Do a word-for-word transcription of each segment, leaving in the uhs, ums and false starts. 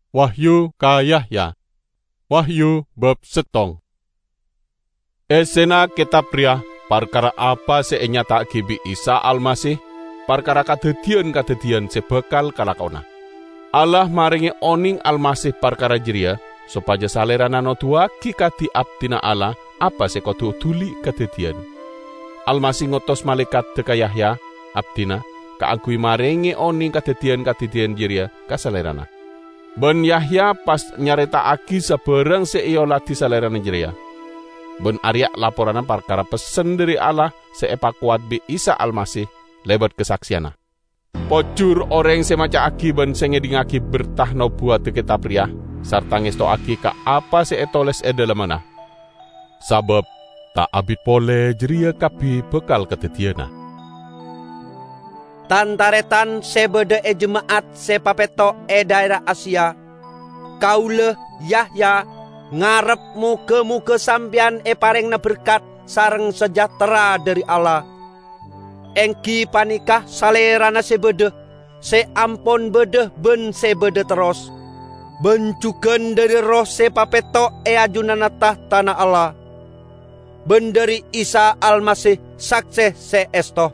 Wahyu ka Yahya. Wahyu bab settong. Essena ketab reya parkara apa se enyata'agi bi' Isa Almasih, parkara kadaddiyan-kadaddiyan se bakal kalakona. Allah marenge oneng Almasih parkara jareya sopaja Salerana noduwagi kadi abdina Allah apa se kodu dhuli kadaddiyan. Almasih ngotos malaekadda ka Yahya, abdina, kaangguy marenge oneng kadaddiyan-kadaddiyan jareya ka Salerana. Ban Yahya pas nyareta'agi sabarang se eoladi Salerana jareya. Ban areya laporanna parkara pessen dhari Allah se epakowat bi' Isa Almasih lebat kasakseyanna. Pojur oreng se maca'agi ban se ngedhingngagi berta nobuwadda ketab reya, sarta ngestowagi ka apa se etoles e dhalemmanna. Sabab ta' abit pole jareya kabbi bakal kadaddiyana. Tan-taretan se badha e jema'at se papetto' e dhaera Asia, kaula, Yahya, ngarep moga-moga sampeyan eparengngana berkat sareng sejahtera dhari Allah. Enggi paneka Salerana se badha, se ampon badha ban se badha terros, ban jugan dhari Erroh se papetto' e ajunanna tahtana Allah, ban dhari Isa Almasih, sakse se esto.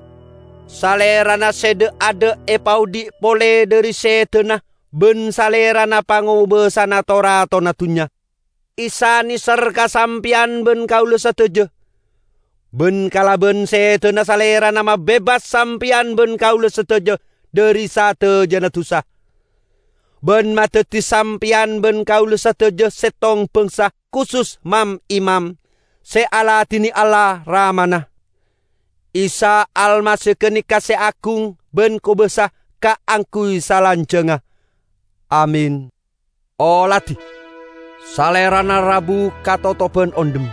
Salerana se dha'-adha' epaodhi' pole dhari sedana, ban Salerana pangobasana to-ratona dunnya. Isa neser ka sampeyan ban kaula sadaja, ban kalaban sedana Salerana mabebas sampeyan ban kaula sadaja dhari sadajana dusa, ban madaddi sampeyan ban kaula sadaja settong bangsa, kusus mam-imam, se aladine Allah Ramana. Isa Almasih ganeka se agung ban kobasa kaangguy salanjangnga. Amin. Oladi. Salerana rabu katotoban ondhem.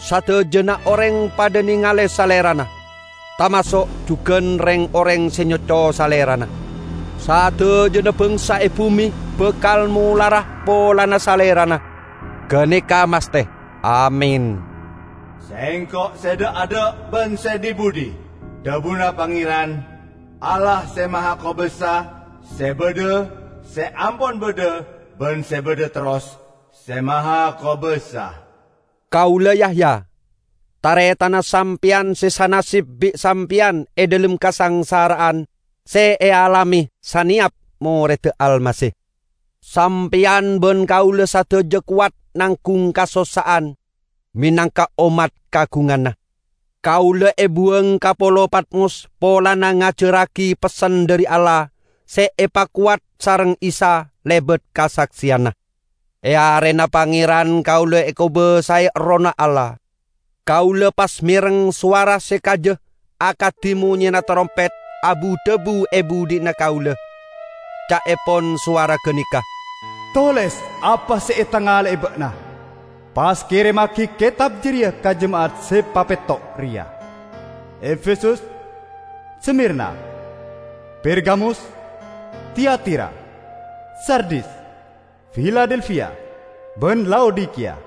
Sadajana oreng padha nengale Salerana, tamaso' jugan reng-oreng se nyoco Salerana. Sadajana bangsa e bume bakal molara polana Salerana. Ganeka maste. Amin. Sengko' se dha'-adha' ban se dhi-budhi, dhabuna Pangeran, Allah Se Mahakobasa, se badha, se ampon badha, ban se badha terros, Se Mahakobasa. Kaula Yahya, taretanna sampeyan se sanasib bi' sampeyan e dhalem kasangsara'an se ealame saneyap moredda Almasih. Sampeyan ban kaula sadaja kowat nanggung kasossa'an menangka ommat kagunganna. Kaula ebuwang ka polo Patmos polana ngajarragi pessen dhari Allah se epakowat sareng Isa lebat kasakseyanna. E arena Pangeran kaula ekobasae Errohna Allah. Kaula pas mereng sowara se kaja akadi monyena tarompet abu-dhabu e budhi'na kaula. Ca'epon sowara ganeka, "Toles apa se etangale'e ba'na, pas keremmagi ketab jareya ka jema'at se papetto' reya: Efesus, Smirna, Pergamus, Tiatira, Sardis, Filadelfia, ban Laodikiya."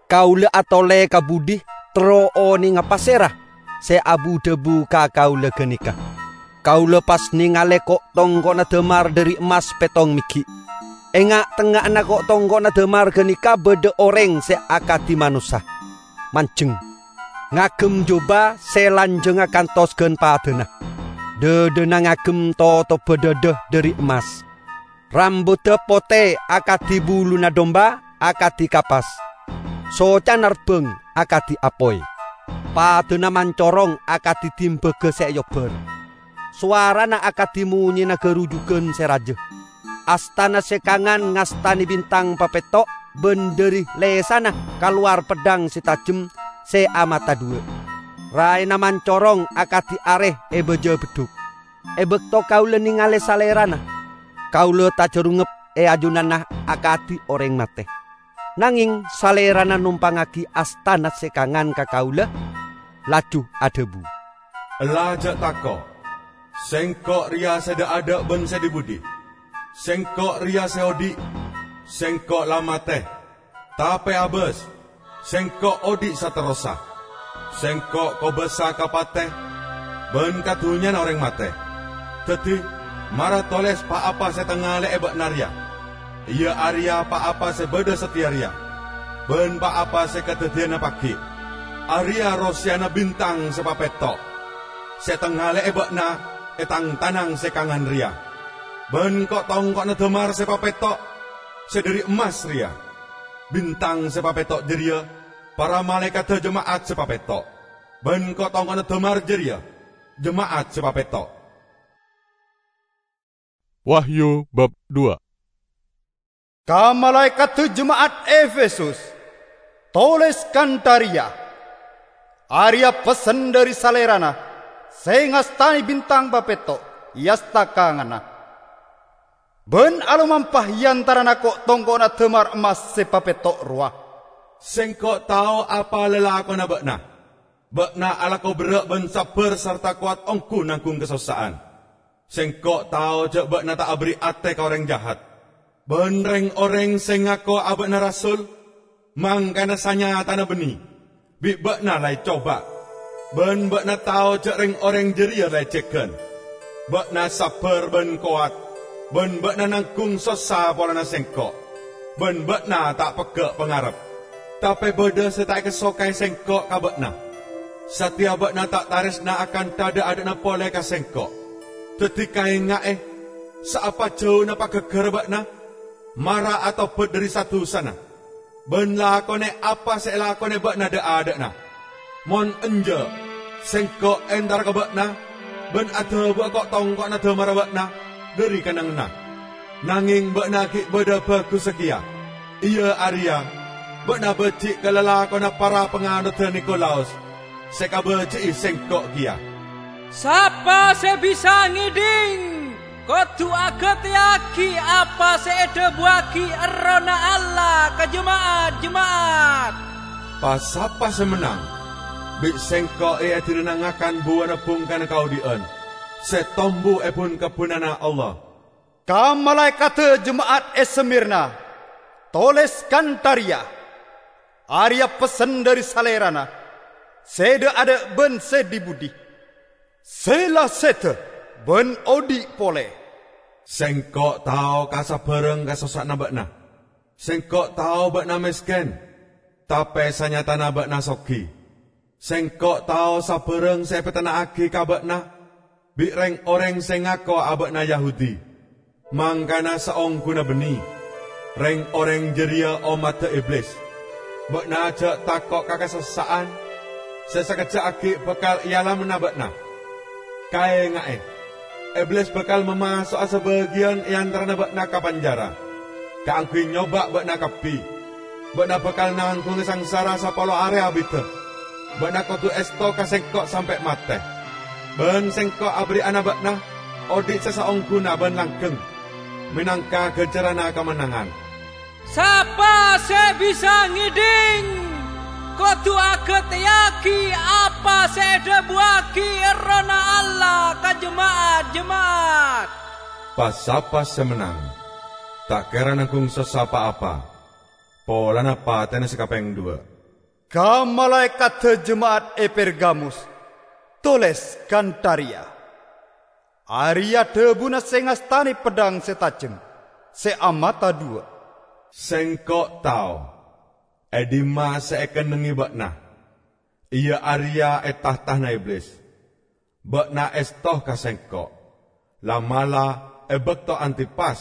Kaula atole ka budhi terro onenga pasera se abu-dhabu ka kaula ganeka. Kaula pas nengale ko'-tongko'na damar dhari emmas pettong meggi'. E nga'-tengnga'anna ko'-tongko'na damar ganeka badha oreng se akadi manossa, manjeng, ngagem jubah se lanjangnga kantos gan padana. Dhadhana ngagem totobba dhadha dhari emmas. Rambudda pote akadi buluna domba, akadi kapas. Socana rebbang akadi apoy. Padana mancorong akadi dimbaga se eobbar. Sowarana akadi monyena garujugan se raja. Astana se kangan ngastane bintang papetto', ban dhari lesana kalowar peddhang se tajem se amata dhuwa'. Raena mancorong akadi are e baja beddhuk. E bakto kaula nengale Salerana, kaula tajarungep e ajunanna akadi oreng mate. Nangeng Salerana nompangngagi astana se kangan ka kaula, laju adhabu, "Ella ja' tako'. Sengko' reya se dha'-adha' ban se dhi-budhi. Sengko' reya se odhi'. Sengko' la mate. Tape abas, Sengko' odhi' saterrossa. Sengko' kobasa ka pate ban ka dunnyana oreng mate. Daddi, mara toles pa-apa se etangale'e ba'na reya." Iyâ arèya pa-apa sè bâdâ satèya rèya, bân pa-apa sè kadhâddhiyânna paghi'. Arèya rosèyanna bintang sè papètto', sè ètangale'è bâ'na è tang-tanang sè kangan rèya, bân ko'-tongko'na dâmar sè papètto' sè dhâri emmas rèya. Bintang sè papètto' jârèya para malaèkaddhâ jema'at sè papètto', bân ko'-tongko'na dâmar jârèya jema'at sè papètto'. Wahyu bab dua. Ka malaèkaddhâ jema'at Efesus, tolès kantha rèya, "Arèya pessen dhâri Salèrana sè ngastanè bintang papètto' è asta kanganna, bân alomampa è antarana ko'-tongko'na dâmar emmas sè papètto' rowa." Sèngko' tao apa lalakonna bâ'na. Bâ'na alako berrâ' bân sabbhâr sarta kowat ongghu nanggung kasossa'an. Sèngko' tao jâ' bâ'na ta' aberri' atè ka orèng jahat. Bân rèng-orèng sè ngako abâ'na rasul, mangkana sanyatana bânnè, bi' bâ'na la ècoba. Bân bâ'na tao jâ' rèng-orèng jârèya la èjhâghân. Bâ'na sabbhâr bân kowat, bân bâ'na nanggung sossa polana sèngko', bân bâ'na ta' pegghâ' pangarep. Tapè bâdâ sè ta' èkasokaè sèngko' ka bâ'na. Satèya bâ'na ta' tarèsna akantha dha'-adhâ'na polè ka sèngko'. Dhâddhi kaènga'è, saapa jhâuna paghâghârrâ bâ'na, mara atobhât dhâri sa-dusana, bân lakonè apa sè èlakonè bâ'na dha'-adhâ'na. Mon enjâ', sèngko' entara ka bâ'na bân adhâbuwâ ko'-tongko'na dâmarra bâ'na dhâri kennengnganna. Nangèng bâ'na ghi' bâdâ bhâghussa kèya, iyâ arèya bâ'na bâji' ka lalakonna para panganodhâ Nikolaus sè kabâji'i sèngko' kèya. Sapa sè bisa ngèdhing, kodhu aghâtèyaghi apa sè èdhâbuwâghi Errohna Allah ka jema'at-jema'at. Pa-sapa sè mennang, bi' sèngko' èadilana ngakan buwâna bhungkana kaodhi'ân sè tombu è bun-kebbhunanna Allah. Ka malaèkaddhâ jema'at è Smirna, tolès kantha rèya, "Arèya pessen dhâri Salèrana, sè dha'-adha' bân sè dhi-budhi, sè la sèdhâ bân odhi' polè." Sèngko' tao ka sabhârâng kasossa'anna bâ'na. Sèngko' tao bâ'na mèskèn, tapè sanyatana bâ'na sogi. Sèngko' tao sabhârâng sè èpètenna'aghi ka bâ'na bi' rèng-orèng sè ngako abâ'na Yahudi, mangkana saongghuna bânnè, rèng-orèng jârèya ommaddhâ Iblis. Bâ'na jâ' tako' ka kasossa'an sè sakejjhâ' aghi' bhâkal èalamana bâ'na. Kaènga'è, Iblis bhâkal mamaso'a sabâgiyân è antarana bâ'na ka panjara, kaangghuy nyoba bâ'na kabbhi. Bâ'na bhâkal nangghunga sangsara sapolo arè abiddhâ. Bâ'na kodhu èsto ka sèngko' sampè' matè. Bân sèngko' aberri'ana bâ'na odhi' sè saongghuna bân langghâng, mènangka ghânjhârânna kamennangan. Sapa sè bisa ngèdhing, kodhu aghâtèyaghi apa sè èdhâbuwâghi Errohna Allah ka jema'at-jema'at. Pa-sapa sè mennang, ta' kèra nangghung sossa pa-apa polana patèna sè kapèng duwâ'. Ka malaèkaddhâ jema'at è Pergamus, tolès kantha rèya, "Arèya dhâbuna sè ngastanè peddhâng sè tajem, sè amata duwâ'." Sèngko' tao è dimma sè èkennengngè bâ'na, iyâ arèya è tahtana Iblis. Bâ'na èsto ka sèngko', la'-mala' è bâkto Antipas,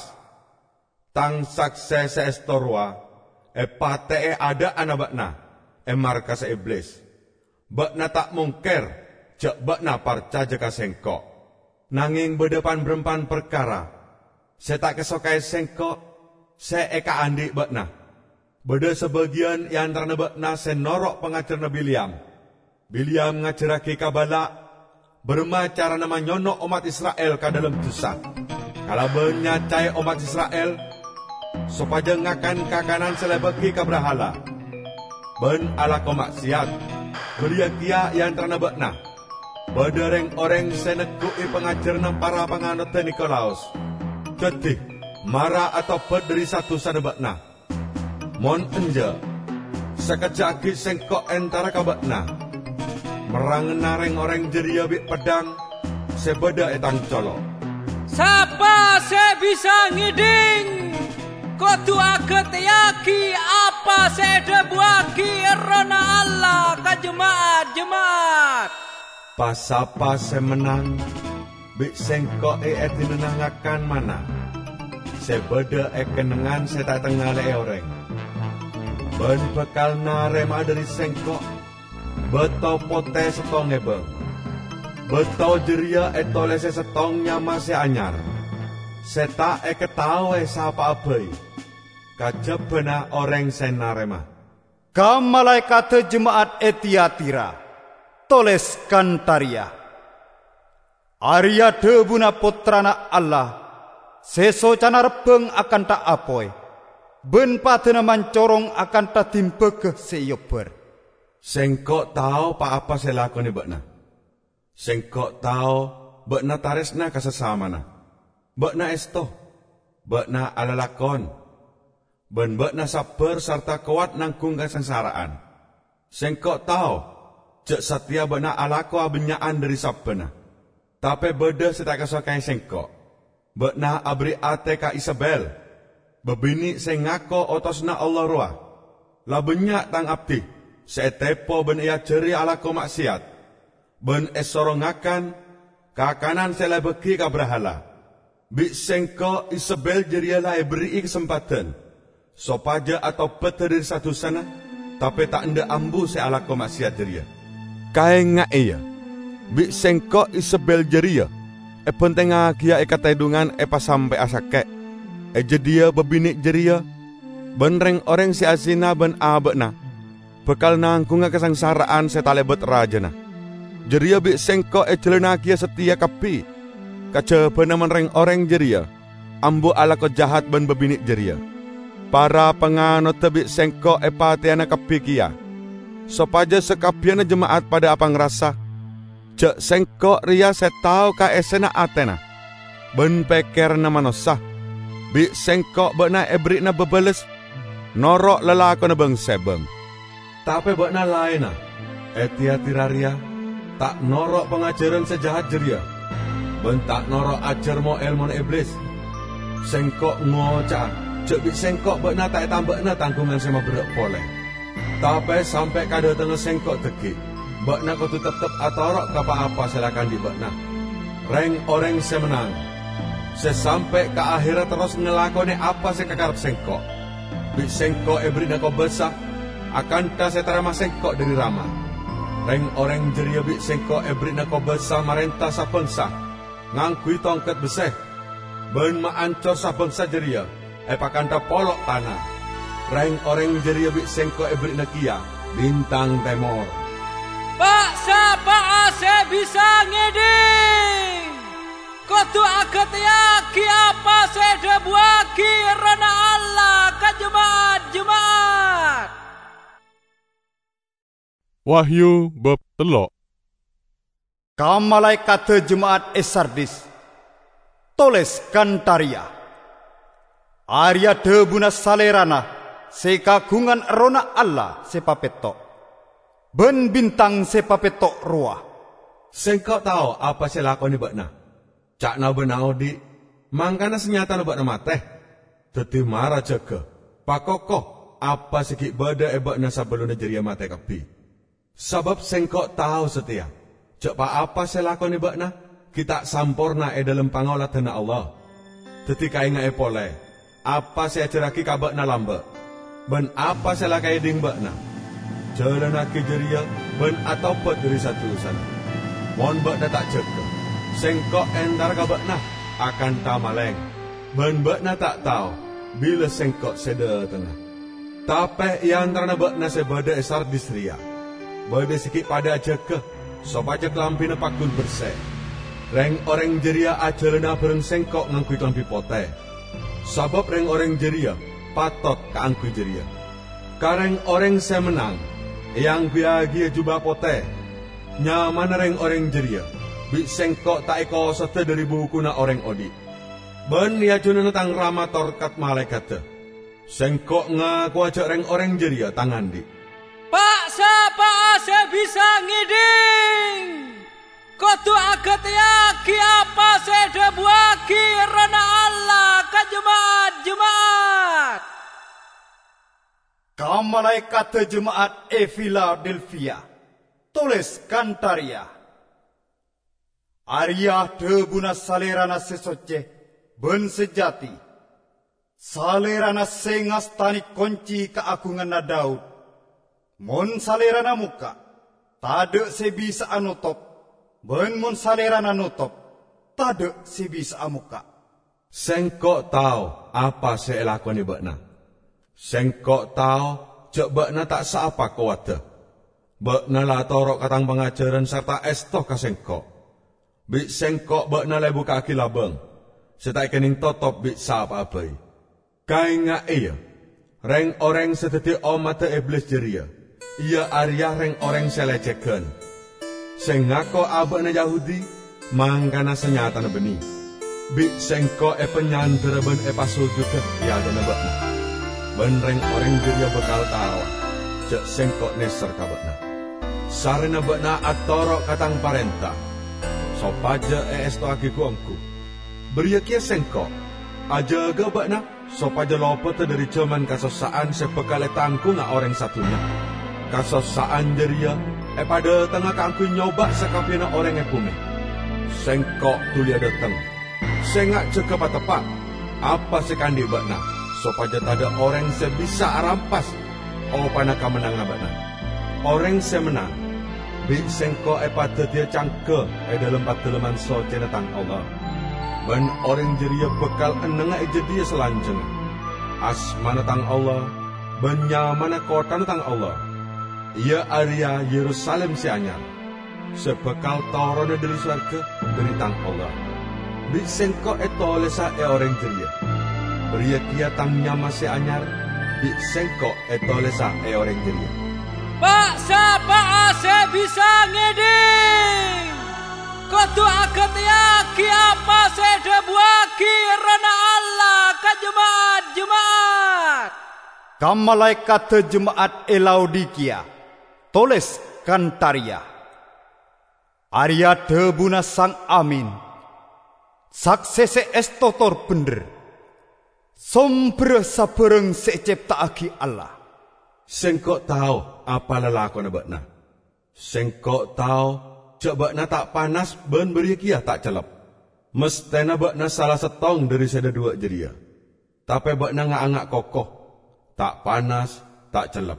tang saksè sè èsto rowa èpatè'è adhâ'ânna bâ'na è markassa Iblis. Bâ'na ta' mongkèr jâ' bâ'na parcajâ ka sèngko'. Nangèng bâdâ pan-bârâmpan parkara sè ta' èkasokaè sèngko' sè èkaandhi' bâ'na. Bâdâ sabâgiyân è antarana bâ'na sè noro' pangajhârânna Bileam. Bileam ngajhârraghi ka Balak bârâmma carana manyono' ommat Isra'il ka dhâlem dhusa, kalabân nyacaè ommat Isra'il sopajâ ngakan kakanan sè lèbâghi ka brahala, bân alako ma'siyat. Bâriyâ kèya è antarana bâ'na bâdâ rèng-orèng sè negghu'i pangajhârânna para panganodhâ Nikolaus. Dhâddhi, mara atobhât dhâri sa-dusana bâ'na. Mon enjâ', sakejjhâ' aghi' sèngko' entara ka bâ'na, merrangnga rèng-orèng jârèya bi' peddhâng sè bâdâ è tang colo'. Sapa sè bisa ngèdhing? Kodhu agateyagi apa se edhabuwagi Errohna Allah ka jema'at-jema'at. Pa-sapa se mennang, bi' Sengko' eedinana ngakan manna se badha e kennengngan se ta' etangale'e oreng, ban bakal narema'a dhari Sengko' bato pote settong ebang. Bato jareya etolese settong nyama se anyar, se ta' ekataowe sapa'a bai kajabana oreng se narema. Ka malaekadda jema'at e Tiyatira, toles kantha reya, "Areya dhabuna Pottrana Allah, se socana rebbang akantha apoy, ban padana mancorong akantha dimbaga se eobbar." Sengko' tao pa-apa se elakone ba'na. Sengko' tao ba'na taresna ka sasamana. Ba'na esto, ba'na alalakon, ban ba'na sabbar sarta kowat nanggung kasangsara'an. Sengko' tao ja' sateya ba'na alako abannya'an dhari sabbana, tape badha se ta' ekasoka'e Sengko'. Ba'na aberri' ate ka Isebel, babine' se ngako otosanna Allah rowa. La bannya' tang abdi se etepo ban eajari alako ma'seyat, ban esoro ngakan kakanan se la ebagi ka brahala. Bi' Sengko' Isebel jareya la eberri'i kasempadhan sopaja atobadda dhari sa-dusana, tape ta' endha' ambu se alako ma'seyat jareya. Kaenga'e, ya! Bi' Sengko' Isebel jareya ebentengngagiya e katedhungan epasampe'a sake'. E jadhiya babine' jareya ban reng-oreng se azina ban aba'na bakal nanggunga kasangsara'an se talebat rajana. Jareya bi' Sengko' ejalannagiya sateya kabbi kajabana mon reng-oreng jareya ambu alako jahat ban babine' jareya. Para panganoda bi' Sengko' epateyana kabbi keya, sopaja sakabbiyanna jema'at padha apangrasa ja' Sengko' reya se tao ka essena atena ban pekkeranna manossa. Bi' Sengko' ba'na eberri'ana babales noro' lalakonna bang-sebang. Tape ba'na laenna e Tiyatira reya ta' noro' pangajaran se jahat jareya, ban ta' noro' ajar mo-elmona Iblis. Sengko' ngoca'a ja' bi' Sengko' ba'na ta' etamba'ana tanggungan se maberra' pole. Tape sampe' kadatengnga Sengko' dhaggi', ba'na kodu teptep atoro' ka pa-apa se la ekaandhi' ba'na. Reng-oreng se mennang, se sampe' ka aherra terros ngalakone apa se ekakarep Sengko', bi' Sengko' eberri'ana kobasa akantha se etarema Sengko' dhari Rama. Reng-oreng jareya bi' Sengko' eberri'ana kobasa marenta sa-bangsa ngangguy tongket besse, ban maancor sa-bangsa jareya epakantha polo' tana. Reng-oreng jareya bi' Sengko' eberri'ana keya bintang temor. Pa'-sapa'a se bisa ngedhing, kodu agateyagi apa se edhabuwagi Errohna Allah ka jema'at-jema'at. Wahyu bab tello'. Ka malaekadda jema'at e Sardis, toles kantha reya, "Areya dhabuna Salerana se kagungan Errohna Allah se papetto', ban bintang se papetto' rowa." Sengko' tao apa se elakone ba'na. Ca'na ba'na odhi', mangkana sanyatana ba'na mate. Daddi mara jaga, pakoko apa se gi' badha e ba'na sabellunna jareya mate kabbi. Sabab Sengko' tao sateya ja' pa-apa se elakone ba'na gi' ta' samporna e dhalem pangoladanna Allah. Daddi kaenga'e pole apa se eajarragi ka ba'na lamba', ban apa se la ekaedhing ba'na. Jalannagi jareya ban atobat dhari sa-dusana. Mon ba'na ta' jaga, Sengko' entara ka ba'na akantha maleng, ban ba'na ta' tao bila Sengko' se dhatengnga. Tape e antarana ba'na se badha e Sardis reya, badha se gi' padha ajaga sopaja kalambina paggun berse. Reng-oreng jareya ajalana abareng Sengko' ngangguy kalambi pote, sabab reng-oreng jareya patot kaangguy jareya. Ka reng-oreng se mennang eangguyagiya juba pote. Nyamana reng-oreng jareya bi' Sengko' ta' ekosoda dhari bukuna oreng odhi', ban e ajunanna Tang Rama torkat malaekadda. Sengko' ngakowa ja' reng-oreng jareya Tang andhi'. Pa'-sapa'a se bisa ngedhing, kodu agateyagi apa se edhabuwagi Errohna Allah ka jema'at jema'at. Ka malaekadda jema'at è Filadelfia, toles kantha rèya, "Arèya dhâbuna Salèrana sè soccè bân sè jhâti, Salèrana sè ngastane konci kaagunganna Daud. Mon Salèrana mokka', tadha' sè bisa'a notop, bân mon Salèrana notop, tadha' sè bisa'a mokka'." Sengko' tao apa se elakone ba'na. Sengko' tao ja' ba'na ta' saapa kowadda. Ba'na la atoro' ka tang pangajaran sarta esto ka Sengko'. Bi' Sengko' ba'na la ebukka'agi labang se ta' ekenneng totop bi' sapa'a bai. Kaenga'e, ya! Reng-oreng se daddi ommadda Iblis jareya, iya areya reng-oreng se lecegan, se ngako aba'na Yahudi, mangkana sanyatana banne. Bi' Sengko' epanyandera ban epasujuda e adha'na ba'na, ban reng-oreng jareya bakal taowa ja' Sengko' neser ka ba'na. Sarrena ba'na atoro' ka tang parenta, sopaja eestowagi gu-onggu, bariya keya Sengko' ajaga ba'na sopaja lopoda dhari jaman kasossa'an se bakal etanggunga oreng sadunnya. Kasossa'an jareya epadhatengnga kaangguy nyoba sakabbiyanna oreng e bume. Sengko' duli adhateng. Senga' jaga pateppa' apa se ekaandhi' ba'na, sopaja tadha' oreng se bisa arampas opana kamennanganna ba'na. Oreng se mennang, bi' Sengko' epadaddiya cangga e dhalem Padalemman Soccena Tang Allah, ban oreng jareya bakal ennengnga e jadhiya salanjangnga. Asmana Tang Allah ban nyamana kottana Tang Allah, iya areya Yerusalim se anyar, se bakal torona dhari sowarga, dhari Tang Allah. Bi' Sengko' etolesa e oreng jareya. Bariya keya Tang nyama se anyar, bi' Sengko' etolesa e oreng jareya. Pa'-sapa'a se bisa ngedhing, kodu agateyagi apa se edhabuwagi Errohna Allah ka jema'at-jema'at. Ka malaekadda jema'at e Laodikiya, toles kantha reya, "Areya dhabuna Sang Amin, sakse se esto tor bendher, somberra sabarang se ecepta'agi Allah." Sengko' tao apa lalakonna ba'na. Sengko' tao ja' ba'na ta' panas ban bariya keya ta' cellep. Mastena ba'na sala settong dhari se dhadhuwa' jareya. Tape ba'na nga'-anga' koko, ta' panas, ta' cellep.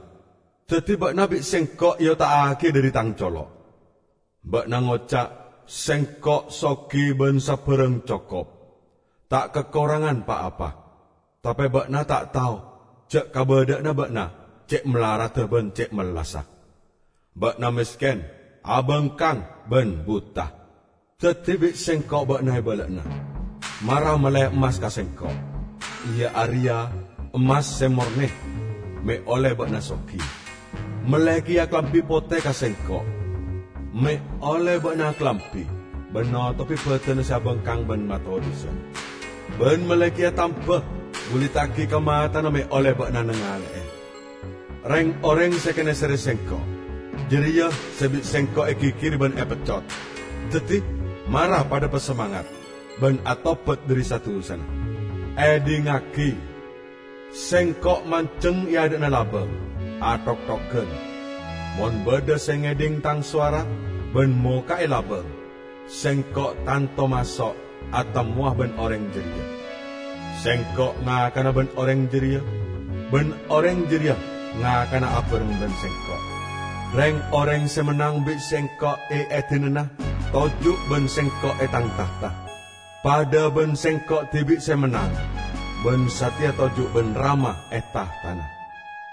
Daddi ba'na bi' Sengko' eota'agi dhari Tang colo'. Ba'na ngoca', "Sengko' sogi ban sabarang cokop, ta' kakorangan pa-apa." Tape ba'na ta' tao ja' kabadha'anna ba'na ce' malaradda ban ce' mellassa. Ba'na mesken, abangkang, ban buta. Daddi bi' Sengko' ba'na ebala'ana. Mara melle emmas ka Sengko', iya areya emmas se morne, me' olle ba'na sogi. Melle keya kalambi pote ka Sengko', me' olle ba'na akalambi ban notobi badana se abangkang ban matodusa. Ban melle keya tamba, buliddhagi ka matana me' olle ba'na nangale'e. Reng-oreng se kenesere Sengko', jareya se bi' Sengko' egigiri ban epeccot. Daddi, mara padha pasemangat ban atobat dhari sa-dusana. Edhingngagi! Sengko' manjeng e adha'na labang, atoktogan. Mon badha se ngedhing Tang sowara ban moka'e labang, Sengko' tanto maso' atemmowa ban oreng jareya. Sengko' ngakana ban oreng jareya, ban oreng jareya ngakana abareng ban Sengko'. Reng-oreng se mennang bi' Sengko' eedinana toju' ban Sengko' e Tang tahta. Padha ban Sengko' dibi' se mennang, ban sateya toju' ban Rama e tahtana.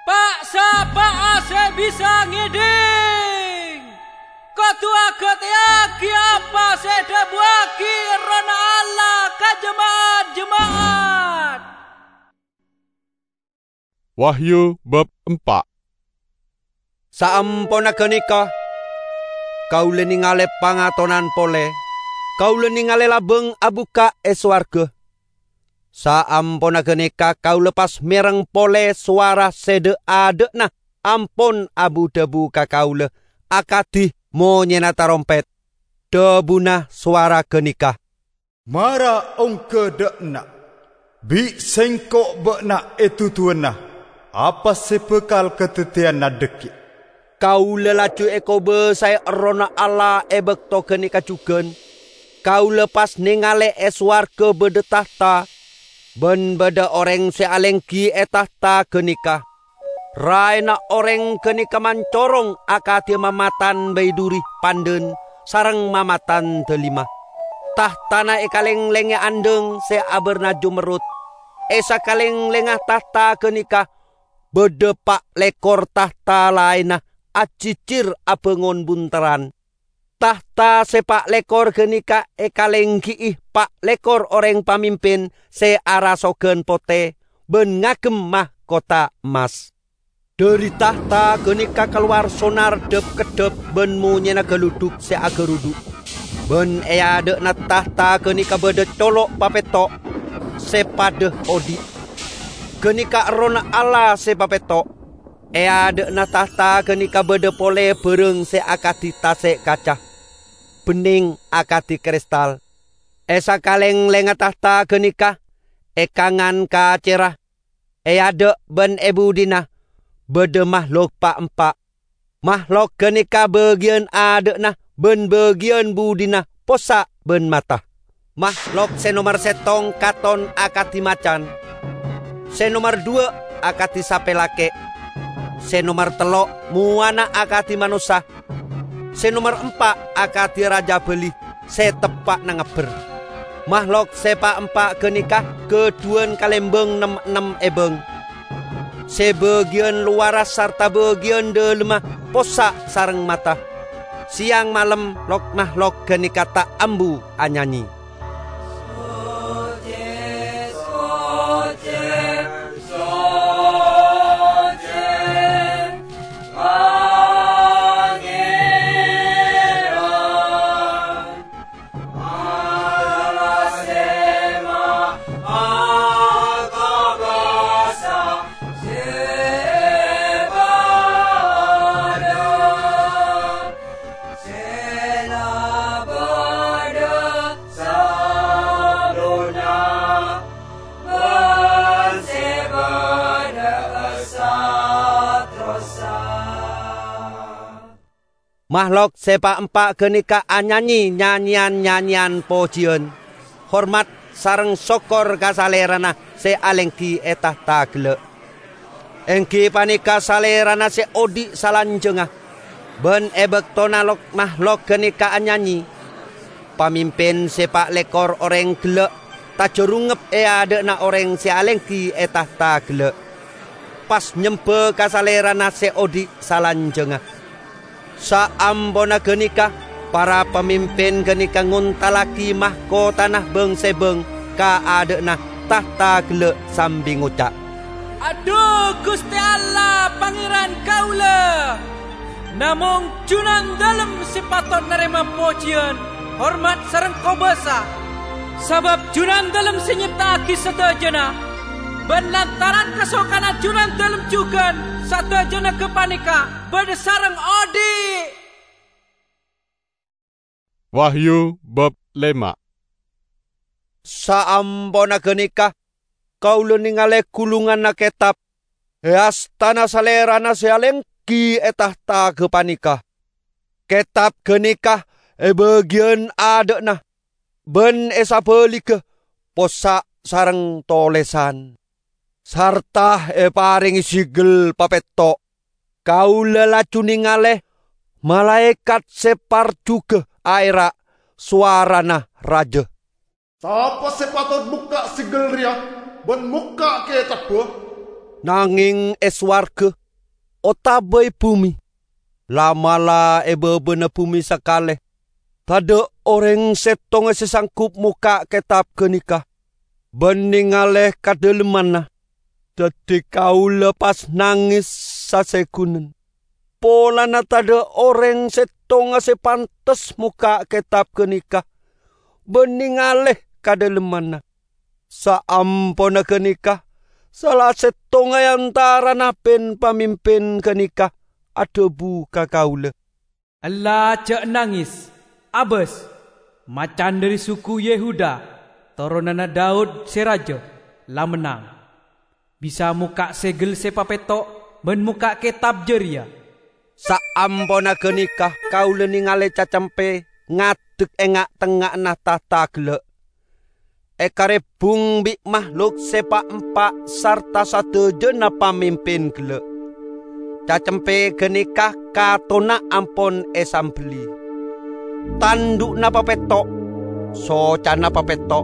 Pa'-sapa'a se bisa ngedhing, kodu agateyagi apa se edhabuwagi Errohna Allah ka jema'at-jema'at. Wahyu bab empa'. Saamponna ganeka, kaula nengale pangatonan pole, kaula nengale labang abukka' e sowarga. Saamponna ganeka kaula pas mereng pole sowara se dha'-adha'na ampon abu-dhabu ka kaula akadi monyena tarompet. Dhabuna sowara ganeka, "Mara ongga dha' enna', "Bi' Sengko' ba'na eduduwâna apa se bakal kadaddiyâna dhaggi'." Kaula laju ekobasae Errohna Allah e bakto ganeka jugan. Kaula pas nengale e sowarga badha tahta, ban badha oreng se alenggi e tahta ganeka. Raena oreng ganeka mancorong akadi mamatan baiduri pandhan sareng mamatan dalima. Tahtana ekalenglengnge andhang se abarna jumerrut. E sakalenglengnga tahta ganeka badha pa' lekor tahta laenna ajijir abangon bunterran. Tahta se pa' lekor ganeka ekalenggi'i pa' lekor oreng pamimpin se arasogan pote ban ngagem mahkota emmas. Dhari tahta ganeka kalowar sonar dhap-keddhap ban monyena galudhuk se agarudhu'. Ban e adha'na tahta ganeka badha colo' papetto' se padha odhi'. Ganeka Errohna Allah se papetto'. E adha'na tahta ganeka badha pole barang se akadi tase' kaca, benneng akadi kristal. E sakalenglengnga tahta ganeka, e kangan kacera, e adha' ban e budina, badha mahlok pa'-empa'. Mahlok ganeka bagiyan adha'na ban bagiyan budina possa' ban mata. Mahlok se nomer settong katon akadi macan, se nomer dhuwa' akadi sape lake', se nomer tello' mowana akadi manossa, se nomer empa' akadi raja bali se teppa'na ngabber. Mahlok se pa'-empa' ganeka gadhuwan kalembang nem-ennem ebang. Se bagiyan lowarra sarta bagiyan dhalemma possa' sareng mata. Seyang malem lok-mahlok ganeka ta' ambu anyanyi. Mahlok se pa'-empa' ganeka anyanyi nyanyeyan-nyanyeyan pojiyan, hormat sareng sokkor ka Salerana se alenggi e tahta gella'. Enggi paneka Salerana se odhi' salanjangnga. Ban e baktona lok-mahlok ganeka anyanyi, pamimpin se pa' lekor oreng gella' tajarungep e adha'na oreng se alenggi e tahta gella', pas nyemba ka Salerana se odhi' salanjangnga. Saamponna ganeka, para pamimpin ganeka ngontallagi mahkotana bang-sebang ka adha'na tahta gella' sambi ngoca', "Adhu, Guste Allah, Pangeran kaula! Namong Junandalem se patot narema pojiyan, hormat sareng kobasa, sabab Junandalem se nyepta'agi sadajana, ban lantaran kasokanna Junandalem jugan sadajana gapaneka badha sareng odhi'." Wahyu bab lema. Saamponna ganeka, kaula nengale gulunganna ketab e astana Salerana se alenggi e tahta gapaneka. Ketab ganeka e bagiyan adha'na, ban e sabaliga possa' sareng tolesan, sarta eparenge sigel papetto'. Kaula laju nengale malaekat se parjuga aera' sowarana raja, "Sapa se patot mokka' sigel reya ban mokka' ketabba?" Nangeng e sowarga otaba e bume, la'-mala' e babana bume sakale, tadha' oreng settonga se sanggup mokka' ketab ganeka ban nengale kadalemanna. Daddi kaula pas nanges sasegunan, polana tadha' oreng settonga se pantes mokka' ketab ganeka ban nengale kadalemanna. Saamponna ganeka, sala settonga e antarana pin-pamimpin ganeka adhabu ka kaula, "Ella ja' nanges, abas! Macan dhari suku Yehuda, toronanna Daud se raja, la mennang. Bisa mokka' segel se papetto' ban mokka' ketab jareya." Saamponna ganeka kaula nengale Cacempe ngadek e nga'-tengnga'anna tahta gella', ekarebbung bi' mahlok se pa'-empa' sarta sadajana pamimpin gella'. Cacempe ganeka katonna ampon esambelli. Tandhu'na papetto', socana papetto',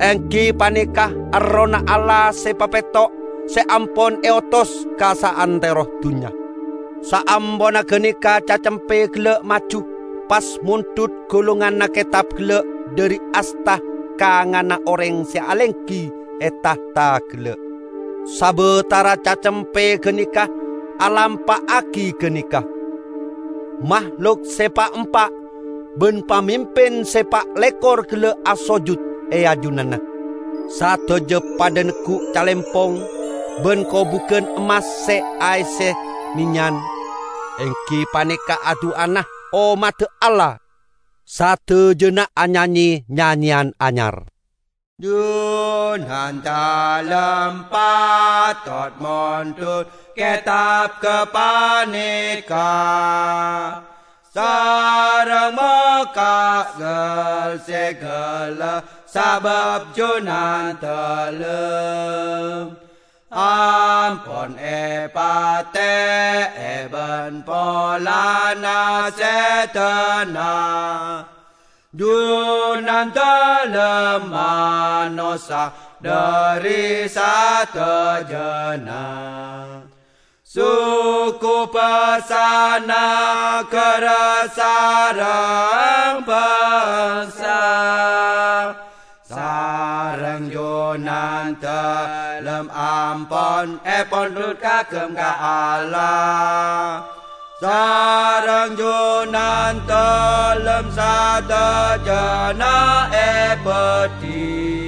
enggi paneka Errohna Allah se papetto' se ampon eotos ka saantero dunnya. Saamponna ganeka Cacempe gella' maju, pas mondhut golonganna ketab gella' dhari asta kangana oreng se alenggi e tahta gella'. Sabatara Cacempe ganeka alampa'agi ganeka, mahlok se pa'-empa' ban pamimpin se pa' lekor gella' asojud e ajunanna. Sadaja padha neggu' calempong ban kobugan emmas se aesse menyan, enggi paneka adu'ana ommadda Allah. Sadajana anyanye nyanyeyan anyar. Junan dalem patot mondhut ketab gapaneka, sareng mokka' gel-segella sabab junan dalem ampon epate'e ban polana sedana. Junan dalem manossa dhari sadajana suku, bangsa, nagara, sareng bangsa. Sareng junan dalem ampon epondhut kagem ka Allah. Sareng junan dalem sadajana ebadhi.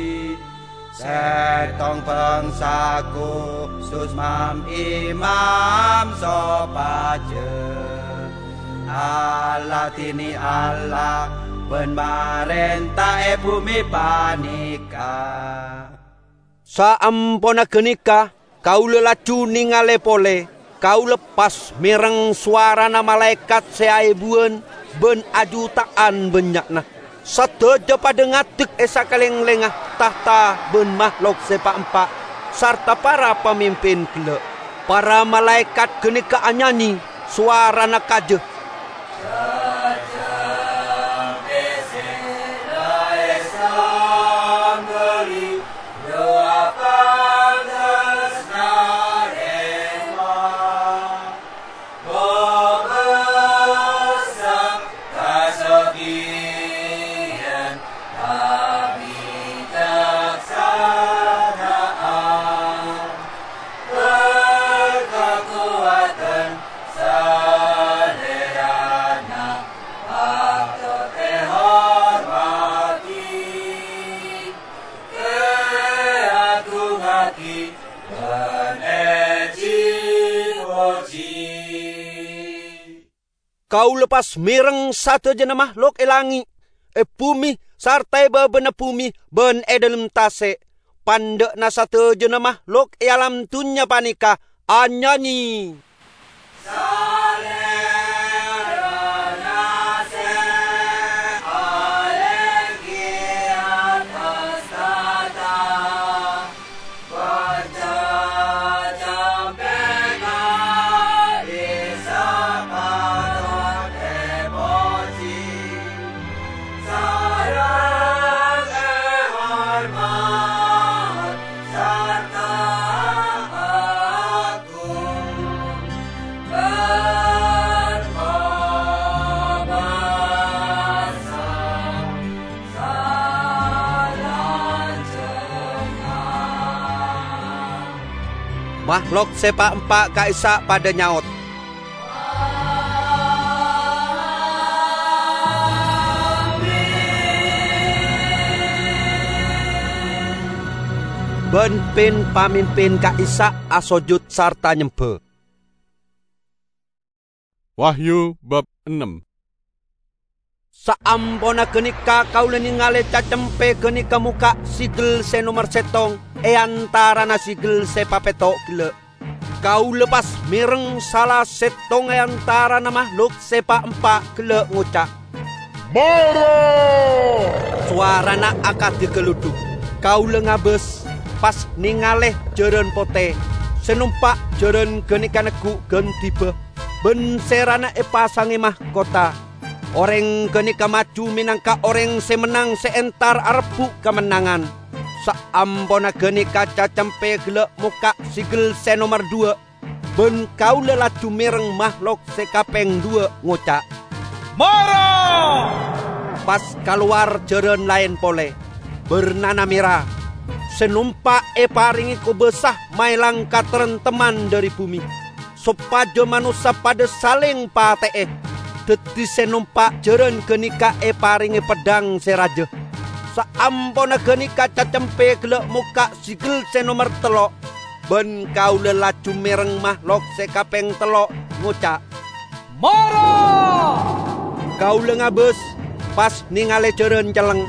Settong bangsa khusus mam-imam sopaja aladine Allah ban marenta e bumi paneka. Saamponna ganeka, kaula laju nengale pole, kaula pas mereng sowarana malaekat se aebuwan ban ajuta'an bannya'na. Sadaja padha ngadek e sakalenglengnga tahta ban mahlok se pa'-empa', sarta para pamimpin gella'. Para malaekat ganeka anyanye, sowarana kaja, Salerana patut ehormati, eagungngagi, ban eji-poji. Kaula pas mereng sadajana mahlok e langnge', e bume, sarta e babana bume ban e dhalem tase'. Pandha'na sadajana mahlok e alam dunnya paneka anyanye. Salerana se alenggi attas tahta, panca campeka Isa patut epoji. Sareng ehormat sarta agung ban kobasa salanjhângnga. Mahlok se pa'-empa' ka'issa' padha nyaot, ban pin-pamimpin ka'issa' asojud sarta nyemba. Wahyu bab ennem. Saamponna ganeka kaula nengale cacempe ganeka mokka' sigel se nomer settong e antarana sigel se papetto' gella'. Kaula pas mereng sala settong e antarana mahlok se pa'-empa' gella' ngoca', "Mara!" Sowarana akadi galudhuk. Kaula ngabas, pas nengale jaran pote, se nompa' jaran ganeka neggu' gandiba, ban serana epasange mahkota. Oreng ganeka maju menangka oreng se mennang se entar arebbu' kamennangan. Saamponna ganeka cacempe gella' mokka' sigel se nomer duwa, ban kaula laju mereng mahlok se kapeng duwa ngoca', "Mara!" Pas kalowar jaran laen pole, barnana mera, se nompa' eparenge kobasa maelang kataremtemman dhari bume, sopaja manossa padha saleng pate'e. Daddi se nompa' jaran ganeka eparenge peddhang se raja. Saamponna ganeka cacempe gella' mokka' sigel se nomer tello', ban kaula laju mereng mahlok se kapeng tello' ngoca', "Mara!" Kaula ngabas, pas nengale jaran celleng,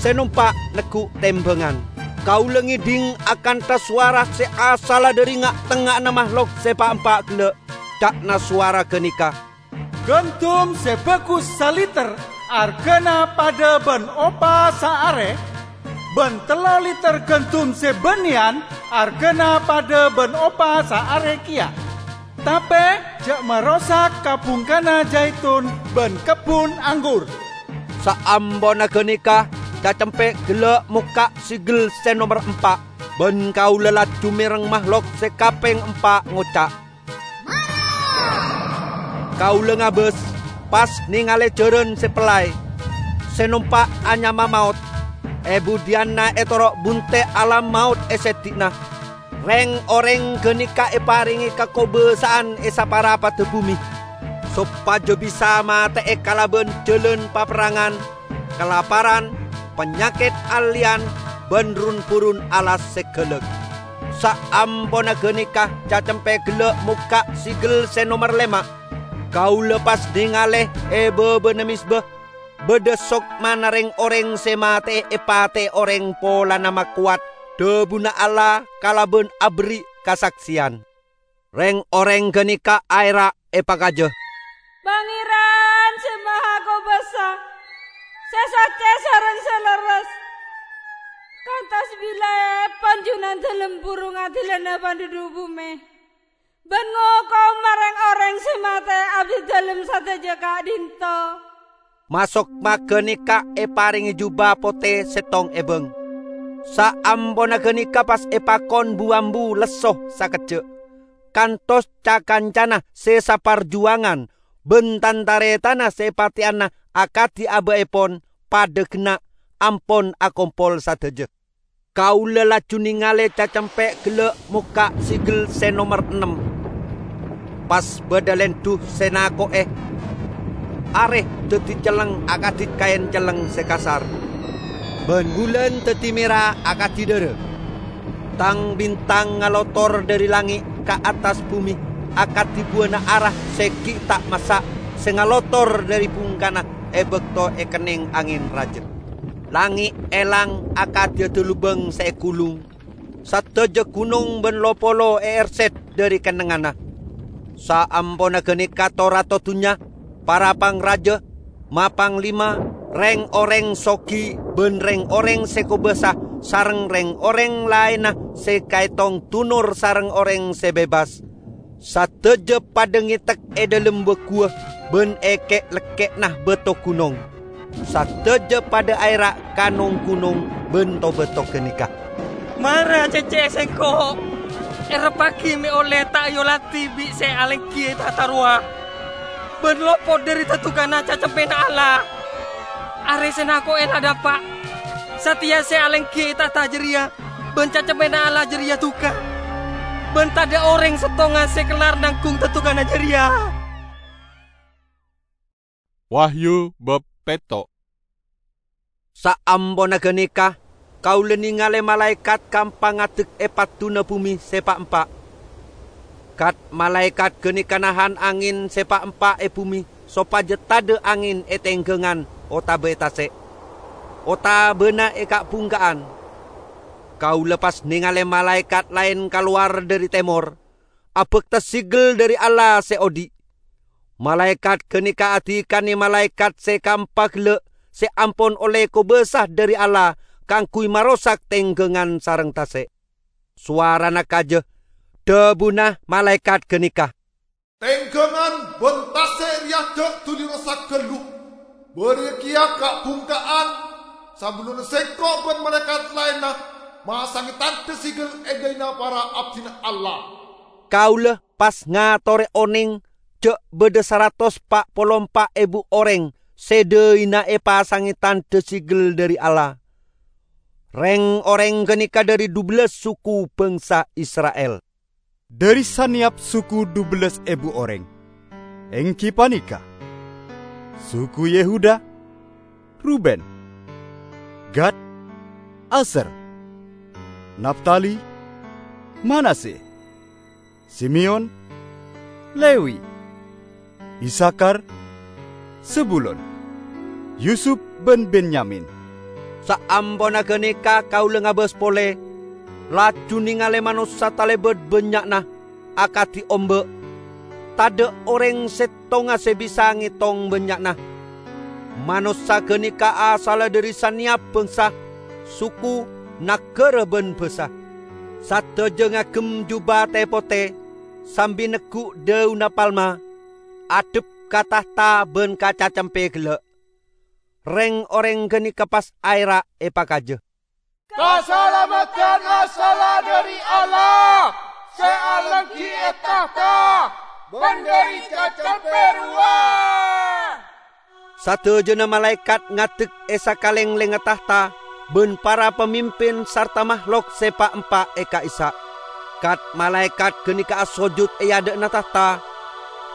se nompa' neggu' tembangan. Kaula ngedhing akantha sowara se asalla dhari nga'-tengnga'anna mahlok se pa'-empa' gella'. Ca'na sowara ganeka, "Gandum se bagus saliter argana padha ban opa saare, ban tello liter gandum se banneyan argana padha ban opa saare keya. Tape ja' marosak ka-bungkana jaitun ban kebbun anggur." Saamponna ganeka, cacempe gella' mokka' sigel se nomer empa', ban kaula laju mereng mahlok se kapeng empa' ngoca', "Kaula ngabas, pas nengale jaran se pellay, se nompa' anyama Maot. E budhiyanna etoro' bunte' alam maot e seddi'na. Reng-oreng ganeka eparenge kakobasa'an e saparapadda bume, sopaja bisa mate'e kalaban jalan paperrangan, kalaparan, panyaked alleyan, ban run-burun alas se galak." Saamponna ganeka cacempe gella' mokka' sigel se nomer lema'. Kaula pas nengale e babana mezba, badha sokmana reng-oreng se mate'e epate oreng polana makowat dhabuna Allah kalaban aberri' kasakseyan. Reng-oreng ganeka aera' epakaja, "Pangeran se Mahakobasa, se socce sareng se lerres, kantos bilai panjunandalem buru ngadilana panduduk bume, ban ngokoma reng-oreng se mate abdidalem sadaja ka'dhinto'." Masok maganeka eparenge juba pote settong ebang. Saamponna ganeka pas epakon bu-ambu lesso sakejja', kantos ca-kancana se saparjuwangan ban tan-taretanna se epateyana akadi aba'epon padha genna' ampon akompol sadaja. Kaula laju nengale cacempe gella' mokka' sigel se nomer ennem. Pas badha lendu se nako'e, are daddi celleng akadi kaen celleng se kasar, ban bulan daddi mera akadi dhara. Tang-bintang ngalotor dhari langnge' ka attas bume akadi buwana ara se gi' ta' massa' se ngalotor dhari bungkana e bakto ekenneng angen raja. Langnge' elang akadi adalubang se egulung. Sadaja gunong ban lo-polo eerset dhari kennengnganna. Saamponna ganeka to-rato dunnya, para pangraja, ma-panglima, reng-oreng sogi ban reng-oreng se kobasa sareng reng-oreng laenna se kaetong dunor sareng oreng se bebas, sadaja padha ngetek e dhalem baguwa ban e ke'-lekke'na bato gunong. Sadaja padha aera' ka nong-gunong ban to-bato ganeka, "Mara cecce'e sengko'! Erebbhagi me' olle ta' eoladi bi' se alenggi e tahta rowa, ban lopot dhari dadukanna cacempena Allah. Are se nako'e la dapa'. Sateya se alenggi e tahta jareya ban cacempena Allah jareya duka, ban tadha' oreng settonga se kellar nanggung dadukanna jareya." Wahyu bab petto'. Saamponna ganeka, kaula nengale malaekat kampa ngadek e padduna bume se pa'-empa'. Kat-malaekat ganeka nahan angen se pa'-empa' e bume sopaja tadhâ' angèn è tèngghângan otabâ è tasè', otabâna è ka'-bhungka'an. Kaulâ pas nèngalè malaèkat laèn kalowar dhâri tèmor, abhâkta segel dhâri Allah sè odi'. Malaèkat ghânèka adhikanè malaèkat sè kaempa ghellâ' sè ampon ollè kobâsa dhâri Allah kaangghuy marosak tèngghângan sareng tasè'. Sowarana kajâ, dhâbuna malaèkat ghânèka, "Tèngghângan bân tasè' rèya jhâ' duli rosak ghâllu. Bâriyâ kèya ka'-bhungka'an, sabellunna sèngko' bân malaèkat laènna masangè tandhâ segel è dhâlina para abdhina Allah." Kaulâ pas ngatorè onèng jhâ' bâdâ saratos pa' polo empa' èbu orèng sè dhâina èpasangè tandhâ segel dhâri Allah. Rèng-orèng ghânèka dhâri dhubellâs suku bhângsa Isra'il. Dhâri sanèyap suku dhubellâs èbu orèng, èngghi panèka: suku Yehuda, Ruben, Gad, Aser, Naftali, Manase, Simeyon, Lewi, Isakhar, Zebulon, Yusup bân Benyamin. Saamponna ghânèka kaulâ ngabâs polè, laju nèngalè manossa talèbât bânnya'na akadhi omba'. Tadhâ' orèng settonga sè bisa ngètong bânnya'na. Manossa ghânèka asalla dhâri sanèyap bhângsa, suku, naghârâ bân bhâsa. Sadhâjâ ngagem jubâ tè-potè, sambi neggu' dâunna palma, adhep ka tahta bân ka Cacempè ghellâ'. Rèng-orèng ghânèka pas aèra' èpakajâ, "Kasalameddhân asalla dhâri Allah sè alèngghi è tahta bân dhâri Cacempè rowa." Sadhâjâna malaèkat ngadek è sakalènglèngnga tahta bân para pamimpin sarta mahlok sè pa'-empa' è ka'issa'. Kat-malaèkat ghânèka asojud è adâ'na tahta,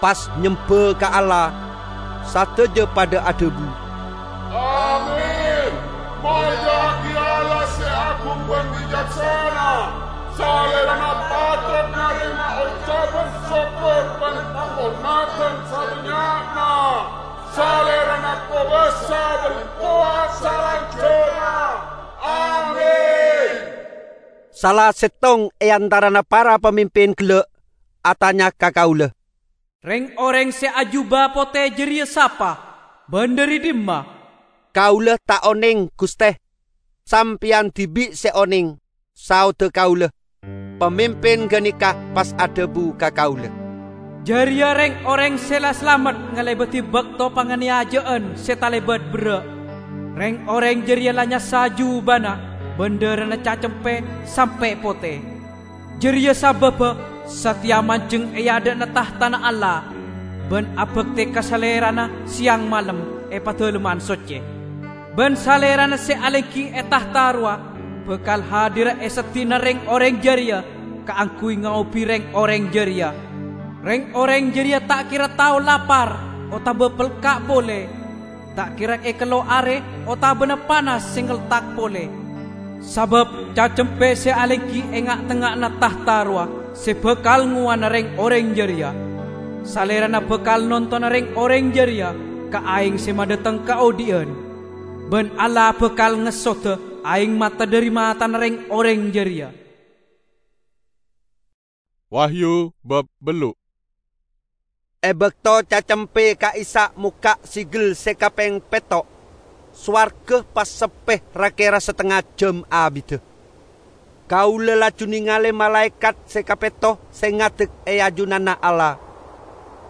pas nyemba ka Allah. Sadhâjâ padâ adhâbu, "Amin! Molja'aghi Allah sè agung bân bicaksana! Salèrana patot narèma ocabhân sokkor bân panghormadhân sabânnya'na! Salèrana kobâsa bân kowat salanjhângnga! Amin!" Sala settong è antarana para pamimpin ghellâ' atanya ka kaulâ, "Rèng-orèng sè ajubâ potè jârèya sapa, bân dhâri dimma?" "Kaulâ ta' onèng, Ghustè. Sampèyan dhibi' sè onèng," saodhâ kaulâ. Pamimpin ghânèka pas adhâbu ka kaulâ, "Jârèya rèng-orèng sè la salamet ngalèbâdhi bâkto panganèyajâ'ân sè talèbât berrâ'. Rèng-orèng jârèya la nyassa jubâna bân dhârâna Cacempè sampè' potè. Jârèya sabâbbhâ satèya manjeng è adâ'na tahtana Allah bân abhâktè ka Salèrana sèyang malem è Padâlemman Soccè. Bân Salèrana sè alèngghi è tahta rowa bhâkal hadirra è seddi'na rèng-orèng jârèya kaangghuy ngaobhi rèng-orèng jârèya. Rèng-orèng jârèya ta' kèra tao lapar otabâ pelka' polè, ta' kèra èkello arè otabâna panas sè ngeltak polè. Sabâb Cacempè sè alèngghi è nga'-tengnga'anna tahta rowa sè bhâkal ngowana rèng-orèng jârèya. Salèrana bhâkal nontona rèng-orèng jârèya ka aèng sè madâteng kaodhi'ân. Bân Allah bhâkal ngessodhâ aèng mata dhâri matana rèng-orèng jârèya." Wahyu bab bellu'. È bâkto Cacempè ka'issa' mokka' segel sè kapèng pètto', sowarghâ pas seppè ra-kèra satengnga jâm abiddhâ. Kaulâ laju nèngalè malaèkat sè kapètto sè ngadek è ajunanna Allah.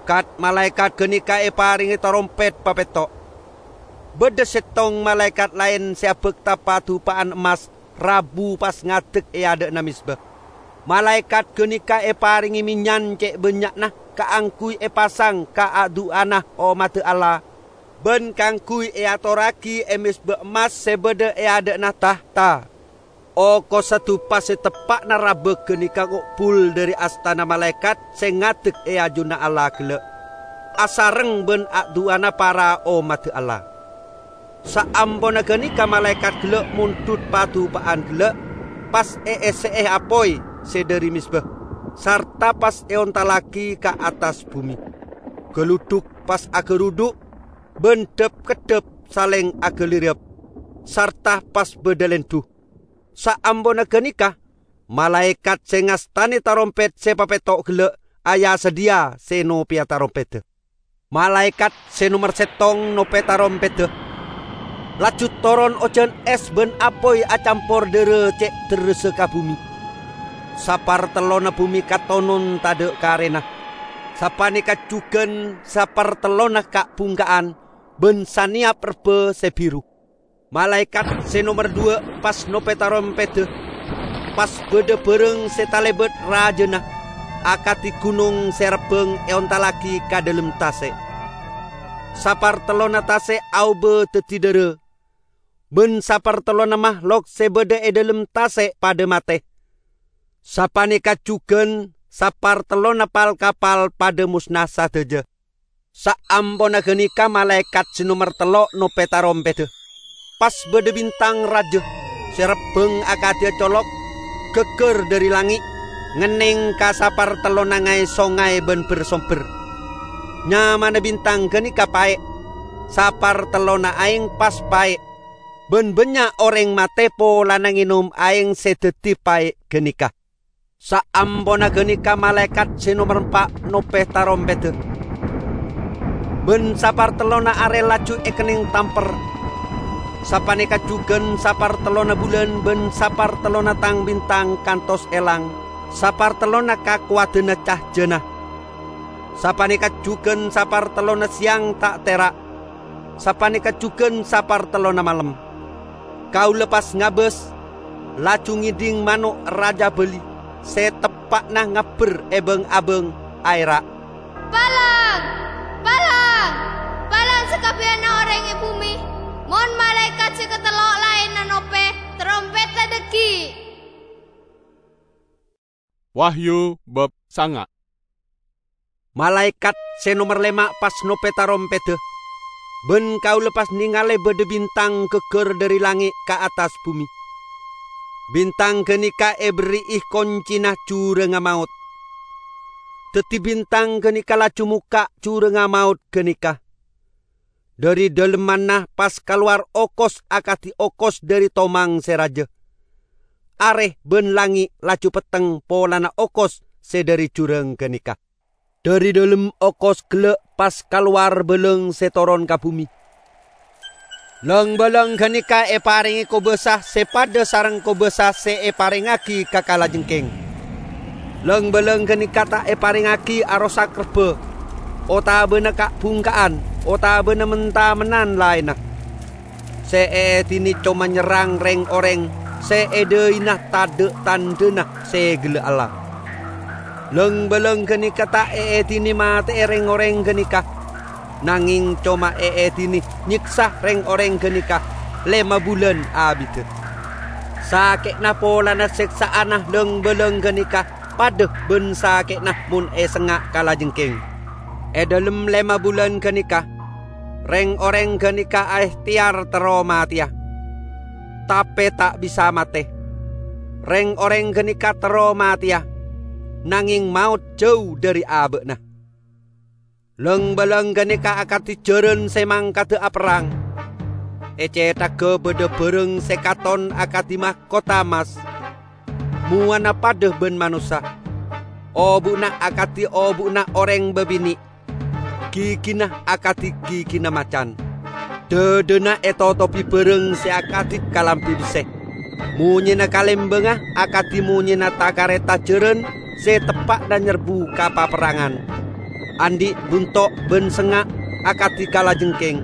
Kat-malaèkat ghânèka èparèngè tarompèt papètto'. Bâdâ settong malaèkat laèn sè abhâkta padupa'an emmas rabu pas ngadek è adâ'na mezba. Malaèkat ghânèka èparèngè mennyan cè' bânnya'na kaangghuy èpasang ka adu'ana ommadda Allah, bân kaangghuy èatorraghi è mezba emmas sè bâdâ è adâ'na tahta. Okossa dupa sè teppa'na rabâ ghânèka ngo'bul dhâri astana malaèkat sè ngadek è ajunanna Allah ghellâ', asareng bân adu'ana para ommadda Allah. Saamponna ghânèka malaèkat ghellâ' mondhut padupa'an ghellâ', pas èèssè'è apoy sè dhâri mezba, sarta pas èontallaghi ka attas bume. Galudhuk pas agarudhu', ban dhâp-keddhâp salèng agalirrâp, sarta pas bâdâ lèndhu. Saamponna ghânèka, malaèkat sè ngastanè tarompèt sè papètto' ghellâ' aya-sadhiyâ sè nopèya tarompèdda. Malaèkat sè nomer sèttong nopè tarompèdda, laju toron ojhân ès bân apoy acampor dhârâ cè' derressa ka bhumè. Sapartellonna bhumè katonon tadhâ' karèna. Sapanèka jhughân sapartellonna ka'-bhungka'an bân sanèyap rebbhâ sè bhiru. Malaèkat sè nomer dhuwâ' pas nopè tarompèdda, pas bâdâ bârâng sè talèbât rajâna, akadhi ghunong sè rebbhâng èontallaghi ka dhâlem tasè'. Sapartellonna tasè' aobâ dhâddhi dhârâ, bân sapartellonna mahlok sè bâdâ è dhâlem tasè' padâ matè. Sapanèka jhughân sapartellonna pal-kapal padâ mosna sadhâjâ. Saamponna ghânèka malaèkat sè nomer tello' nopè tarompèdda. Pas bâdâ bintang rajâ sè rebbhâng akadhi acolok, ghâgghâr dhâri langngè', ngennèng ka sapartellonna ngaè-songngay bân bher-sombher. Nyamana bintang ghânèka Paè', sapartellonna aèng pas paè', bân bânnya' orèng matè polana ngènom aèng sè dhâddhi paè' ghânèka. Saamponna ghânèka malaèkat sè nomer empa' nopè tarompèdda. Bân sapartellonna arè laju èkennèng tamper. Sapanèka jhughân sapartellonna bulân bân sapartellonna tang-bintang kantos èlang sapartellonna kakowadhânna cahjâna. Sapanèka jhughân sapartellonna sèyang ta' tèra'. Sapanèka jhughân sapartellonna malem. Kaulâ pas ngabâs, laju ngèdhing mano' rajâ bâli sè teppa'na ngabbher è bâng-abâng, aèra', "Palang! Palang! Palang sakabbiyanna orèng è bhumè, mon malaèkat sè katello' laènna nopè tarompèdda dhâggi'!" Wahyu bab sanga'. Malaèkat sè nomer lèma' pas nopè tarompèdda, bân kaulâ pas nèngalè bâdâ bintang ghâgghâr dhâri langngè' ka attas bhumè. Bintang ghânèka èberri'i koncèna jhurângnga maot. Dhâddhi bintang ghânèka laju mokka' jhurângnga maot ghânèka. Dhâri dhâlemmanna pas kalowar okos akadhi okos dhâri tomang sè rajâ. Arè bân langngè' laju petteng polana okos sè dhâri jhurâng ghânèka. Dhâri dhâlem okos ghellâ' pas kalowar bâlâng sè toron ka bhumè. Lang-bâlâng ghânèka èparèngè kobâsa sè padâ sareng kobâsa sè èparèngaghi ka kalajengkèng. Lang-bâlâng ghânèka ta' èparèngaghi arosak rebbhâ, otabâna ka'-bhungka'an, otabâna men-tamennan laènna. Sè èèdinè coma nyerrang rèng-orèng sè è dhâina tadhâ' tandhâna sè ghellâ' Allah. Lang-bâlâng ghânèka ta' èèdinè matè'è rèng-orèng ghânèka, nangèng coma èèdinè nyèksa rèng-orèng ghânèka lèma bulân abiddhâ. Sakè'na polana sèksa'anna lang-bâlâng ghânèka padâ bân sakè'na mon èsengnga' kalajengkèng. È dhâlem lèma bulân ghânèka, rèng-orèng ghânèka aèhtèyar terro matèya, tapè ta' bisa matè. Rèng-orèng ghânèka terro matèya, nangèng maot jhâu dhâri abâ'na. Lang-bâlâng ghânèka akadhi jhârân sè mangkadhâ aperrang. È cèthagghâ bâdâ bârâng sè katon akadhi mahkota emmas, mowana padâ bân manossa. Obu'na akadhi obu'na orèng bâbinè', gigina akadhi gigina macan. Dhâdhâna ètotobhi bârâng sè akadhi kalambhi bessè. Monyèna kalèmbângnga akadhi monyèna ta-karèta jhârân sè teppa'na nyerbu ka paperrangan. Andi' bunto' bân sengnga' akadhi kalajengkèng.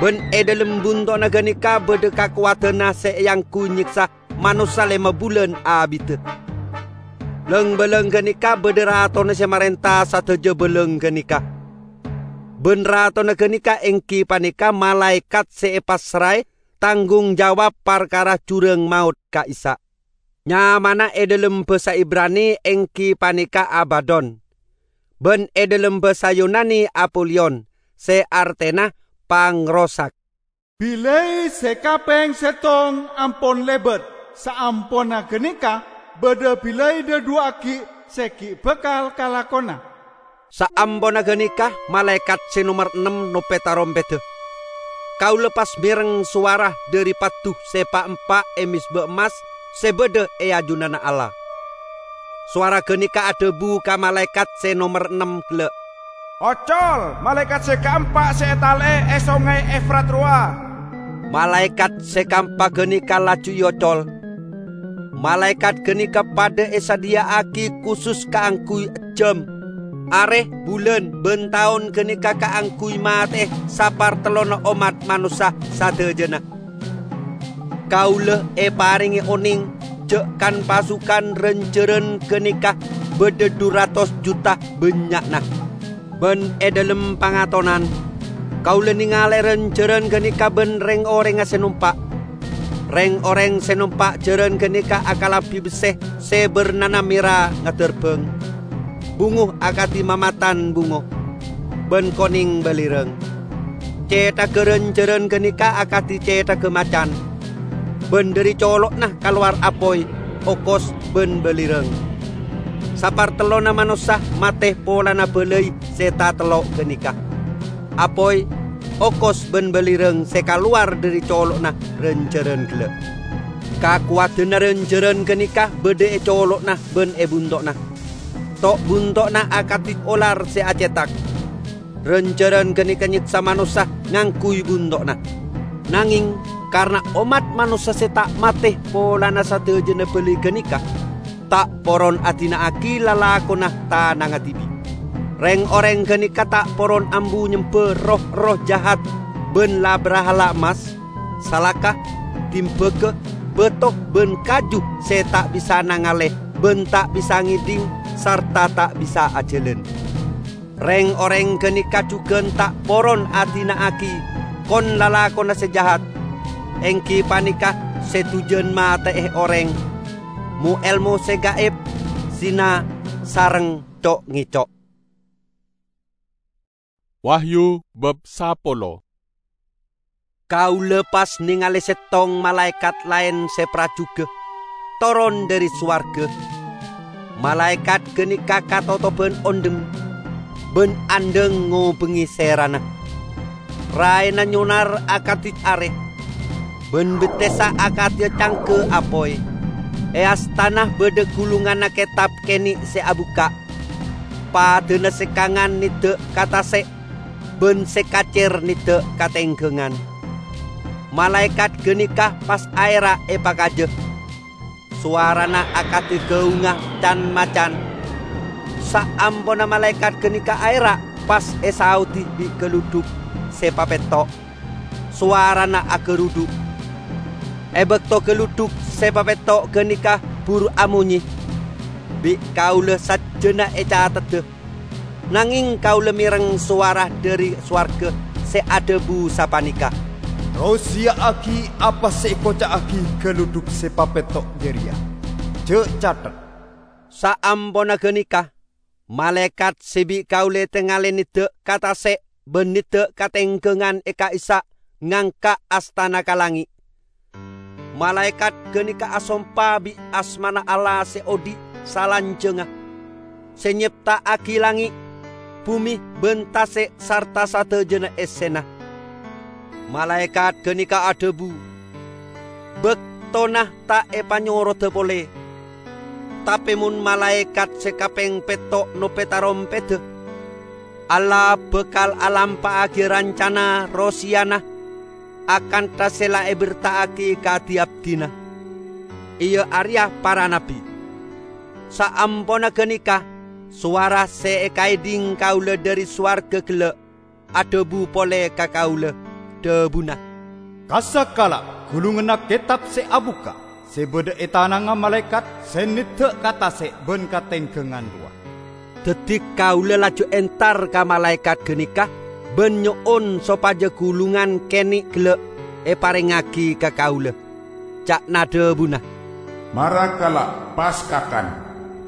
Bân è dhâlem bunto'na ghânèka bâdâ kakowadhânna sè èangghuy nyèksa manossa lèma bulân abiddhâ. Lang-bâlâng ghânèka bâdâ ratona sè marènta sadhâjâ bâlâng ghânèka. Bân ratona ghânèka èngghi panèka malaèkat sè èpassraè tanggung jawab parkara jhurâng maot ka'issa'. Nyamana è dhâlem bhâsa Ibrani èngghi panèka Abadon, bân è dhâlem bhâsa Yunani Apoliyon, sè artèna pangrosak. Bilâi sè kapèng sèttong ampon lèbât, saamponna ghânèka bâdâ bilâi dhâduwâ aghi' sè ghi' bhâkal kalakona. Saamponna ganeka, malaekat se nomer ennem nope tarompedda. Kaula pas mereng sowara dhari paddu se pa'-empa' e mezba emmas se badha e ajunanna Allah. Sowara ganeka adhabu ka malaekat se nomer ennem gella', "Ocol, malaekat se kaempa' se etale'e e Songay Efrat rowa." Malaekat se kaempa' ganeka laju eocol. Malaekat ganeka padha esadhiya'agi kusus kaangguy ejjam, are, bulan, ban taon ganeka kaangguy mate'e sapartellonna ommat manossa sadajana. Kaula eparenge oneng ja' kan-pasukan ran-jaran ganeka badha dhu ratos juta bannya'na. Ban e dhalem pangatonan, kaula nengale ran-jaran ganeka ban reng-orengnga se nompa'. Reng-oreng se nompa' jaran ganeka akalabi besse se barnana mera ngadarbang, bungo akadi mamatan bungo, ban koneng balirang. Cethagga ran-jaran ganeka akadi cethagga macan, ban dhari colo'na kalowar apoy, okos, ban balirang. Sapartellonna manossa mate polana balai se tatello' ganeka. Apoy, okos, ban balirang se kalowar dhari colo'na ran-jaran gella'. Kakowadanna ran-jaran ganeka badha e colo'na ban e bunto'na. To'-bunto'na akadi olar se acetak. Ran-jaran ganeka nyeksa manossa ngangguy bunto'na. Nangeng, karna ommat manossa se ta' mate polana sadajana balai ganeka, ta' poron adina'agi lalakonna tanangnga dibi'. Reng-oreng ganeka ta' poron ambu nyemba roh-erroh jahat ban la-brahala emmas, salaka, dimbaga, bato, ban kaju se ta' bisa nangale ban ta' bisa ngedhing sarta ta' bisa ajalan. Reng-oreng ganeka jugan ta' poron adina'agi kon-lalakonna se jahat, enggi paneka se dujan mate'e oreng, mo-elmo se gaib, zina, sareng co'-ngeco'. Wahyu bab sapolo. Kaula pas nengale settong malaekat laen se prajuga toron dhari sowarga. Malaekat ganeka katotoban ondhem ban andhang ngobengnge serana. Raena nyonar akadi are, ban bettessa akadi cangga apoy. E astana badha gulunganna ketab kene' se abukka'. Padana se kangan nedda' ka tase', ban se kacer nedda' ka tenggangan. Malaekat ganeka pas aera' epakaja. Sowarana akadi gaungnga can-macan. Saamponna malaekat ganeka aera', pas esaodi bi' galudhuk se papetto'. Sowarana agarudhu'. E bakto galudhuk se papetto' ganeka buru amonye, bi' kaula sajjana ecatedda. Nangeng kaula mereng sowara dhari sowarga se adhabu sapaneka, "Roseya'agi apa se ekoca'agi galudhuk se papetto' jareya. Ja' cathet." Saamponna ganeka, malaekat se bi' kaula etengale nedda' ka tase' ban nedda' ka tenggangan e ka'issa' ngangka' astana ka langnge'. Malaekat ganeka asompa bi' asmana Allah se odhi' salanjangnga, se nyepta'agi langnge', bume, ban tase' sarta sadajana essena. Malaekat ganeka adhabu, "Baktona ta' epanyoroda pole." Tape mon malaekat se kapeng petto' nope tarompedda, Allah bakal alampa'agi rancana roseyana akantha se la eberta'agi ka di-abdina, iya areya para nabbi. Saamponna ganeka, sowara se ekaedhing kaula dhari sowarga gella' adhabu pole ka kaula, dhabuna, "Kassa' kala' gulunganna ketab se abukka', se badha e tanangnga malaekat se nedda' ka tase' ban ka tenggangan rowa." Daddi kaula laju entar ka malaekat ganeka ban nyo'on sopaja gulungan kene' gella' eparengngagi ka kaula. Ca'na dhabuna, "Mara kala' pas kakan.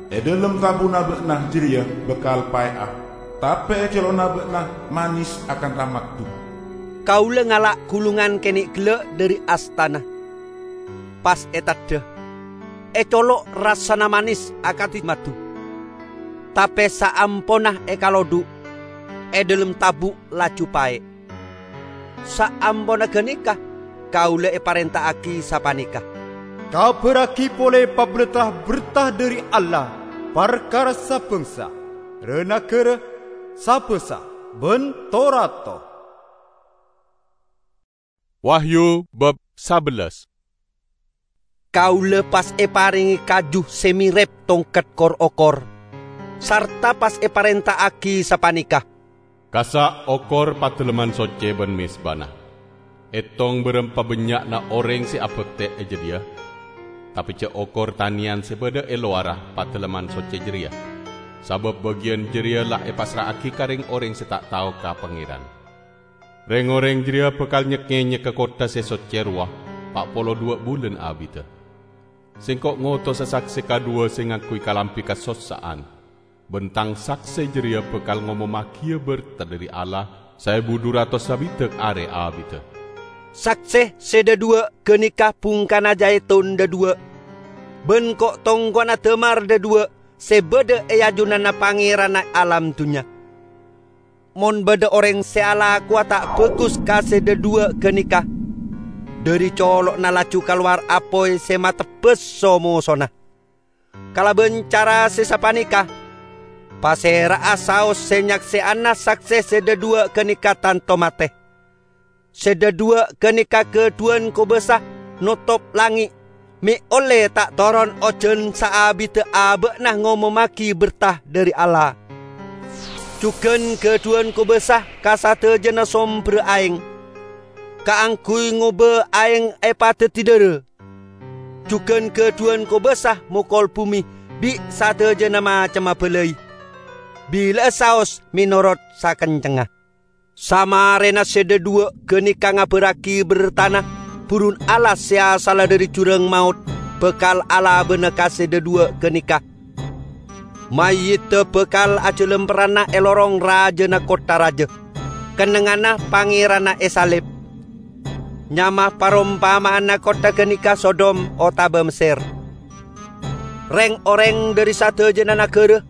E dhalem tabuna ba'na jareya bakal pae'a, tape e colo'na ba'na manes akantha maddu." Kaula ngala' gulungan kene' gella' dhari astana. Pas eteddha, e colo' rassana manes akadi maddu. Tape saamponna ekalodhu', e dhalem tabu' laju pae'. Saamponna ganeka kaula eparenta'agi sapaneka, "Kabarragi pole paberta berta dhari Allah parkara sabangsa, ra-nagara, sabasa, ban to-rato." Wahyu bab sabellas. Kaula pas eparenge kaju se merep tongket kor-okor, sarta pas eparenta'agi sapaneka, "Kassa' okor Padalemman Socce ban mezbana. Etong barem pabannya'na oreng se abakte e jadhiya, tape ja' okor taneyan se badha e lowarra Padalemman Socce jareya, sabab bagiyan jareya la epassra'agi ka reng-oreng se ta' tao ka Pangeran. Reng-oreng jareya bakal nyek-ngenyek ka kottha se socce rowa pa' polo dhuwa' bulan abidda. Sengko' ngotosa sakse kadhuwa se ngangguy kalambi kasossa'an, ban tang sakse jareya bakal ngomommagiya berta dhari Allah saebu dhu ratos sabidhak are abidda." Sakse se dhadhuwa' ganeka bungkana jaitun dhadhuwa', ban ko'-tongko'anna damar dhadhuwa' se badha e ajunanna Pangeranna alam dunnya. Mon badha oreng se alakowa ta' bagus ka se dhadhuwa' ganeka, dhari colo'na laju kalowar apoy se matebbas so-mosona. Kalaban cara se sapaneka, pasera'a saos se nyakseyana sakse se dhadhuwa' ganeka tanto mate. Se dhadhuwa' ganeka gadhuwan kobasa notop langnge', me' olle ta' toron ojan saabidda aba'na ngomommagi berta dhari Allah. Jugan gadhuwan kobasa ka sadajana somberra aeng, kaangguy ngoba aeng epadaddi dhara. Jugan gadhuwan kobasa mokol bume bi' sadajana macemma balai. Bila'a saos menorot sakencengnga. Samarena se dhadhuwa' ganeka ngabarragi bertana burun Allah se asalla dhari jurang maot bakal alabana ka se dhadhuwa' ganeka. Mayyidda bakal ajalamperrana e lorong rajana kottha raja, kennengnganna Pangeranna esalib. Nyama parompama'anna kottha ganeka Sodom otaba Messer. Reng-oreng dhari sadajana nagara,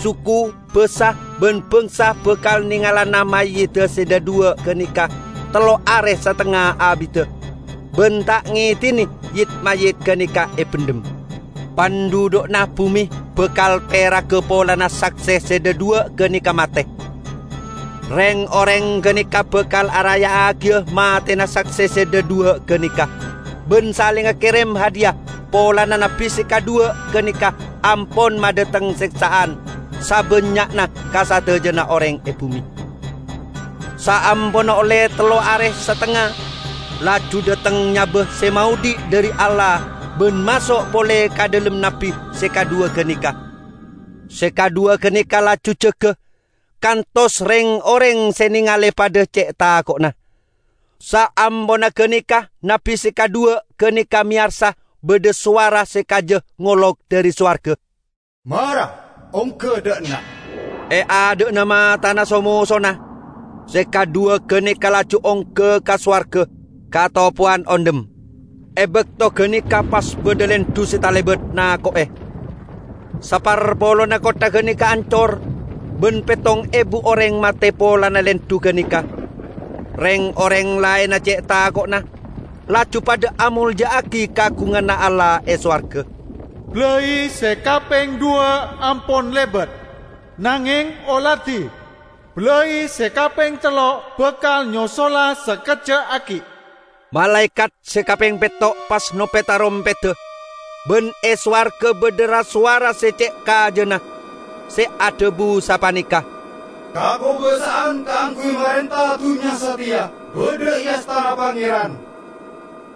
suku, basa, ban bangsa bakal nengalana mayyidda se dhadhuwa' ganeka tello are satengnga abidda, ban ta' ngedine yit-mayyit ganeka ebendhem. Pandhudhu'na bume bakal peraga polana sakse se dhadhuwa' ganeka mate. Reng-oreng ganeka bakal araya'agiya matena sakse se dhadhuwa' ganeka, ban salenga kerem hadiya polana nabbi se kadhuwa' ganeka ampon madhateng seksa'an sabannya'na ka sadajana oreng e bume. Saamponna olle tello are satengnga, laju dhateng nyaba se maodhi' dhari Allah ban maso' pole ka dhalem nabbi se kadhuwa' ganeka. Se kadhuwa' ganeka laju jaga, kantos reng-oreng se nengale padha ce' tako'na. Saamponna ganeka, nabbi se kadhuwa' ganeka meyarsa badha sowara se kaja ngolok dhari sowarga, "Mara, ongga dha' enna'!" E adha'na matana so-mosona, se kadhuwa' ganeka laju ongga ka sowarga, ka topowan ondhem. E bakto ganeka pas badha lendhu se talebat nako'e. Saparpolona kottha ganeka ancor, ban pettong ebu oreng mate polana lendhu ganeka. Reng-oreng laenna ce' tako'na, laju padha amolja'agi kagunganna Allah e sowarga. "Balai se kapeng dhuwa' ampon lebat, nangeng oladi, balai se kapeng tello' bakal nyosola sakejja'agi." Malaekat se kapeng petto' pas nope' tarompedda, ban e sowarga badha ra-sowara se ce' kajana, se adhabu sapaneka, "Kakobasa'an kaangguy marenta dunnya sateya badha e astana Pangeran,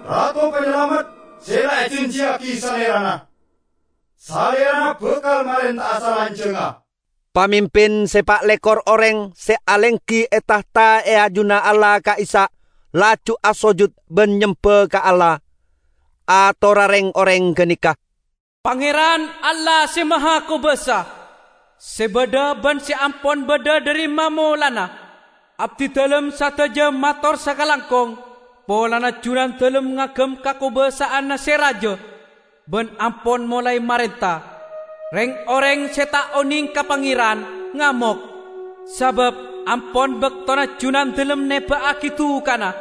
Rato Panyalamet se la ejanjiyagi Salerana. Salerana bakal marenta'a salanjangnga." Pamimpin se pa' lekor oreng se alenggi e tahta e ajunanna Allah ka'issa' laju asojud ban nyemba ka Allah. Atorra reng-oreng ganeka, "Pangeran Allah Se Mahakobasa, se badha ban se ampon badha dhari mamolana, abdidalem sadaja mator sakalangkong polana Junandalem ngagem kakobasa'anna se raja ban ampon molae marenta. Reng-oreng se ta' oneng ka Pangeran ngamok, sabab ampon baktona Junandalem neba'agi dukana,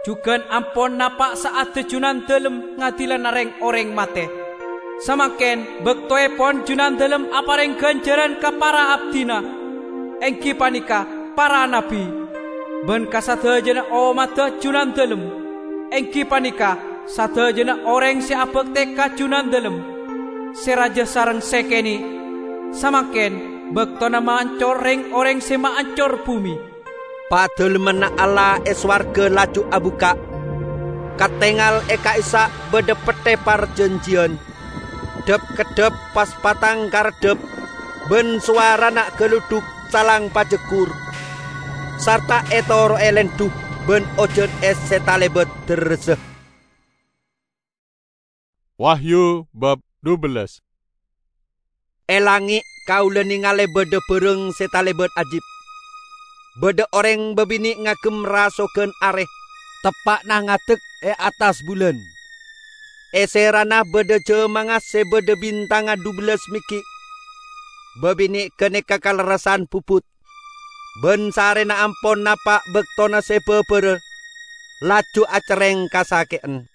jugan ampon napa' sa'adda Junandalem ngadilana reng-oreng mate. Samangken baktoepon Junandalem apareng ganjaran ka para abdina, enggi paneka para nabbi, ban ka sadajana ommadda Junandalem, enggi paneka sadajana oreng se abakte ka Junandalem, se raja sareng se kene'. Samangken baktona maancor reng-oreng se maancor bume. Padalemmanna Allah e sowarga laju abukka'. Katengal e ka'issa' badha petthe parjanjiyan. Dhap-keddhap pas patang kareddhap, ban sowarana galudhuk calang pajaggur, sarta etoro'e lendhu ban ojan es se talebat derressa. Wahyu bab dubellas. E langnge' kaula nengale badha barang se talebat ajib. Badha oreng babine' ngagem rasogan are, teppa'na ngadek e attas bulan. E serana badha jamangnga se badha bintangnga dubellas meggi'. Babine' ganeka kalerressan bubut, ban sarrena ampon napa' baktona se babara, laju acerreng kasake'en.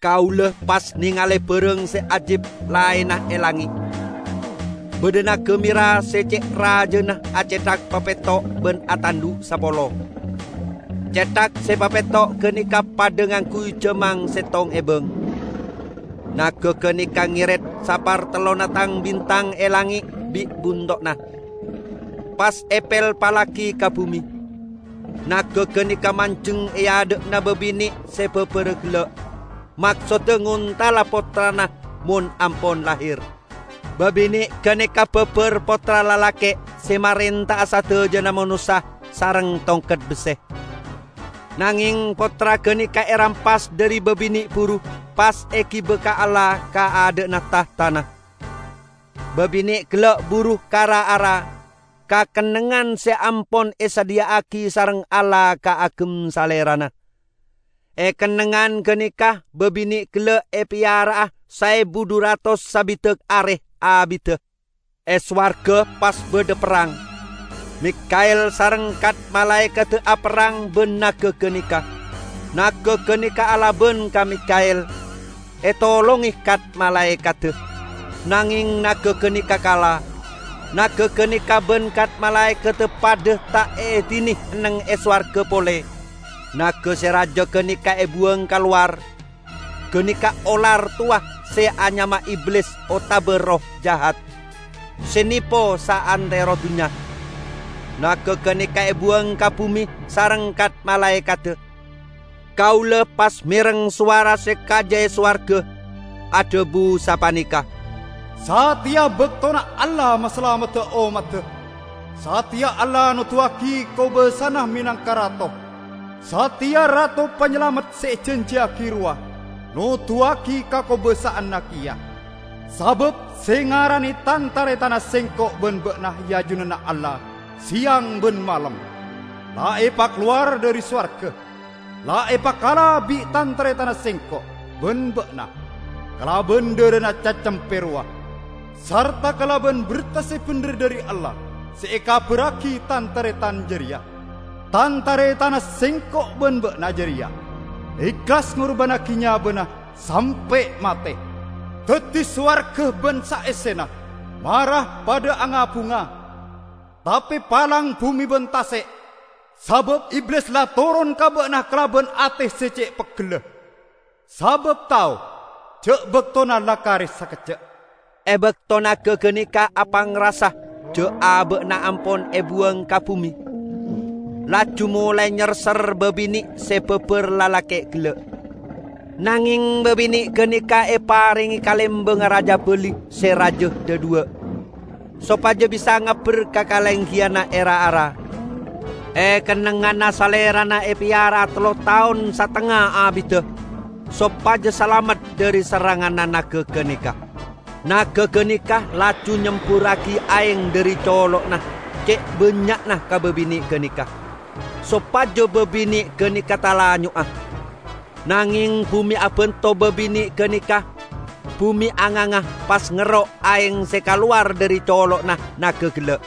Kaula pas nengale barang se ajib laenna e langnge'. Badha naga mera se ce' rajana acethak papetto' ban atandhu' sapolo. Cethak se papetto' ganeka padha ngangguy jamang settong ebang. Naga ganeka ngeret sapartellonna tang-bintang e langnge' bi' bunto'na, pas epelpallagi ka bume. Naga ganeka manjeng e adha'na babine' se babara gella', maksodda ngontala pottrana mon ampon lahir. Babine' ganeka babar pottra lalake' se marenta'a sadajana manossa sareng tongket besse. Nangeng pottra ganeka erampas dhari babine' buru pas egiba ka Allah ka adha'na tahtana. Babine' gella' buru ka ra-ara, ka kennengngan se ampon esadhiya'agi sareng Allah kaagem Salerana. E kennengngan ganeka babine' gella' epeyara'a saebu dhu ratos sabidak are abidda. E sowarga pas badha perrang. Mikael sareng kat-malaekadda aperrang ban naga ganeka. Naga ganeka alaban ka Mikael, etolonge kat-malaekadda. Nangeng naga ganeka kala. Naga ganeka ban kat-malaekadda padha ta' eedine enneng e sowarga pole. Naga se raja ganeka ebuwang kalowar. Ganeka olar towa se anyama Iblis otaba Erroh Jahat, se nepo saantero dunnya. Naga ganeka ebuwang ka bume sareng kat-malaekadda. Kaula pas mereng sowara se kaja e sowarga adhabu sapaneka, "Sateya baktona Allah masalamedda ommadda. Sateya Allah noduwagi kobasana menangka Rato. Sateya Rato Panyalamet se ejanjiyagi rowa noduwagi kakobasa'anna keya. Sabab se ngarane tan-taretanna Sengko' ban ba'na e ajunanna Allah seyang ban malem. La epakalowar dhari sowarga, la epakala bi' tan-taretanna Sengko' ban ba'na, kalaban dharana Cacempe rowa, sarta kalaban berta se bendher dhari Allah se ekabarragi tan-taretan jareya. Tan-taretanna Sengko' ban ba'na jareya ehlas ngorbannagi nyabana sampe' mate. Daddi sowarga ban saessena mara padha anga-bunga, tape palang bume ban tase', sabab Iblis la toron ka ba'na kalaban ate se ce' peggella. Sabab tao ja' baktona la kare sakejja'." E bakto naga ganeka apangrasa ja' aba'na ampon ebuwang ka bume, laju molae nyerser babine' se babar lalake' gella'. Nangeng babine' ganeka eparenge kalembang raja bali se raja dhadhuwa, sopaja bisa ngabber ka kalenggiyanna e ra-ara. E kennengnganna salerana epeyara'a tello taon satengnga abidda, sopaja salamet dhari serranganna naga ganeka. Naga ganeka laju nyemburragi aeng dhari colo'na ce' bannya'na ka babine' ganeka, sopaja babine' ganeka talanyo'a. Nangeng bume abanto babine' ganeka, Bume anganga pas ngerro' aeng se kalowar dhari colo'na naga gella'.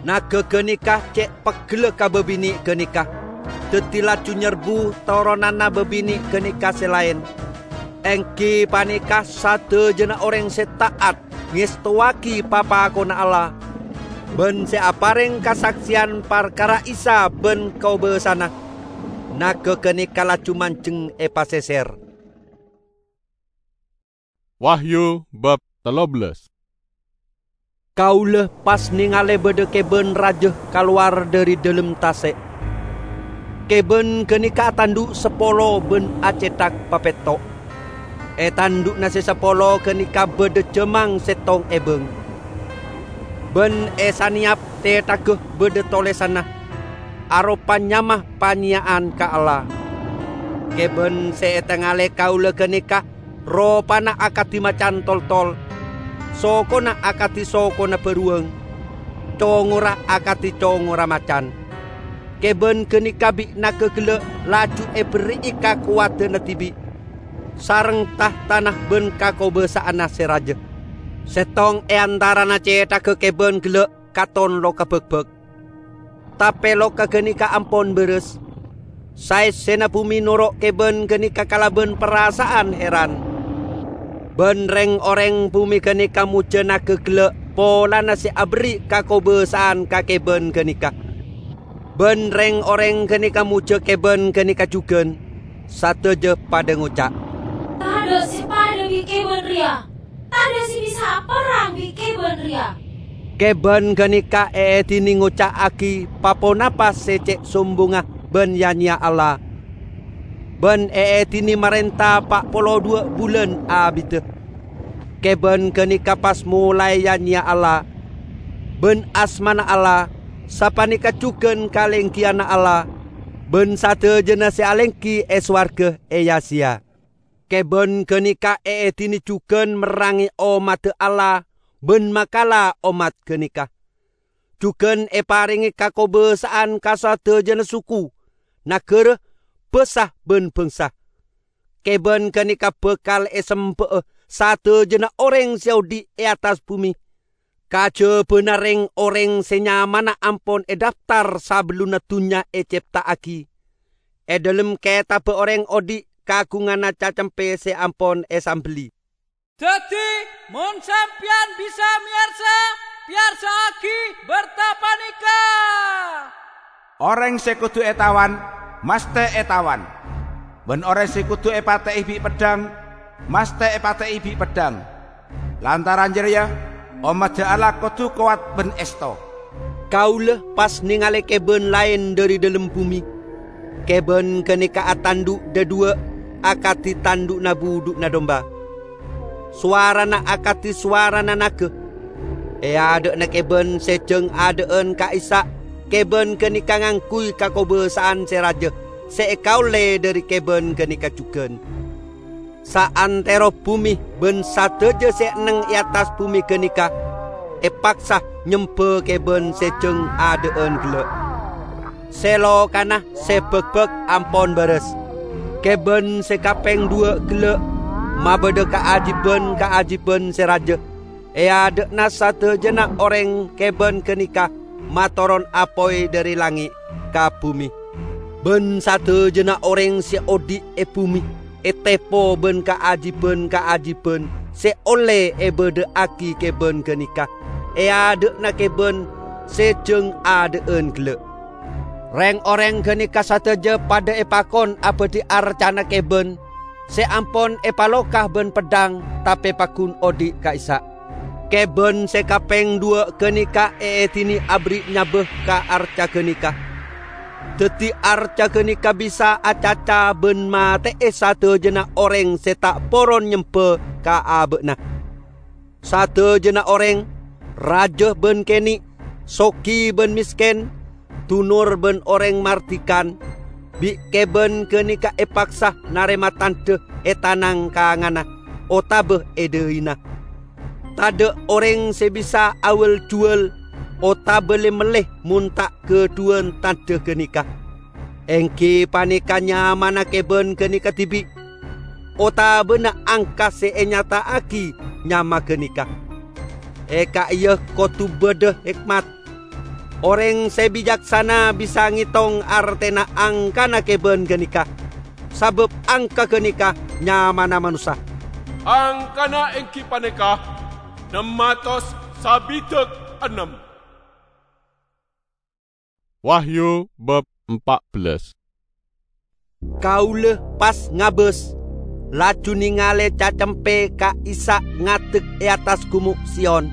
Naga ganeka ce' peggella ka babine' ganeka, daddi laju nyerbu toronanna babine' ganeka se laen, enggi paneka sadajana oreng se ta'at ngestowagi papakonna Allah, ban se apareng kasakseyan parkara Isa ban kobasana. Naga ganeka laju manjeng e paseser. Wahyu bab tello bellas. Kaula pas nengale badha keban raja kalowar dhari dhalem tase'. Keban ganeka atandhu' sapolo ban acethak papetto'. E tandhu'na se sapolo ganeka badha jamang settong ebang. Ban e saneyap cethagga badha tolesanna, aropa nyama panyeya'an ka Allah. Keban se etengale kaula ganeka ropana akadi macan toltol, sokona akadi sokona baruwang, congora akadi congora macan. Keban ganeka bi' naga gella' laju eberri'i kakowadanna dibi', sareng tahtana ban kakobasa'anna se raja. Settong e antarana cethagga keban gella' katon loka bakbak. Tape loka ganeka ampon baras. Saessena bume noro' keban ganeka kalaban parasa'an heran. Ban reng-oreng bume ganeka moja naga gella' polana se aberri' kakobasa'an ka keban ganeka. Ban reng-oreng ganeka moja keban ganeka jugan. Sadaja padha ngoca', "Tadha' se padha bi' keban reya! Tadha' se bisa aperrang bi' keban reya!" Keban ganeka eedine ngoca'agi pa-ponapa se ce' sombongnga ban ya-nyeya Allah, ban eedine marenta pa' polo dhuwa' bulan abidda. Keban ganeka pas molae ya-nyeya Allah, ban asmana Allah, sapaneka jugan kalenggiyanna Allah, ban sadajana se alenggi e sowarga eya-seya. Keban ganeka eedine jugan merrange ommadda Allah ban makala ommat ganeka. Jugan eparenge kakobasa'an ka sadajana suku, nagara, basa, ban bangsa. Keban ganeka bakal esemba'a sadajana oreng se odhi' e attas bume, kajabana reng-oreng se nyamana ampon edaftar sabellunna dunnya ecepta'agi, e dhalem ketabba oreng odhi' kagunganna cacempe se ampon esambelli. Daddi, mon sampeyan bisa meyarsa, peyarsa'agi berta paneka. Oreng se kodu etawan, masthe etawan. Ban oreng se kodu epate'e bi' peddhang, masthe epate'e bi' peddhang. Lantaran jareya, ommadda Allah kodu kowat ban esto. Kaula pas nengale keban laen dhari dhalem bume. Keban ganeka atandhu' dhadhuwa' akadi tandhu'na budhu'na domba. Sowarana akadi sowarana naga. E adha'na keban se jang adha'an ka'issa', keban ganeka ngangguy kakobasa'an se raja se ekaolle dhari keban ganeka jugan. Saantero bume ban sadaja se enneng e attas bume ganeka epaksa nyemba keban se jang adha'an gella'. Se lokana se bakbak ampon baras. Keban se kapeng dhuwa' gella' mabadha kaajiban-kaajiban se raja. E adha'na sadajana oreng keban ganeka matoron apoy dhari langnge' ka bume. Ban sadajana oreng se odhi' e bume etepo ban kaajiban-kaajiban se olle ebadha'agi keban ganeka e adha'na keban se jang adha'an gella'. Reng-oreng ganeka sadaja padha epakon abadhi arcana keban se ampon epaloka ban peddhang, tape paggun odhi' ka'issa'. Keban se kapeng dhuwa' ganeka eedine aberri' nyaba ka arca ganeka. Daddi arca ganeka bisa acaca ban mate'e sadajana oreng se ta' poron nyemba ka aba'na. Sadajana oreng, raja ban kene', sogi ban mesken, dunor ban oreng mardikan, bi' keban ganeka epaksa narema tandha e tanang kangana otaba e dhaina. Tadha' oreng se bisa awal-juwal otaba le-melle mon ta' gadhuwan tandha ganeka. Enggi paneka nyamana keban ganeka dibi'. otabana angka sè ènyata'aghi nyama ghânèka. È ka'iyâ kodhu bâdâ hèkmat. Orèng sè bicaksana bisa ngètong artèna angkana kèbân ghânèka, sabâb angka ghânèka nyamana manossa. Angkana èngghi panèka nem atos sabidhâk ennem. Wahyu bab empat belas. Kaulâ pas ngabâs, laju nèngalè Cacempè ka'issa' ngadek è attas Ghumo' Siyon,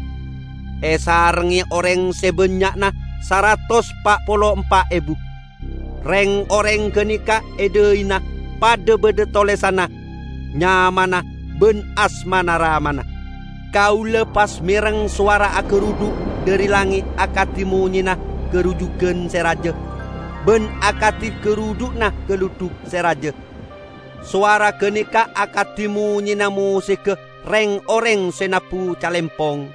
èsarengngè orèng sè bânnya'na saratos pa' polo empa' èbu. Rèng-orèng ghânèka è dhâina padâ bâdâ tolèsanna, nyamana bân asmana Ramana. Kaulâ pas mèreng sowara agarudhu' dhâri langngè' akadhi monyèna garujhughân sè rajâ, bân akadhi garudhu'na galudhuk sè rajâ. Sowara ghânèka akadhi monyèna mosègghâ rèng-orèng sè nabbhu calèmpong.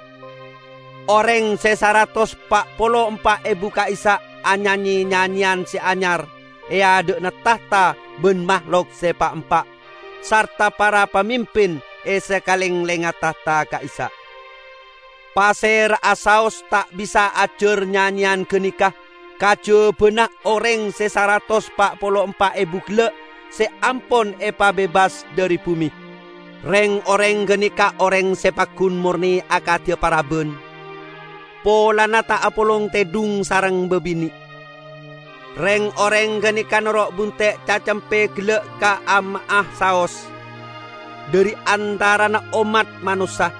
Orèng sè saratos pa' polo empa' èbu ka'issa' anyanyè nyanyèyan sè anyar è adâ'na tahta bân mahlok sè pa'-empa', sarta para pamimpin è sakalènglèngnga tahta ka'issa'. Pasèra'a saos ta' bisa ajhâr nyanyèyan ghânèka kajhâbhâna orèng sè saratos pa' polo empa' èbu ghellâ' sè ampon èpabebas dhâri bhumè. Rèng-orèng ghânèka orèng sè paggun mornè akadhiyâ parabân, polana ta' apolong tèdhung sareng bâbinè'. Rèng-orèng ghânèka noro' bunte' Cacempè ghellâ' ka ama'a saos dhâri antarana ommat manossa.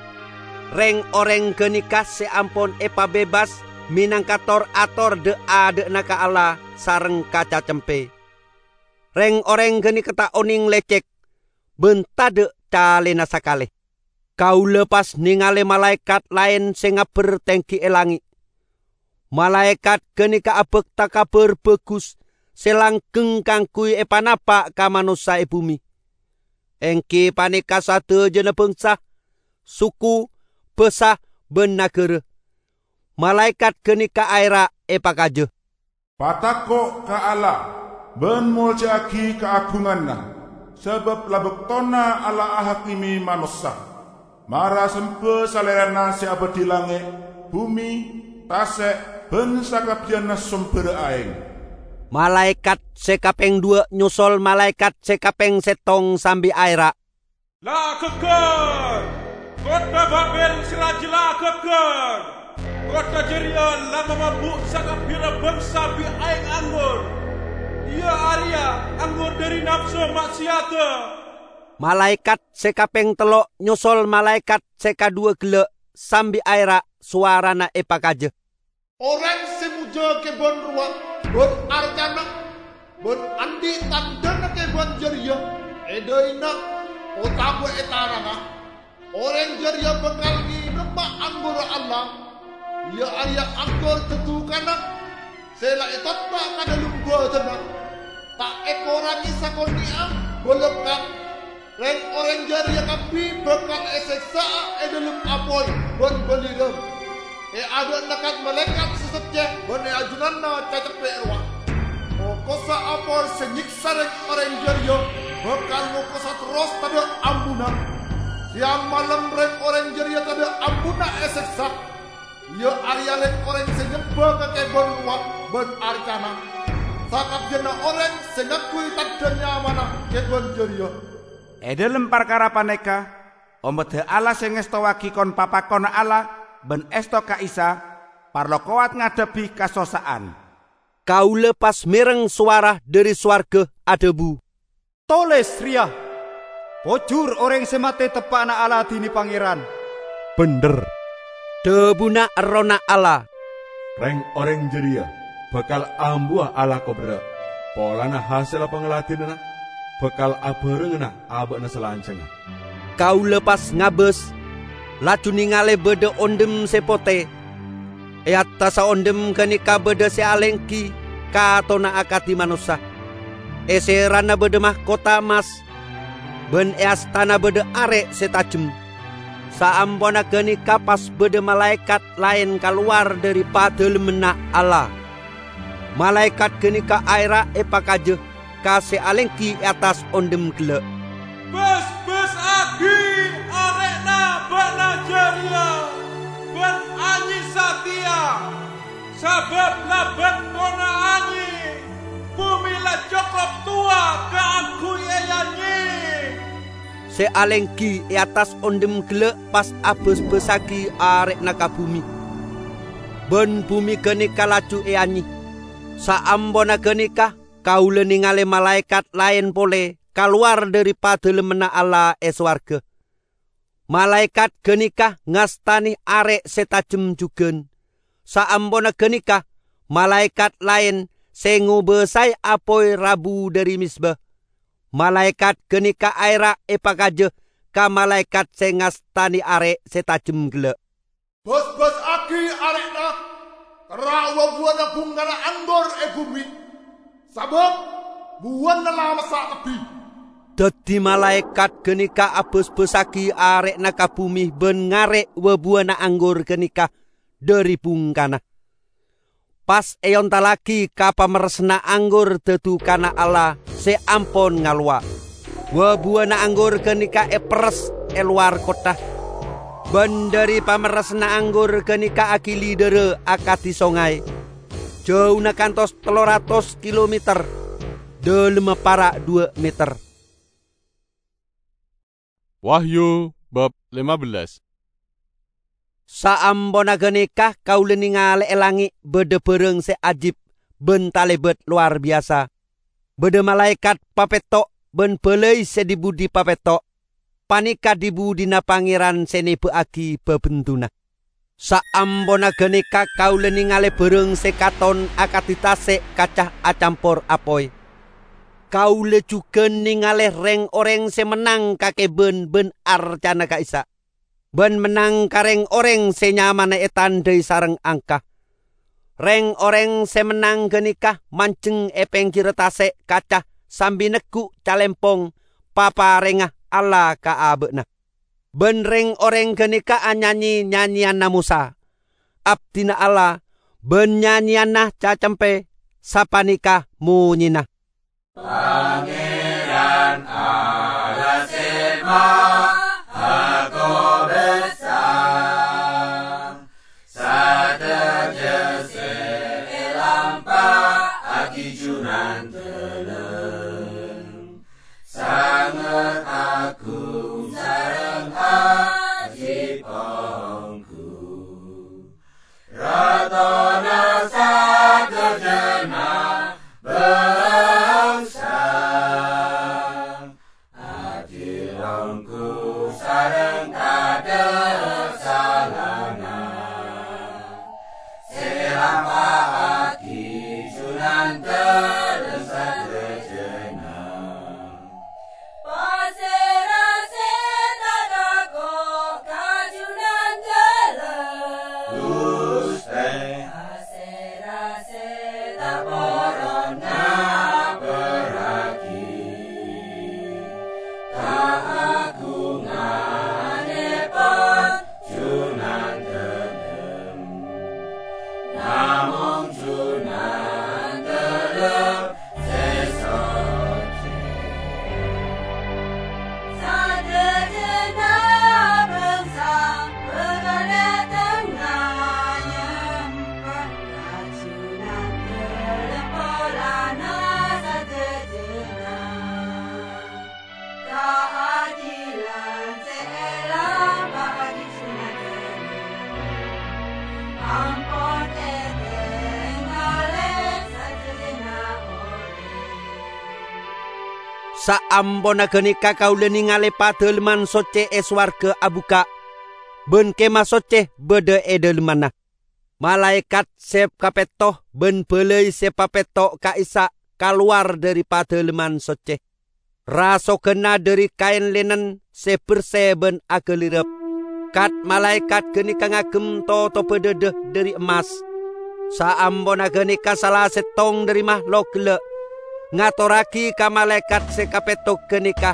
Rèng-orèng ghânèka sè ampon èpabebas mènangka tor-ator dhâ'-adhâ'na ka Allah sareng ka Cacempè. Rèng-orèng ghânèka ta' onèng lècèk, bân tadhâ' calèna sakalè. Kaulâ pas nèngalè malaèkat laèn sè ngabbher tèngghi è langngè'. Malaèkat ghânèka abhâkta Kabhâr Bhâghus sè langghâng kaangghuy èpanapa' ka manossa è bhumè, èngghi panèka sadhâjâna bhângsa, suku, bhâsa, bân naghârâ. Malaèkat ghânèka aèra' èpakajâ, "Patako' ka Allah, bân molja'aghi kaagunganna, sabâb la bâktona Allah ahakime manossa. Mara sembâ Salèrana sè abâdhi langngè', bhumè, tasè', bân sakabbiyanna sombherra aèng." Malaèkat sè kapèng dhuwâ' nyosol malaèkat sè kapèng sèttong sambi aèra', "La ghâggâr! Kottha Babel sè rajâ la ghâggâr! Kottha jârèya la mamabuk sakabbhiyânna bhângsa bi' aèng anggur, iyâ arèya anggur dhâri napso ma'sèyadhâ!" Malaèkat sè kapèng tello' nyosol malaèkat sè kadhuwâ ghellâ' sambi aèra', sowarana èpakajâ, "Orèng sè moja kèbân rowa bân arcana bân andi' tandhâna kèbân jârèya è dhâina otabâ è taranga, orèng jârèya bhâkal ngènoma anggurra Allah, iyâ arèya anggur dhâddhukana sè la ètoppa' ka dhâlem bâdânna, ta' èkorangè sakonè'a bâlâkka'. Rèng-orèng jârèya kabbhi bhâkal èsèksa'a è dhâlem apoy bân bâlirâng, è adâ'na kat-malaèkat sè sèccè bân è ajunanna Cacempè rowa. Mokossa apoy sè nyèksa rèng-orèng jârèya bhâkal mokossa terros tadâ' ambuna. Sèyang malem rèng-orèng jârèya tadâ' ambuna èsèksa, iyâ arèya rèng-orèng sè nyembâ ka kèbân rowa bân arcana, sakabbiyanna orèng sè ngangghuy tandhâ nyamana kèbân jârèya." È dhâlem parkara panèka, ommaddhâ Allah sè ngèstowaghi kon-papakonna Allah bân èsto ka Isa, parlo kowat ngadhebbhi kasossa'an. Kaulâ pas mèreng sowara dhâri sowarghâ adhâbu, "Tolès rèya, 'Pojhur orèng sè matè teppa'na aladhinè Pangèran.'" "Bhendher," dhâbuna Errohna Allah, "rèng-orèng jârèya bhâkal ambuwâ alako berrâ', polana hasèlla pangladhinanna bhâkal abhârengngana abâ'na salanjhângnga." Kaulâ pas ngabâs, laju nèngalè bâdâ ondhem sè potè. È attassa ondhem ghânèka bâdâ sè alèngghi katona akadhi manossa. È sèrana bâdâ mahkota emmas, bân è astana bâdâ arè' sè tajem. Saamponna ghânèka pas bâdâ malaèkat laèn kalowar dhâri Padalemmanna Allah. Malaèkat ghânèka aèra' èpakajâ ka sè alèngghi è attas ondhem ghellâ'. Bâs-bâsaghi arè'na bâ'na jârèya, bân anyè satèya, sabâb la bâktona anyè, bhumè la cokop towa kaangghuy èanyè." Sè alèngghi è attas ondhem ghellâ' pas abâs-bâsaghi arè'na ka bhumè, bân bhumè ghânèka laju èanyè. Saamponna ghânèka, kaulâ nèngalè malaèkat laèn polè kalowar dhâri Padalemmanna Allah è sowarghâ. Malaèkat ghânèka ngastanè arè' sè tajem jhughân. Saamponna ghânèka, malaèkat laèn sè ngobâsaè apoy rabu dhâri mezba. Malaèkat ghânèka aèra' èpakajâ ka malaèkat sè ngastanè arè' sè tajem ghellâ'. "Bâs-bâsaghi arè'na, terro wa-buwâna bhungkana anggur è bhumè, sabâb buwâna la massa' tebbhi." Dhâddhi malaèkat ghânèka abâs-bâsaghi arè'na ka bhumè bân ngarè' wa-buwâna anggur ghânèka dhâri bhungkana. Pas èontallaghi ka pamerressanna anggur dhâdhukanna Allah sè ampon ngalowa. Wa-buwâna anggur ghânèka èperres è lowar kottha. Bân dhâri pamerressanna anggur ghânèka aghili dhârâ akadhi songay. Jhâuna kantos tello ratos kilometer, dhâlemma para' dhuwâ' meter. Wahyu bab lima belas. Saamponna ghânèka kaulâ nèngalè è langngè' bâdâ bârâng sè ajib bân talèbât lowar biyasa. Bâdâ malaèkat papètto' bân bâlâi sè dhi-budhi papètto'. Panèka dhi-budhina Pangèran sè nèbâ'aghi bhâbhendhuna. Saamponna ghânèka kaulâ nèngalè bârâng sè katon akadhi tasè' kaca acampor apoy. Kaulâ jhughân nèngalè rèng-orèng sè mennang kakèbhân bân arcana ka'issa', bân mennang ka rèng-orèng sè nyamana ètandhâi sareng angka. Rèng-orèng sè mennang ghânèka manjeng è pèngghirra tasè' kaca sambi neggu' calèmpong paparèngnga Allah ka abâ'na. Bân rèng-orèng ghânèka anyanyè nyanyèyanna Mosa, abdhina Allah, bân nyanyèyanna Cacempè, sapanèka monyèna. Pangèran Allah sè maha kobâsa, sadhâjâ sè èlampa'aghi jhunandhâlem. Sanget agung sareng ajib ongghu, Ratona sadhâjâna bhângsa. Adil ongghu sareng kadhâ' salana. Sè èlampa'aghi jhunandhâlem sadhâjâna. Pasèra sè ta' tako' ka jhunandhâlem? Ghustè. Pasèra sè ta' poron ngaperraghi kaagunganèpon jhunandhâlem? Namong jhunandhâlem sè socè. Sadhâjâna bhângsa bhâkal dâteng nyèmpè ka jhunandhâlem polana sadhâjâna. Kaadilan sè èlampa'aghi jhunandhâlem ampon ètèngalè sadhâjâna orèng. Saamponna ghânèka kaulâ nèngalè Padalemman Soccè è sowarghâ abukka', bân Kèma Soccè bâdâ è dâlemmanna. Malaèkat sè kapètto bân bâlâi sè papètto' ka'issa' kalowar dhâri Padalemman Soccè. Rasoghânna dhâri kaèn lènen sè bersè bân aghâlirep. Kat-malaèkat ghânèka ngagem totobhâ dhâdhâ dhâri emmas. Saamponna ghânèka sala sèttong dhâri mahlok ghellâ' ngatorraghi ka malaèkat sè kapètto ghânèka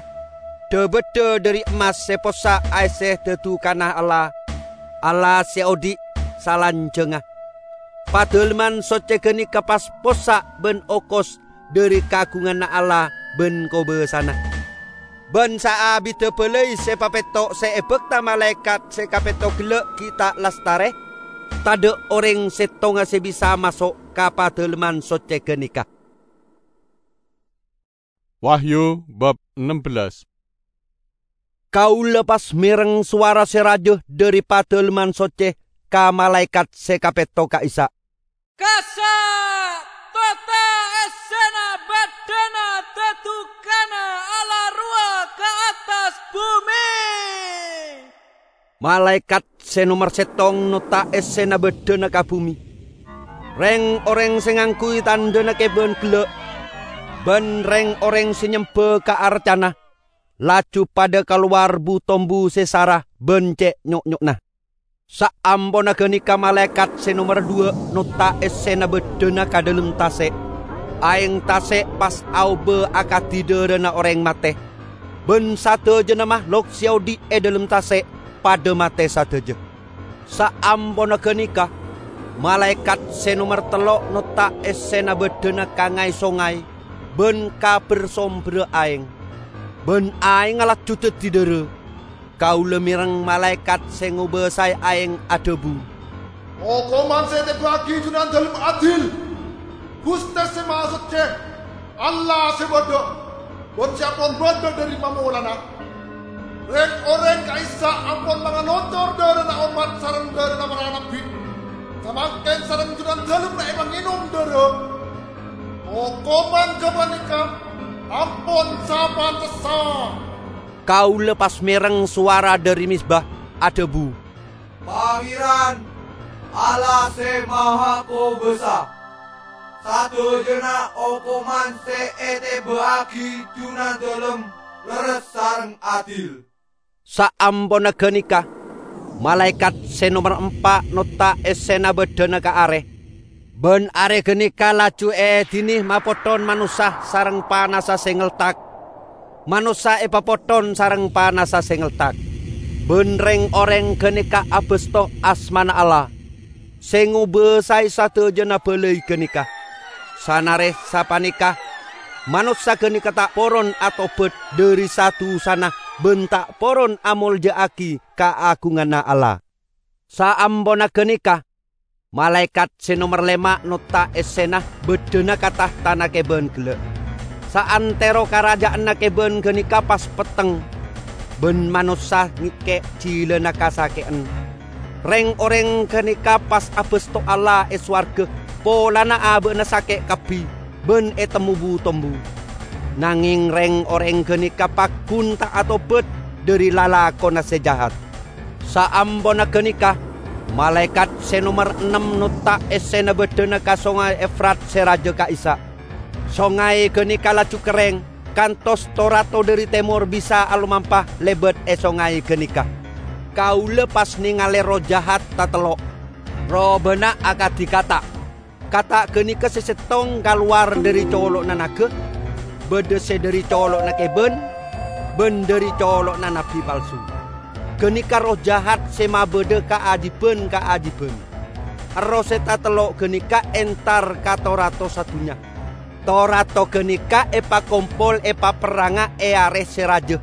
dhâ-bâddhâ dhâri emmas sè possa' aèssè dhâdhukanna Allah. Allah sè odi' salanjhângnga. Padalemman Soccè ghânèka pas possa' bân okos dhâri kaagunganna Allah bân kobâsana. Bân saabiddhâ bâlâi sè papètto' sè èbhâkta malaèkat sè kapètto ghellâ' ghi' ta' lastarè, tadhâ' orèng sèttonga sè bisa maso' ka Padâlemman Soccè ghânèka. Wahyu bab ennem bellas. Kaulâ pas mèreng sowara sè rajâ dhâri Padâlemman Soccè ka malaèkat sè kapètto ka'issa'. "Kassa', tota' essèna bâddhâna dhâdhukanna Allah rowa ka attas bhumè!" Malaèkat sè nomer sèttong notta' essèna bâddhâna ka bhumè. Rèng-orèng sè ngangghuy tandhâna kèbân ghellâ', bân rèng-orèng sè nyembhâ ka arcana, laju padhâ kalowar bu-tombu sè sara bân cè' nyo'-nyo'na. Saamponna ghânèka malaèkat sè nomer dhuwâ' notta' essèna bâddhâna ka dhâlem tasè'. Aèng tasè' pas aobâ akadhi dhârâna orèng matè, bân sadhâjâna mahlok sè odi' è dhâlem tasè' padhâ matè sadhâjâ. Saamponna ghânèka, malaèkat sè nomer tello' notta' essèna bâddhâna ka ngaè-songay bân ka bher-sombherra aèng, bân aèngnga laju dhâddhi dhârâ. Kaulâ mèreng malaèkat sè ngobâsaè aèng adhâbu, "Okoman sè ètèbâ'aghi Junandalem adil! Ghustè Sè Mahasoccè, Allah sè bâdâ, bân sè ampon bâdâ dhâri pamolana. Rèng-orèng ka'issa' ampon mangalocor dhârâna ommat sareng dhârâna para nabbhi. Samangkèn sareng Junandalem la èpangènom dhârâ. Okoman ghâpanèka ampon sapantessa." Kaulâ pas mèreng sowara dhâri mezba adhâbu, "Pangèran, Allah Sè Mahakobâsa! Sadhâjâna okoman sè ètèbâ'aghi Junandalem lerres sareng adil." Saamponna ghânèka, malaèkat sè nomer empa' notta' essèna bâddhâna ka arè, bân arè ghânèka laju èèdinè mapothon manossa sareng panassa sè ngeltak. Manossa èpapothon sareng panassa sè ngeltak, bân rèng-orèng ghânèka abâsto asmana Allah, sè ngobâsaè sadhâjâna bâlâi ghânèka. Sanarè sapanèka, manossa ghânèka ta' poron atobhât dhâri sa-dusana bân ta' poron amolja'aghi kaagunganna Allah. Saamponna ghânèka, malaèkat sè nomer lèma' notta' essèna bâddhâna ka tahtana kèbân ghellâ'. Saantèro karaja'anna kèbân ghânèka pas petteng, bân manossa ngèkkè' jilâna kasakè'an. Rèng-orèng ghânèka pas abâsto Allah è sowarghâ polana abâ'na sakè' kabbhi bân ètemmo bu-tombu. Nangèng rèng-orèng ghânèka paggun ta' atobhât dhâri lalakonna sè jahat. Saamponna ghânèka, malaèkat sè nomer ennem notta' essèna bâddhâna ka Songay Efrat sè rajâ ka'issa'. Songay ghânèka laju kerrèng, kantos to-rato dhâri tèmor bisa alomampa lèbât è songay ghânèka. Kaulâ pas nèngalè erroh jahat tatello'. Robâna akadhi kata'. Kata' ghânèka sè sèttong kalowar dhâri colo'na naga, bâdâ sè dhâri colo'na kèbân, bân dhâri colo'na nabbhi palsu. Ghânèka erroh jahat sè mabâdâ kaajibhân-kaajibhân. Erroh sè tatello' ghânèka entar ka to-rato sadhunnya. To-rato ghânèka èpakompol èpaperranga è arè sè rajâ,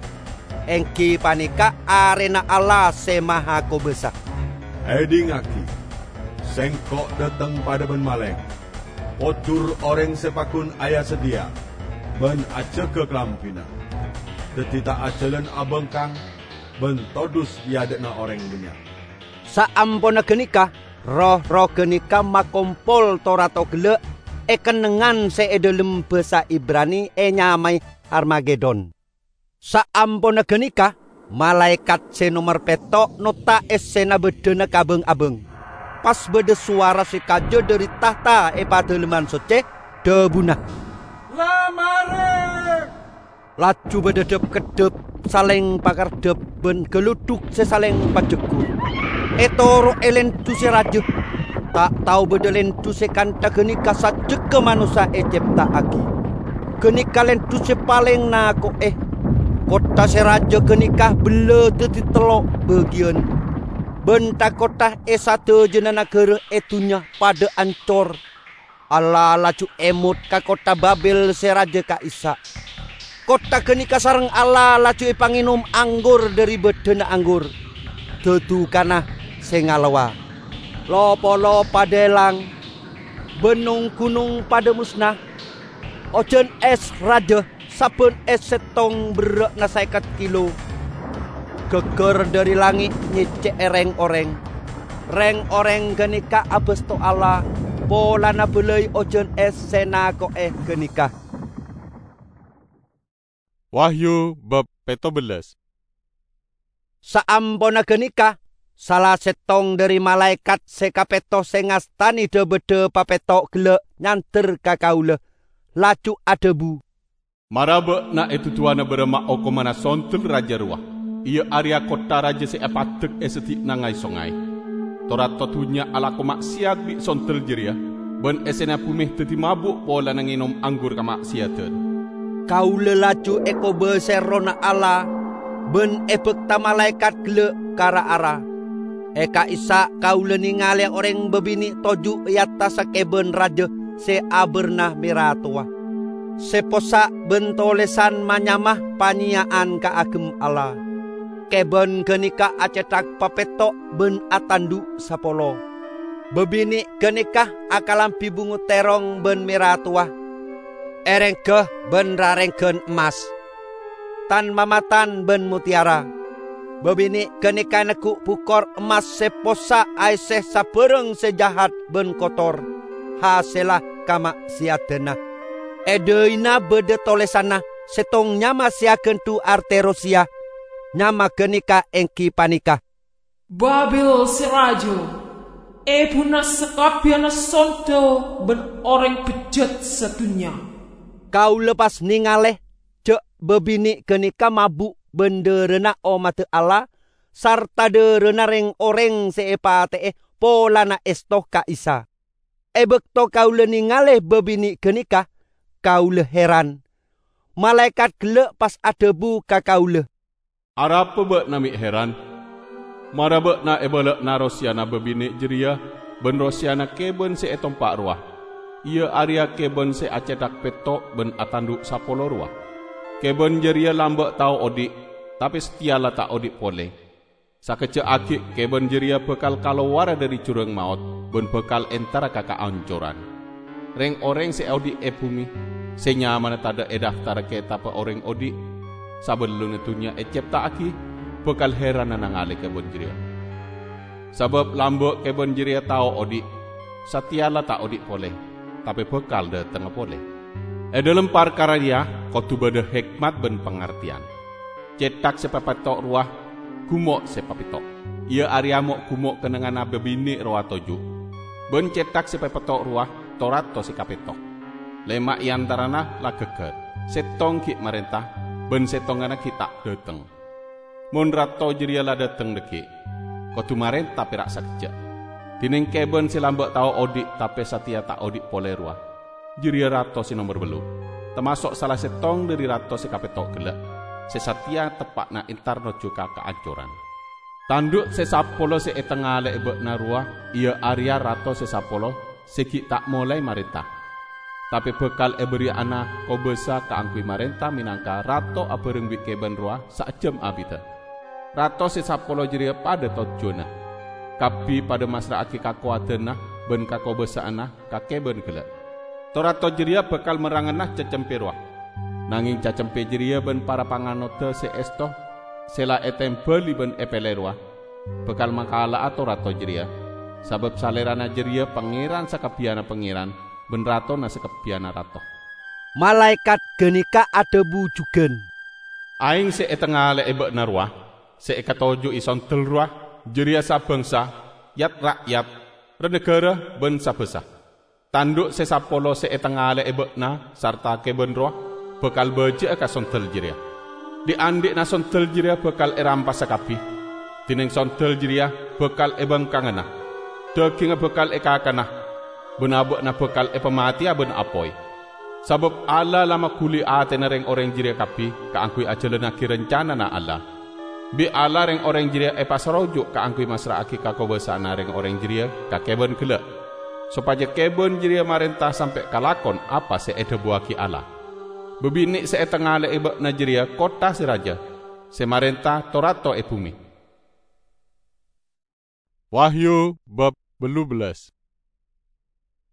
èngghi panèka arèna Allah Sè Mahakobâsa. "Èdhingngaghi! Sèngko' dâteng padâ bân malèng. Pojhur orèng sè paggun aya-sadhiyâ bân ajâgâ kalambhina, dhâddhi ta' ajhâlân abhângkang bân todus è adâ'na orèng bânnya'." Saamponna ghânèka, roh-roh ghânèka makompol to-rato ghellâ' è kennengngan sè è dhâlem bhâsa Ibrani ènyamaè Harmagedon. Saamponna ghânèka, malaèkat sè nomer pètto' notta' essèna bâddhâna ka bhâng-abhâng. Pas bâdâ sowara sè kajâ dhâri tahta è Padâlemman Soccè, dhâbuna, "La marè!" Laju bâdâ dhâp-keddhâp, salèng pakardhâp, bân ghâludhuk sè salèng pajhegghur. Ètoro'è lèndhu sè rajâ. Ta' tao bâdâ lèndhu sè kantha ghânèka sajjhegghâ manossa ècèpta'aghi. Ghânèka lèndhu sè palèng nako'è. Kottha sè rajâ ghânèka bellâ dhâddhi tello' bâgiyân. Bân tha-kottha è sadhâjâna naghârâ è dhunnya padâ ancor. Allah laju èmot ka kottha Babel sè rajâ ka'issa'. Kottha ganeka sareng Allah laju epangènom anggur dhâri bâdâna anggur, dhâdhukana sè ngalowa. Lo-polo padâ èlang, bân nong-ghunong padâ mosna. Ojhân ès rajâ, sabân ès sèttong berrâ'na sèket kilo. Ghâgghâr dhâri langngè' nyècè'è rèng-orèng. Rèng-orèng ganeka abhâsto Allah polana bâlâi ojhân ès sè nako'è ganeka. Wahyu bab pètto bellâs. Saamponna ganeka, sala sèttong dhâri malaèkat sè kapètto sè ngastanè dhâ-bâdhâ papètto' ghellâ' nyander ka kaulâ, laju adhâbu, "Mara bâ'na èdhudhuwana bârâmma okomanna sondel rajâ rowa, iyâ arèya kottha rajâ sè èpaddhek è seddi'na ngay-songay. To-rato dhunnya alako ma'sèyat bi' sondel jârèya, bân èssèna bhumè dhâddhi mabu' polana ngènom anggur kama'sèyaddhân." Kaulâ laju èkobâsa Errohna Allah, bân èbhâkta malaèkat ghellâ' ka ra-ara. È ka'issa' kaulâ nèngalè orèng bâbinè' toju' è attassa kèbân rajâ sè abârna mèra towa, sè possa' bân tolèsan ma-nyama panyèya'an kaagem Allah. Kèbân ganeka acèthak papètto' bân atandhu' sapolo. Bâbinè' ganeka akalambhi bungo tèrong bân mèra towa, èrèngghâ bân rarèngghân emmas, tan-mamatan bân mottèyara. Bâbinè' ganeka negghu' bukor emmas sè possa' aèssè sabârâng sè jahat bân kotor, hasèlla kama'sèyaddhânna. È dhâina bâdâ tolèsanna sèttong nyama sè aghândhu' artè rosèya. Nyama ganeka èngghi panèka, "Babil sè rajâ, èbhuna sakabbiyanna sondel bân orèng bejjat sadhunnya." Kaulâ pas nèngalè jhâ' bâbinè' ganeka mabu' bân dhârâna ommaddhâ Allah sarta dhârâna rèng-orèng sè èpatè'è polana èsto ka Isa. È bâkto kaulâ nèngalè bâbinè' ganeka, kaulâ hèran. Malaèkat ghellâ' pas adhâbu ka kaulâ, "Arapa bâ'na mè' hèran? Mara bâ'na èbâlâ'ana rosèyana bâbinè' jârèya bân rosèyana kèbân sè ètompa' rowa, iyâ arèya kèbân sè acèthak pètto' bân atandhu' sapolo rowa. Kèbân jârèya lambâ' tao odi', tapè satèya la ta' odi' polè. Sakejjhâ' aghi' kèbân jârèya bhâkal kalowara dhâri jhurâng maot bân bhâkal entara ka kaancoran. Rèng-orèng sè odi' è bhumè, sè nyamana tadhâ' è daftarra kètabbhâ orèng odi' sabellunna dhunnya ècèpta'aghi, bhâkal hèrana nangalè kèbân jârèya. Sabâb lambâ' kèbân jârèya tao odi', satèya la ta' odi' polè, tapè bhâkal dhâtengnga polè. È dhâlem parkara rèya kodhu bâdâ hèkmat bân pangartèyan. Cèthak sè papètto' rowa, gumo' sè papètto', iyâ arèya mo'-gumo' kennengnganna bâbinè' rowa toju'. Bân cèthak sè papètto' rowa, to-rato sè kapètto'. Lèma' è antarana la ghâggâr, sèttong ghi' marènta, bân sèttonganna ghi' ta' dhâteng. Mon rato jârèya la dhâteng dhâggi', kodhu marènta pèra' sakejjhâ'. Dhinèng kèbân sè lambâ' tao odi' tapè satèya ta' odi' polè rowa, jârèya rato sè nomer bellu', tamaso' sala sèttong dhâri rato sè kapètto' ghellâ', sè satèya teppa'na entar nojjhu ka kaancoran. Tandhu' sè sapolo sè ètangalè'è bâ'na rowa, iyâ arèya rato sè sapolo sè ghi' ta' molaè marènta, tapè bhâkal èbârri'ana kobâsa kaangghuy marènta mènangka rato abhâreng bi' kèbân rowa saejjhâm abiddhâ. Rato sè sapolo jârèya padâ tojjhuwânna, kabbhi padâ massra'aghi kakowadhânna bân kakobâsa'anna ka kèbân ghellâ'. To-rato jârèya bhâkal merrangana cacempè rowa. Nangèng cacempè jârèya bân para panganodhâ sè èsto sè la ètèmbhâli bân èpèlè rowa, bhâkal makala'a to-rato jârèya, sabâb Salèrana jârèya Pangèran sakabbhiyânna pangèran bân Ratona sakabbhiyânna rato. Malaèkat ghânèka adhâbu jhughân, "Aèng sè ètangalè'è bâ'na rowa, sè èkatoju'i sondel rowa, jârèya sabhângsa, yat-ra'yat, ra-naghârâ bân sabhâsa. Tandhu' sè sapolo sè ètangalè'è bâ'na sarta kèbân rowa bhâkal bâjâ'â ka sondel jârèya. Dhi'-andhi'na sondel jârèya bhâkal èrampasa kabbhi. Dhinèng sondel jârèya bhâkal èbângkangana. Dhâghingnga bhâkal èkakana, bân abâ'na bhâkal èpamatèya bân apoy. Sabâb Allah la maghuli atèna rèng-orèng jârèya kabbhi kaangghuy ajhâlannaghi rancanana Allah. Bi' Allah rèng-orèng jârèya èpasaroju' kaangghuy massra'aghi kakobâsa'anna rèng-orèng jârèya ka kèbân ghellâ', sopajâ kèbân jârèya marènta sampè' kalakon apa sè èdhâbuwaghi Allah." Babinè' sè ètangale'è bâ'na jârèya kottha sè rajâ, sè marènta to-rato è bhumè. Wahyu bab bellubellâs.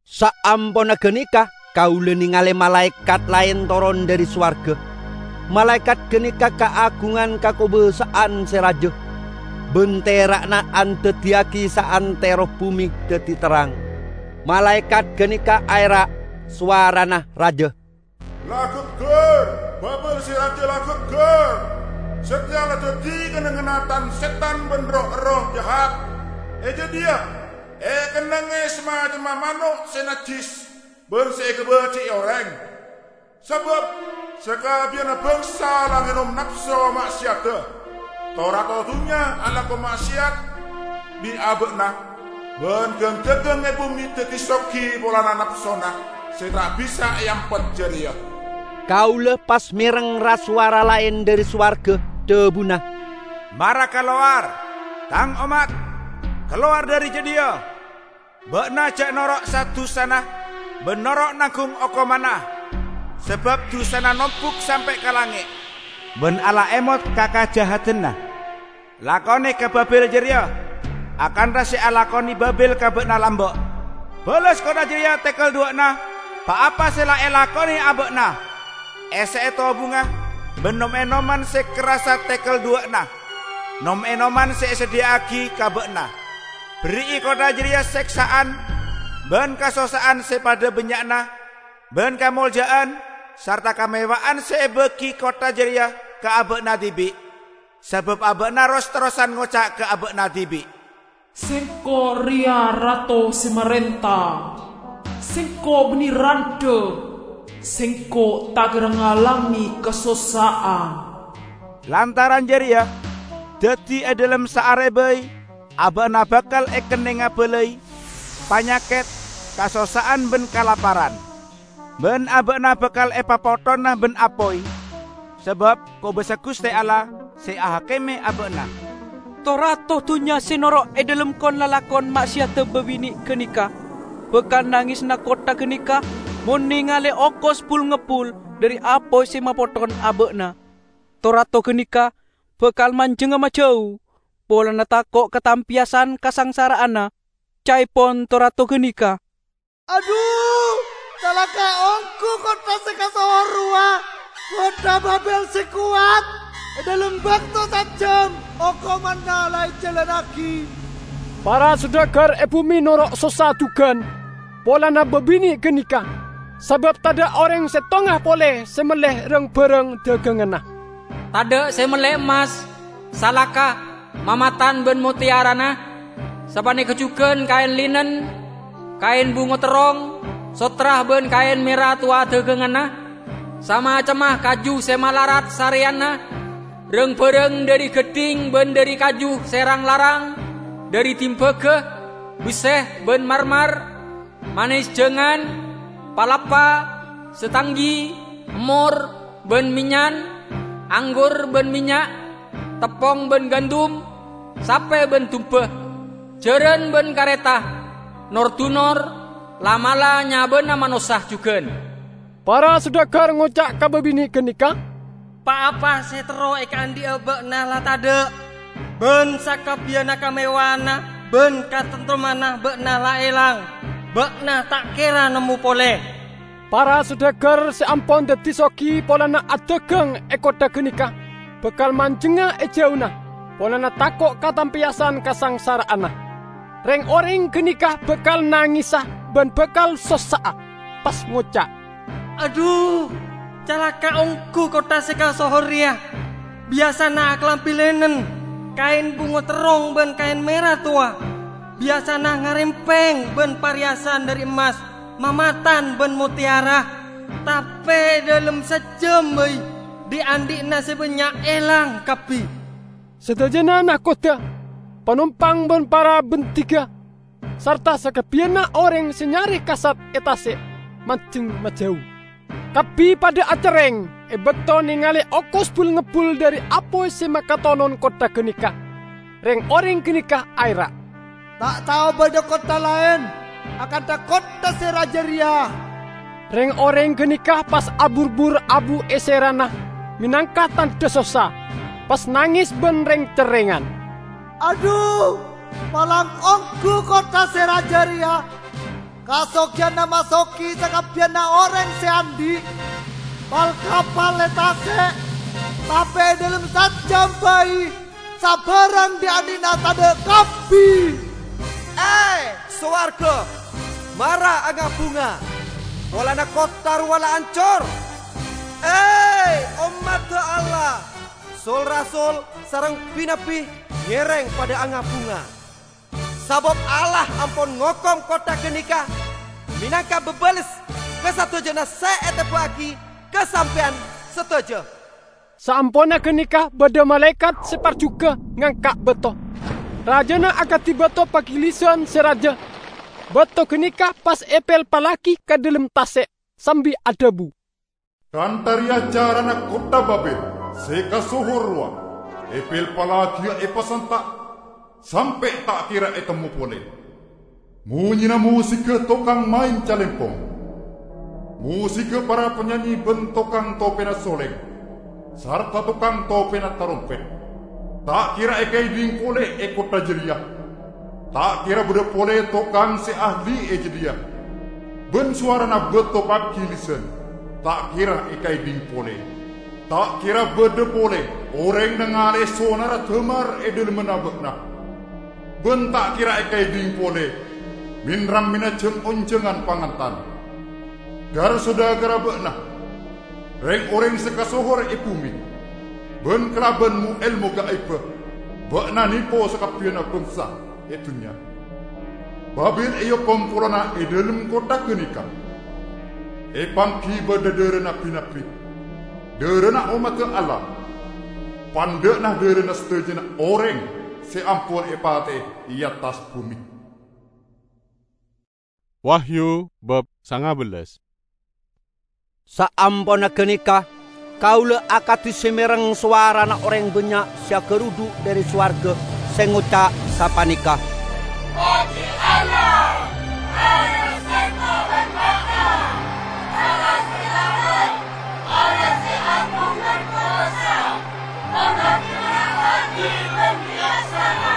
Saamponna ghânèka, kaulâ nèngalè malaèkat laèn toron dhâri sowarghâ. Malaèkat ghânèka kaagungan kakobâsa'an sè rajâ, bân tera'na andhâddhiyâghi saantèro bhumè dhâddhi terrang. Malaèkat ghânèka aèra', sowarana rajâ, "La ghâggâr! Babel sè rajâ la ghâggâr! Satèya la dhâddhi kennengnganna tan-sètan bân roh-erroh jahat. È jâdiyâ èkennengngè samacemma mano' sè najjhis bân sè èkabâji'i orèng. Sabâb sakabbiyanna bhângsa la ngènom napso ma'sèyadhâ. To-rato dhunnya alako ma'sèyat bi' abâ'na, bân ghâng-dhâghâng è bhumè dhâddhi soghi polana napsona sè ta' bisa èampet jârèya." Kaulâ pas mèreng ra-sowara laèn dhâri sowarghâ, dhâbuna, "Mara kalowar, Tang ommat! Kalowar dhâri jâdiyâ! Bâ'na jhâ' noro' sa-dusana bân noro' nangghung okomanna, sabâb dusana nombhuk sampè' ka langngè', bân Allah èmot ka kajahadanna. Lakonè ka Babel jârèya akantha sè alakonè Babel ka bâ'na lambâ'. Bâlâs kottha jârèya tèkèl duwâ'na pa-apa sè la èlakonè abâ'na. Èssè'è tobungnga bân nom-ènoman sè kerrassa tèkèl duwâ'na, nom-ènoman sè èsadhiyâ'aghi ka bâ'na. Berri'i kottha jârèya sèksa'an bân kasossa'an sè padâ bânnya'na, bân kamolja'an sarta kamewa'an sè èbâghi kottha jârèya ka abâ'na dhibi', sabâb abâ'na ros-terrosan ngoca' ka abâ'na dhibi', 'Sèngko' rèya Rato sè marènta. Sèngko' bânnè randhâ. Sèngko' ta' kèra ngalangnge kasossa'an.' Lantaran jârèya, dhâddhi è dhâlem saarè bhâi, abâ'na bhâkal èkennengnga bâlâi, panyakèt, kasossa'an bân kalaparan. Bân abâ'na bhâkal èpapotthona bân apoy, sabâb kobâsa Ghustè Allah sè ahakime abâ'na." To-rato dhunnya sè noro' è dhâlem kon-lalakon ma'sèyadhâ babinè' ghânèka bhâkal nangesana kottha ghânèka mon nèngalè okos bul-ngebbul dhâri apoy sè mapotthon abâ'na. To-rato ghânèka bhâkal manjhengnga majâu polana tako' ka tampèyasan kasangsara'anna. Ca'èpon to-rato ghânèka, "Adhu, calaka' ongghu kottha sè kasohor rowa, kottha Babel sè kowat! È dhâlem bâkto sajhâm, okomanna la èjhâlânnaghi." Para sodagar è bhumè noro' sossa dhughân polana babinè' ghânèka, sabâb tadâ' orèng sèttonga polè sè mellè rang-bhârâng dhâghânganna. Tadâ' sè mellè emmas, salaka, mamatan bân mottèyarana, sapanèka jhughân kaèn linen, kaèn bungo terrong, sottra bân kaèn mèra towa dhâghânganna, samacemma kaju sè malarat sarèyanna, rang-bhârâng dhâri ghâddhing bân dhâri kaju sè rang-larang, dhâri dimbaga, bessè bân marmar, manès jhângan, palappa, satanggi, emmor, bân mennyan, anggur bân mennya', teppong bân gandum, sapè bân dumbâ, jhârân bân karèta, nor-dunor, la'-mala' nyabâna manossa jhughân. Para sodagar ngoca' ka babinè' ghânèka, "Pa-apa sè terro èkaandhi'â bâ'na la tadâ', bân sakabbiyanna kamewahanna bân katentremmanna bâ'na la èlang. Bâ'na ta' kèra nemmo polè." Para sodagar sè ampon dhâddhi soghi polana adhâghâng è kottha ghânèka bhâkal manjhengnga è jhâuna, polana tako' ka tampèyasan kasangsara'anna. Rèng-orèng ghânèka bhâkal nangèsa bân bhâkal sossa'a, pas ngoca', "Adhu, calaka' ongghu kottha sè kasohor rèya! Biyasana akalambhi linen, kaèn bungo terrong bân kaèn mèra towa. Biyasana ngarèmpèng bân parèyasan dhâri emmas, mamatan bân mottèyara. Tapè è dhâlem sajhâm bhâi, dhi'-andhi'na sè bânnya' èlang kabbhi." Sadhâjâna nakodhâ, panompang bân para bhândhigâ, sarta sakabbiyanna orèng sè nyarè kasat è tasè' manjheng majhâu. Kabbhi padâ acerrèng è bâkto nèngalè okos bul-ngebbul dhâri apoy sè makatonon kottha ghânèka. Rèng-orèng ghânèka aèra', "Ta' tao bâdâ kottha laèn akantha kottha sè rajâ rèya!" Reng-oreng ganeka pas abur-bur abu è serana, menangka tandha sossa, pas nanges ban reng-cerrengan. "Adhu, palang onggu kottha se raja reya! Kasogiyanna masogi sakabbiyanna oreng se andhi'. Pal-kapal e tase', tape e dhalem sajjam bai, sabarang dhi'-andhi'na tadha' kabbi!" E, sowarga, mara anga-bunga, polana kottha rowa la ancor! E, ommadda Allah, sol-rasul sareng bi-nabbi ngereng padha anga-bunga! Sabab Allah ampon ngokom kottha ganeka menangka babales ka sadajana se etebba'agi ka sampeyan sadaja. Saamponna ganeka badha malaekat se parjuga ngangka' bato. Rajana akadi bato pagilisan se raja. Bato ganeka pas epelpallagi ka dhalem tase' sambi adhabu, "Kantha reya carana kottha Babil se kasohor rowa, epelpallagiya epasanta', sampe' ta' kera etemmo pole. Monyena mosiga tokang maen calempong, mosiga para panyanyi ban tokang topena soleng, sarta tokang topena tarompet, ta' kera ekaedhing pole e kottha jareya. Ta' kera badha pole tokang se ahli e jadhiya, ban sowarana bato pagilisan ta' kera ekaedhing pole. Ta' kera badha pole oreng nangale sonarra damar e dhalemmanna ba'na, ban ta' kera ekaedhing pole men-rammena jang-onjangan pangantan. Gar-sodagarra ba'na, reng-oreng se kasohor e bume, ban kalaban mo-elmo gaibba ba'na nepo sakabbiyanna bangsa e dunnya. Babil eokom polana e dhalem kottha ganeka. Epangghi badha dharana bi-nabbi, dharana ommadda Allah, pandha'na dharana sadajana oreng se ampon epateye e attas bume." Wahyu bab sanga bellas. Saamponna ganeka, kaula akadi se mereng sowarana oreng bannya' se agarudhu' dhari sowarga se ngoca' sapaneka, "Pojji Allah! Allah sengko' ban ba'na! Allah se larat! Allah se agung ban kobasa! Allah se mangaghi ban bijaksana!"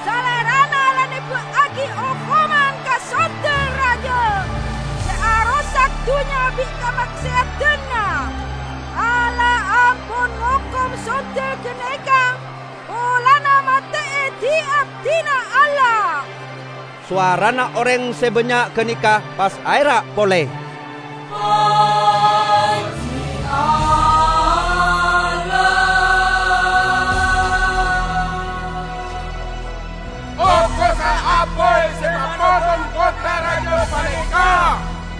Salerana la nebba'agi okoman ka sondel raja se arosak dunnya bi' kamakse'adanna. Allah ampon ngokom sondel ganeka polana mate'e di-abdina Allah. Sowarana oreng se bannya' ganeka pas aera' pole, "Pojji Allah! Okosa apoy se mapotong kottha raja paneka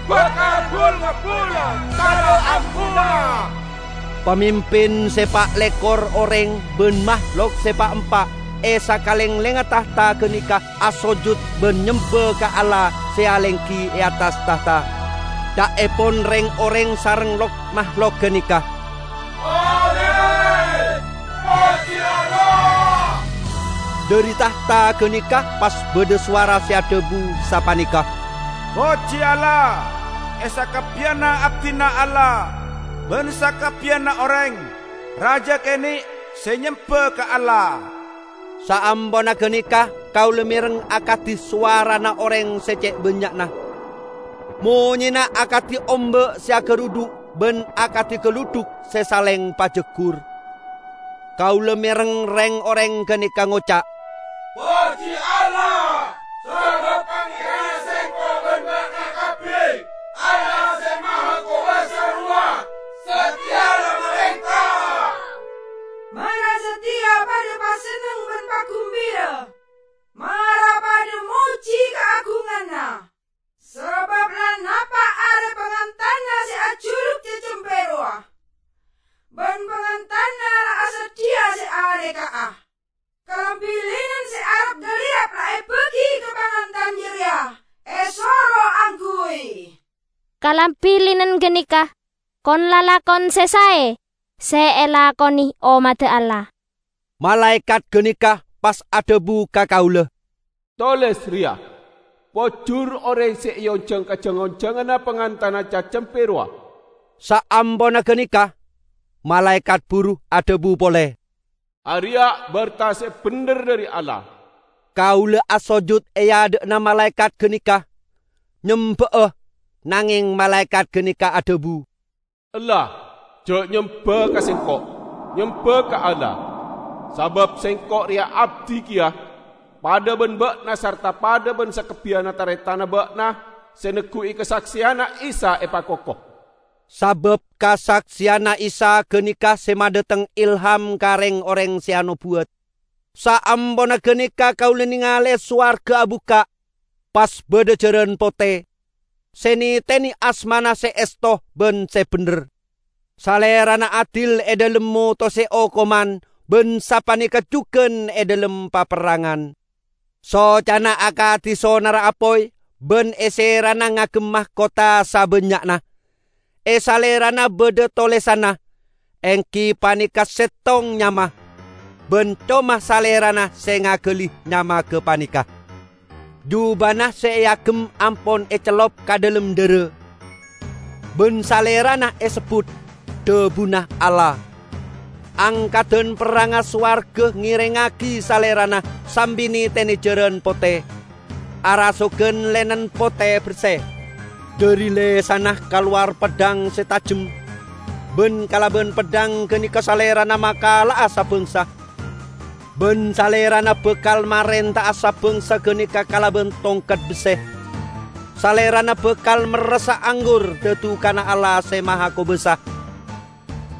bakal bul-ngebbullan sala amponna!" Pamimpin se pa' lekkor oreng ban mahlok se pa' empa' e sakalenglengnga tahta ganeka asojud ban nyemba ka Allah se alenggi e attas tahta. Ca'epon reng-oreng sareng lok-mahlok ganeka, "Amin! Pojji Allah!" Dhari tahta ganeka pas badha sowara se adhabu sapaneka, "Pojji Allah, e sakabbiyanna abdina Allah, ban sakabbiyanna oreng, raja kene' se nyemba ka Allah!" Saamponna ganeka kaula mereng akadi sowarana oreng se ce' bannya'na. Monyena akadi omba' se agarudhu' ban akadi galudhuk se saleng pajaggur. Kaula mereng reng-oreng ganeka ngoca', "Pojji Allah, sabab Pangeranna sengko' ban ba'na kabbi, Allah se Mahakobasa rowa, sateya la marenta!" Mara sateya padha pasenneng ban pagumbira. Mara padha mojji kaagunganna. Sabab la napa' are pangantanna se ajuluk cecempe rowa, ban pangantanna la asadhiya se areka'a. Kalambi linen se arap galirap la ebagi ka pangantan jareya, esoro angghuy. Kalambi linen ganeka kon-lalakon se sae se elakone ommadda Allah." Malaekat ganeka pas adhabu ka kaula, "Toles reya, Pojur orèng sè èonjhâng ka jhâng-onjhânganna pangantana cacempe rowa." Saamponna ghânèka, malaèkat buru adhâbu polè, "Arèya bârta sè bhendher dhâri Allah." Kaulâ asojud è adâ'na malaèkat ghânèka, nyembâ'â, nangèng malaèkat ghânèka adhâbu, "Ella, jhâ' nyembâ ka sèngko', nyembâ ka Allah. Sabâb sèngko' rèya abdhi kèya, padâ bân bâ'na sarta padâ bân sakabbhiyânna tarètanna bâ'na sè negghu'i kasaksèyanna Isa èpakoko." Sabâb kasaksèyanna Isa ghânèka sè madâteng ilham ka rèng-orèng sè anobuwât. Saamponna ghânèka kaulâ nèngalè sowarghâ abukka', pas bâdâ jhârân potè, sè nètènè asmana sè èsto bân sè bhendher. Salèrana adil è dhâlem motosè okoman bân sapanèka jhughân è dhâlem paperrangan. Socana akadhi sonarra apoy bân è sèrana ngagem mahkota sabânnya'na. È salèrana bâdâ tolèsanna, èngghi panèka sèttong nyama, bân coma salèrana sè ngaghâli nyama ghâpanèka. Jhubâna sè èagem ampon ècellop ka dhâlem dhârâ, bân salèrana èsebbhut "Dhâbuna Allah". Angkaddhân perrangnga sowarghâ ngèrèngngaghi salèrana sambi nètènè jhârân potè, arasoghân lènen potè bersè. Dhâri lèsanna kalowar peddhâng sè tajem, bân kalabân peddhâng ghânèka salèrana makala'a sabângsa. Bân salèrana bhâkal marènta'a sabângsa ghânèka kalabân tongket bessè. Salèrana bhâkal merressa anggur dhâdhukana Allah Sè Mahakobâsa.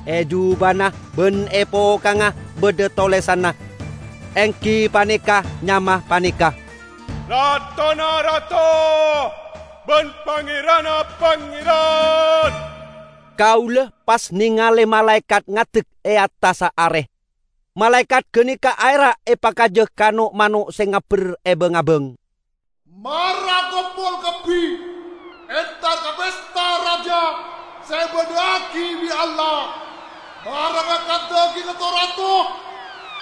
È jhubâna bân è pokangnga bâdâ tolèsanna, èngghi panèka nyama panèka, "Ratona rato bân Pangèranna pangèran." Kaulâ pas nèngalè malaèkat ngadek è attassa arè. Malaèkat ghânèka aèra' èpakajâ ka no'-mano' sè ngabbher è bâng-abâng, "Mara kompol kabbhi, entar ka pesta raja sè èbâdâ'aghi bi' Allah. Mara ngakan dhâgingnga to-rato,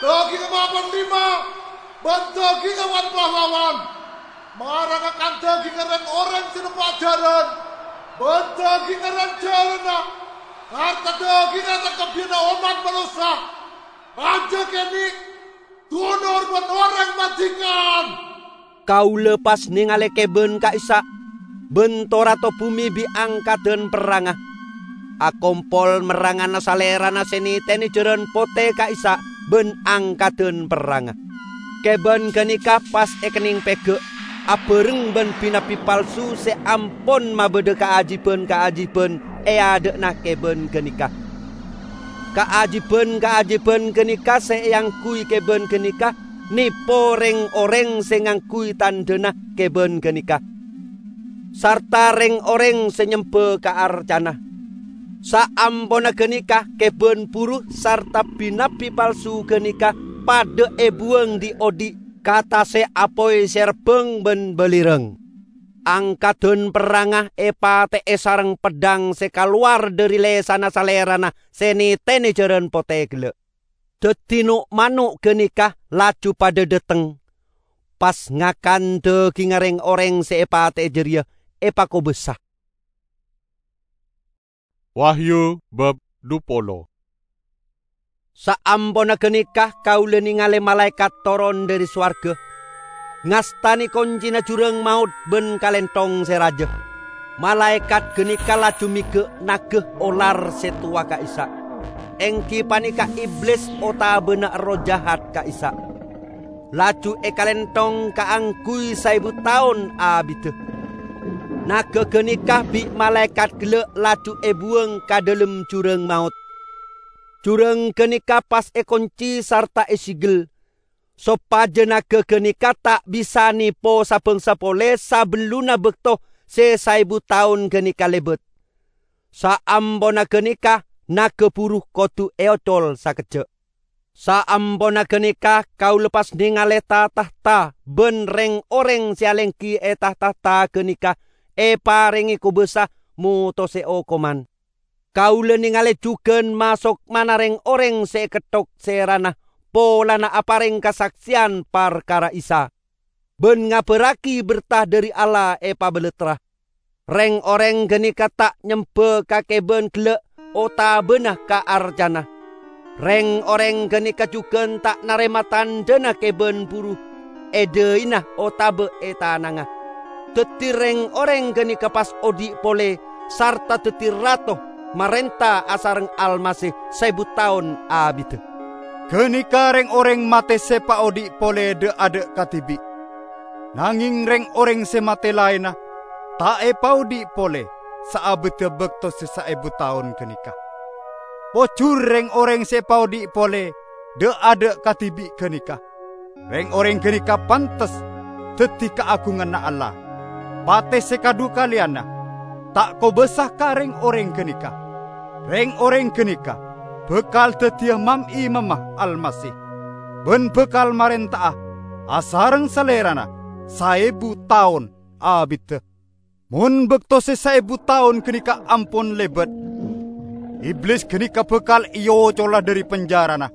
dhâgingnga ma' panglima, bân dhâgingnga wan-pahlawan. Mara ngakan dhâgingnga rèng-orèng sè nemmo ajhârân, bân dhâgingnga rèng-jhârânna, sarta dhâgingnga sakabbhiyanna ommat manossa. Rajâ kènè', dunor bân orèng madhingan." Kaulâ pas nèngalè kèbân ka'issa', bân to-rato bhumè bi' angkaddhân perrangnga. Akompol merrangana salèrana sè nètènè jhârân potè ka'issa' bân angkaddhân perrangnga. Kèbân ghânèka pas èkennèng pèghâ', abhâreng bân bi-nabbi palsu sè ampon mabâdâ kaajiban-kaajiban è adâ'na kèbân ghânèka. Kaajiban-kaajiban ghânèka sè èangghuy kèbân ghânèka nèpo rèng-orèng sè ngangghuy tandhâna kèbân ghânèka, sarta rèng-orèng sè nyembâ ka arcana. Saamponna ghânèka, kèbân buru sarta bi-nabbi palsu ghânèka padâ èbuwâng dhi'-odhi' ka tasè' apoy sè rebbhâng bân balirang. Angkaddhân perrangnga èpatè'è sareng peddhâng sè kalowar dhâri lèsanna salèrana sè nètènè jhârân potè ghellâ'. Dhâddhi no'-mano' ghânèka laju padâ dhâteng, pas ngakan dhâgingnga rèng-orèng sè èpatè'è jârèya èpakobâsa. Wahyu bab dhu polo. Saamponna ghânèka kaulâ nèngalè malaèkat toron dhâri sowarghâ, ngastanè koncèna jhurâng maot bân kalènthong sè rajâ. Malaèkat ghânèka laju mèghâ' naga olar sè towa ka'issa', èngghi panèka Iblis otabâna erroh jahat ka'issa'. Laju èkalènthong kaangghuy saèbu taon abiddhâ. Naga ghânèka bi' malaèkat ghellâ' laju èbuwâng ka dhâlem jhurâng maot. Jhurâng ghânèka pas èkoncè sarta èsèghel, sopajâ naga ghânèka ta' bisa nèpo sa-bângsa polè sabellunna bâkto sè saèbu taon ghânèka lèbât. Saamponna ghânèka, naga buru kodhu èocol sakejjhâ'. Saamponna ghânèka, kaulâ pas nèngalè ta-tahta bân rèng-orèng sè alèngghi è ta-tahta ghânèka èparèngè kobâsa motosè okoman. Kaulâ nèngalè jhughân masokmana rèng-orèng sè èketthok sèrana polana aparèng kasaksèyan parkara Isa. ban ngabarragi berta dhari Allah èpabalattra. Reng-oreng ganèka ta' nyemba ka kèbân gellâ' otabâna ka arcana. Reng-oreng ganèka jhughân ta' narèma tandhâna kèbân buru è dhâina otabâ è tanangnga. Dhâddhi reng-oreng ganèka pas odi' polè sarta dhâddhi rato marènta asareng Almasih saèbu taon abiddhâ. Ganèka reng-oreng matè sè paodi' polè dâ'-adâ' kadhibi'. Nangèng reng-oreng sè matè laènna ta' èpaodi' polè saabiddhâ bâkto sè saèbu taon ganèka. Pojhur reng-oreng sè èpaodi' polè dâ'-adâ' kadhibi' ganèka. Reng-oreng ganèka pantes dhâddhi kaagunganna Allah. Patè sè kadhukalèyanna ta' kobâsa ka reng-oreng ganèka. Reng-oreng ganèka bhâkal dhâddhiyâ mam-imamma Almasih, ban bhâkal marènta'a asareng Salèrana saèbu taon abiddhâ. Mon bâkto sè saèbu taon ganèka ampon lèbât, Iblis ganèka bhâkal èocola dhâri penjârana.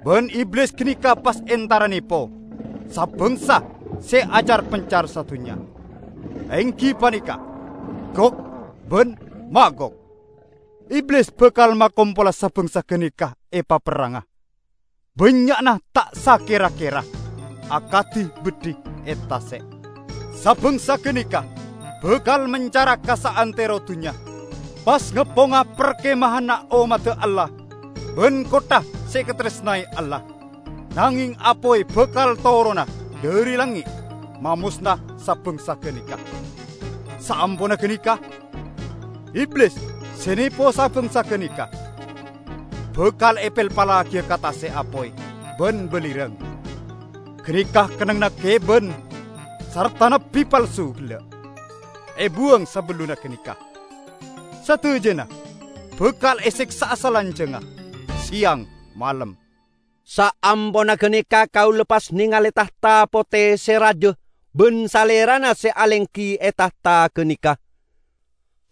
Bân Iblis ganèka pas èntara nèpo sa-bângsa sè acar-pencar sadhunnya, èngghi panèka Gog bân Magog. Iblis bhâkal makompola sa-bângsa ganèka è paperrangnga. Bânnya'na ta' sakèra-kèra, akadhi beddhi è tasè'. Sa-bângsa ganèka bhâkal mencara ka saantèro dhunnya, pas ngepponga parkemahanna ommadda Allah bân kottha sè èkatarèsnaè Allah. Nangèng apoy bhâkal torona dhâri langngè', mamosna sa-bângsa ganèka. Saamponna ganèka, Iblis sè nèpo sa-bângsa ganèka bhâkal èpèlpalaghiyâ ka tasè' apoy bân balirâng. Ganèka kennengnganna kèbân sarta nabbhi palsu gellâ'. Èbuwâng sabellunna ganèka. Sadhâjâna bhâkal èsèksa'a salanjhângnga, sèyang malem. Saamponna ganèka kaulâ pas nèngalè tahta potè sè rajâ bân Salèrana sè alèngghi è tahta ganèka.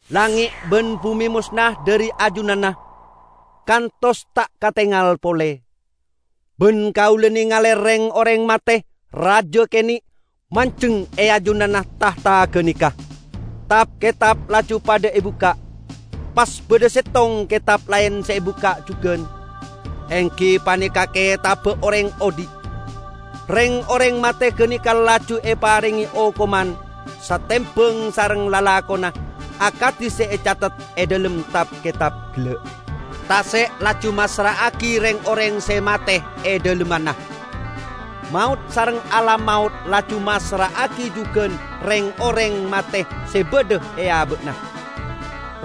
Langngè' bân bhumè mosna dhâri ajunanna, kantos ta' katèngal polè. Bân kaulâ nèngalè rèng-orèng matè rajâ kènè' manjheng è ajunanna tahta ganèka. Tap-kètap laju padâ èbukka'. Pas bâdâ sèttong kètap laèn sè èbukka' jhughân, èngghi panèka kètabbhâ orèng odi'. Rèng-orèng matè ganèka laju èparèngè okoman satèmbhâng sareng lalakonna akadhi sè ècatet è dhâlem tap-kètap gellâ'. Tasè' laju massra'aghi rèng-orèng sè matè è dhâlemmanna. Maot sareng alam maot laju massra'aghi jhughân rèng-orèng matè sè bâdâ è abâ'na.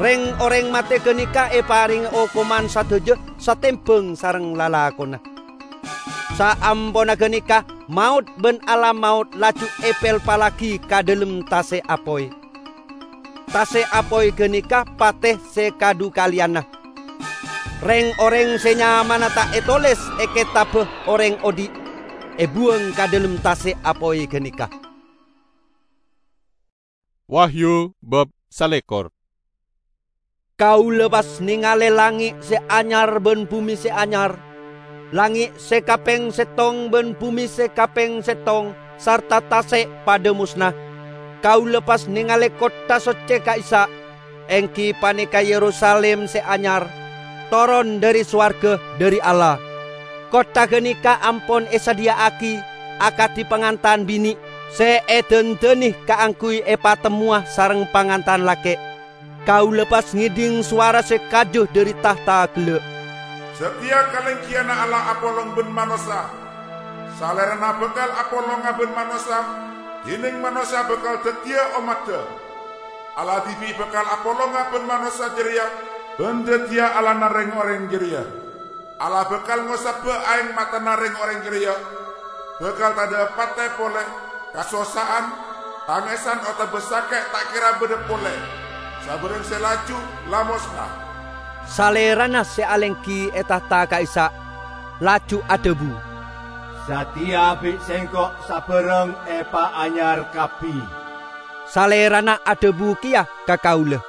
Rèng-orèng matè ganèka èparèngè okoman sadhâjâ satèmbhâng sareng lalakonna. Saamponna ganèka, maot bân alam maot laju èpèlpalaghi ka dhâlem tasè' apoy. Tasè' apoy ganèka patè sè kadhukalèyanna. Rèng-orèng sè nyamana ta' ètolès è kètabbhâ orèng odi' èbuwâng ka dhâlem tasè' apoy ganèka. Wahyu bab salèkor. Kaulâ pas nèngalè langngè' sè anyar bân bhumè sè anyar, langngè' sè kapèng sèttong bân bhumè sè kapèng sèttong sarta tasè' padâ mosna. Kaulâ pas nèngalè kottha soccè ka'issa', èngghi panèka Yerusalim sè anyar, toron dhâri sowarghâ dhâri Allah. Kottha ganèka ampon èsadhiyâ'aghi akadhi pangantan binè' sè èdhândhâni kaangghuy èpatemmowa sareng pangantan lakè'. Kaulâ pas ngèdhing sowara sè kaju dhâri tahta gellâ', "Satèya kalèngghiyanna Allah apolong bân manossa. Salèrana bhâkal apolonga bân manossa, dhinèng manossa bhâkal dhâddhiyâ ommaddhâ. Allah dhibi' bhâkal apolonga bân manossa jârèya bân dhâddhiyâ Allahna rèng-orèng jârèya. Allah bhâkal ngosabbhâ aèng matana rèng-orèng jârèya. Bhâkal tadhâ' patè polè, kasossa'an, tangèsan otabâ sakè' ta' kèra bâdâ polè. Sabârâng sè laju la mosna." Salèrana sè alèngghi è tahta ka'issa' laju adhâbu, "Satèya bi' Sèngko' sabârâng èpaanyar kabbhi." Salèrana adhâbu kèya ka kaulâ,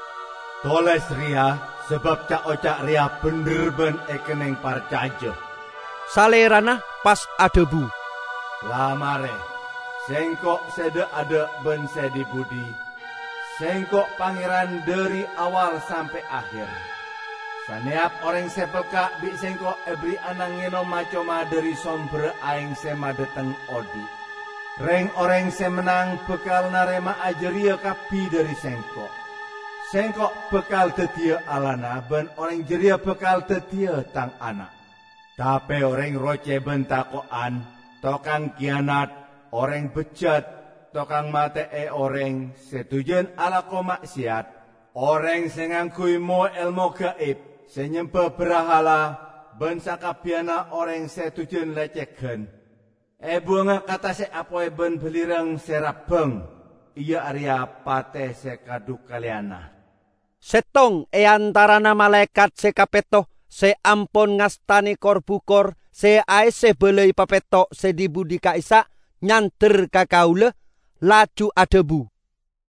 "Tolès rèya, sabâb ca'-oca' rèya bhendher bân èkennèng parcajâ." Salèrana pas adhâbu, "La marè, Sengko' se dha'-adha' ban se dhi-budhi. Sengko' Pangeran dhari awal sampe' aher. Saneyap oreng se pelka' bi' Sengko' eberri'ana ngenom ma-coma dhari somberra aeng se madhateng odhi'. Reng-oreng se mennang bakal narema'a jareya kabbi dhari Sengko'. Sengko' bakal daddiya Allahna, ban oreng jareya bakal daddiya Tang ana'. Tape oreng roce ban tako'an, tokang kiyanat, oreng bejjat, tokang mate'e oreng se dujan alako ma'seyat, oreng se ngangguy mo-elmo gaib, se nyemba brahala, ban sakabbiyanna oreng se dujan lecegan, ebuwanga ka tase' apoy ban balirang se rabbang, iya areya pate se kadhukaleyana. Settong e antarana malaekat se kapetto se ampon ngastane kor-bukor se aesse balai papetto' se dhi-budhi ka'issa' nyander ka kaula, laju adhabu,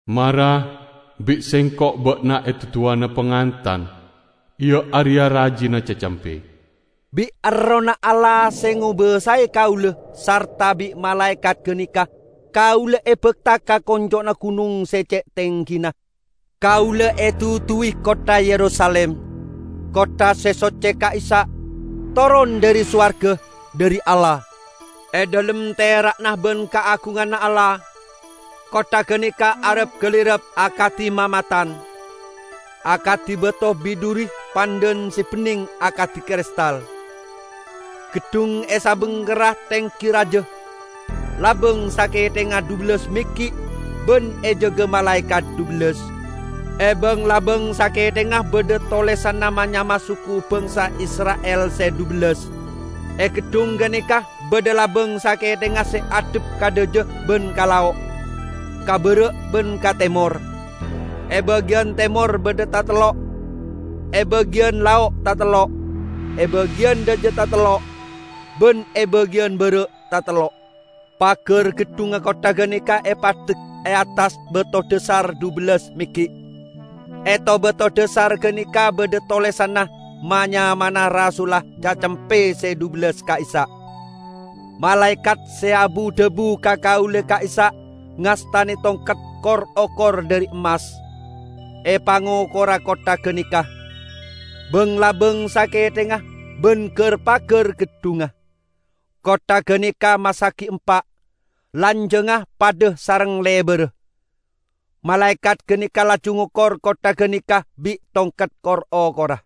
"Mara, bi' sengko' ba'na eduduwana pangantan, iya areya rajina Cacempe." Bi' Errohna Allah se ngobasae kaula sarta bi' malaekat ganeka, kaula ebakta ka konco'na gunong se ce' tenggina. Kaula eduduwi kottha Yerusalim, kottha se socce ka'issa', toron dhari sowarga, dhari Allah. E dhalem tera'na ban kaagunganna Allah, kottha ganeka arap-galirap akadi mamatan, akadi bato biduri pandhan se benneng akadi kristal. Geddhung e sabengkerra tenggi raja, labang sakethengnga dhubellas meggi' ban ejaga malaekat dhubellas. E bang-labang sakethengnga badha tolesanna ma-nyama suku bangsa Isra'il se dhubellas. E geddhung ganeka badha labang sakethengnga se addhep ka dhaja ban ka lao', ka bara' ban ka temor. E bagiyan temor badha tatello', e bagiyan lao' tatello', e bagiyan dhaja tatello', ban e bagiyan bara' tatello'. Pagar geddhungnga kottha ganeka epaddek e attas bato dhasar dhubellas meggi'. E to-bato dhasar ganeka badha tolesanna ma-nyamana rasulla Cacempe se dhubellas ka'issa'. Malaekat se abu-dhabu ka kaula ka'issa' ngastane tongket kor-okor dhari emmas. Epangokora kottha ganeka, bang-labang sakethengnga ban gar-pagar geddhungnga. Kottha ganeka massagi empa', lanjangnga padha sareng lebarra. Malaekat ganeka laju ngokor kottha ganeka bi' tongket kor-okora.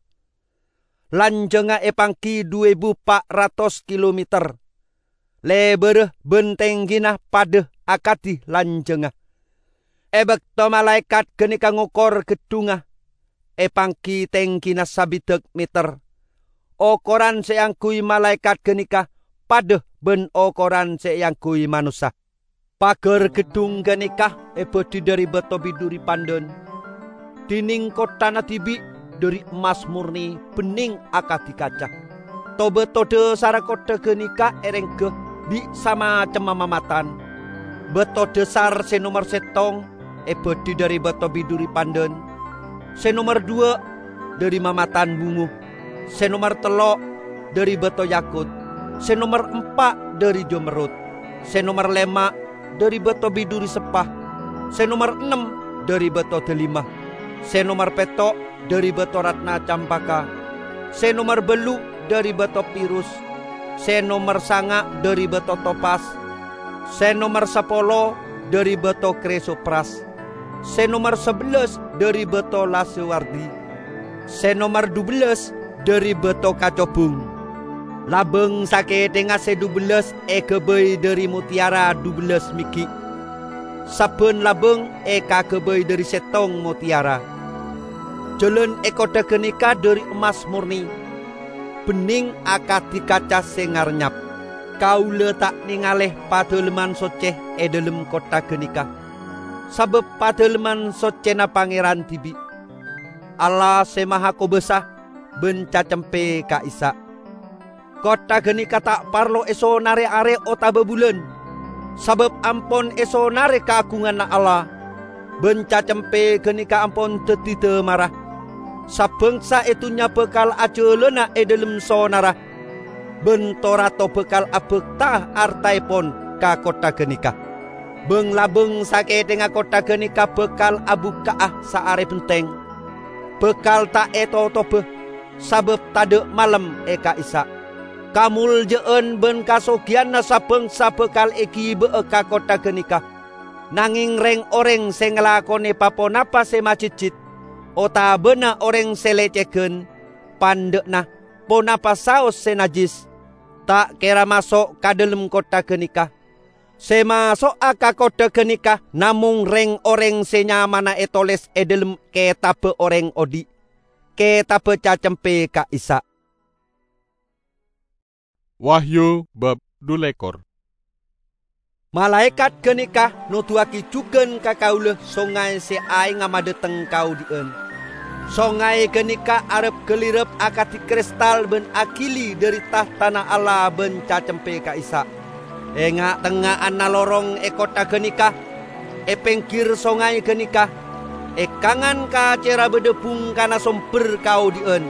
Lanjangnga epanggi dhu ebu pa' ratos kilometer, lebarra ban tenggina padha akadi lanjangnga. E bakto malaekat ganeka ngokor geddhungnga, epanggi tenggina sabidak meter. Okoran se eangguy malaekat ganeka padha ban okoran se eangguy manossa. Pagar geddhung ganeka ebadhi dhari bato biduri pandhan, dineng kotthana dibi' dhari emmas morne benneng akadi kaca. To-bato dhasarra kottha ganeka erengga bi' samacemma mamatan. Bato dhasar se nomer settong ebadhi dhari bato biduri pandhan, se nomer dhuwa' dhari mamatan bungo, se nomer tello' dhari bato yakut, se nomer empa' dhari jamerrut, se nomer lema' dhari bato biduri seppa, se nomer ennem dhari bato dalima, se nomer petto' dhari bato ratna campaka, se nomer ballu' dhari bato pirus, se nomer sanga' dhari bato topas, se nomer sapolo dhari bato krisopras, se nomer sabellas dhari bato lasewardi, se nomer dhubellas dhari bato kacobung. Labang sakethengnga se dhubellas egabay dhari motteyara dhubellas meggi'. Sabban labang ekagabay dhari settong motteyara. Jalan e kottha ganeka dhari emmas morne, benneng akadi kaca se ngarnyap. Kaula ta' nengale Padalemman Socce e dhalem kottha ganeka, sabab Padalemman Soccena Pangeran dibi', Allah Se Mahakobasa ban Cacempe ka'issa'. Kottha ganeka ta' parlo esonare are otaba bulan, sabab ampon esonare kaagunganna Allah, ban Cacempe ganeka ampon daddi damarra. Sabangsa e dunnya bakal ajalana e dhalem sonarra, ban to-rato bakal abakta artaepon ka kottha ganeka. Bâng-labâng sakèthèngnga kottha ghânèka bhâkal abukka'a saarè bhenteng. Bhâkal ta' ètotobhâ, sabâb tadâ' malem è ka'issa'. Kamoljâ'ân bân kasogiyanna sa-bângsa bhâkal èghibâ'â ka kottha ghânèka. Nangèng rèng-orèng sè ngalakonè pa-ponapa sè majhejjhit, otabâna orèng sè lècèghân, pandâ'na, ponapa saos sè najjhis, ta' kèra maso' ka dhâlem kottha ghânèka. Sè maso'a ka kottha ghânèka namong rèng-orèng sè nyamana ètolès è dhâlem Kètabbhâ Orèng Odhi', kètabbhâ Cacempè ka'issa'. Wahyu bab dhu lèkor. Malaèkat ghânèka noduwâghi jhughân ka kaulâ songay sè aèngnga madhâteng kaodhi'ân. Songay ghânèka arep-ghâlirep akadhi kristal bân aghili dhâri tahtana Allah bân Cacempè ka'issa'. È nga'-tengnga'anna lorong è kottha ghânèka, è pèngghir songay ghânèka, è kangan kacèra bâdâ bhungkana sombher kaodhi'ân,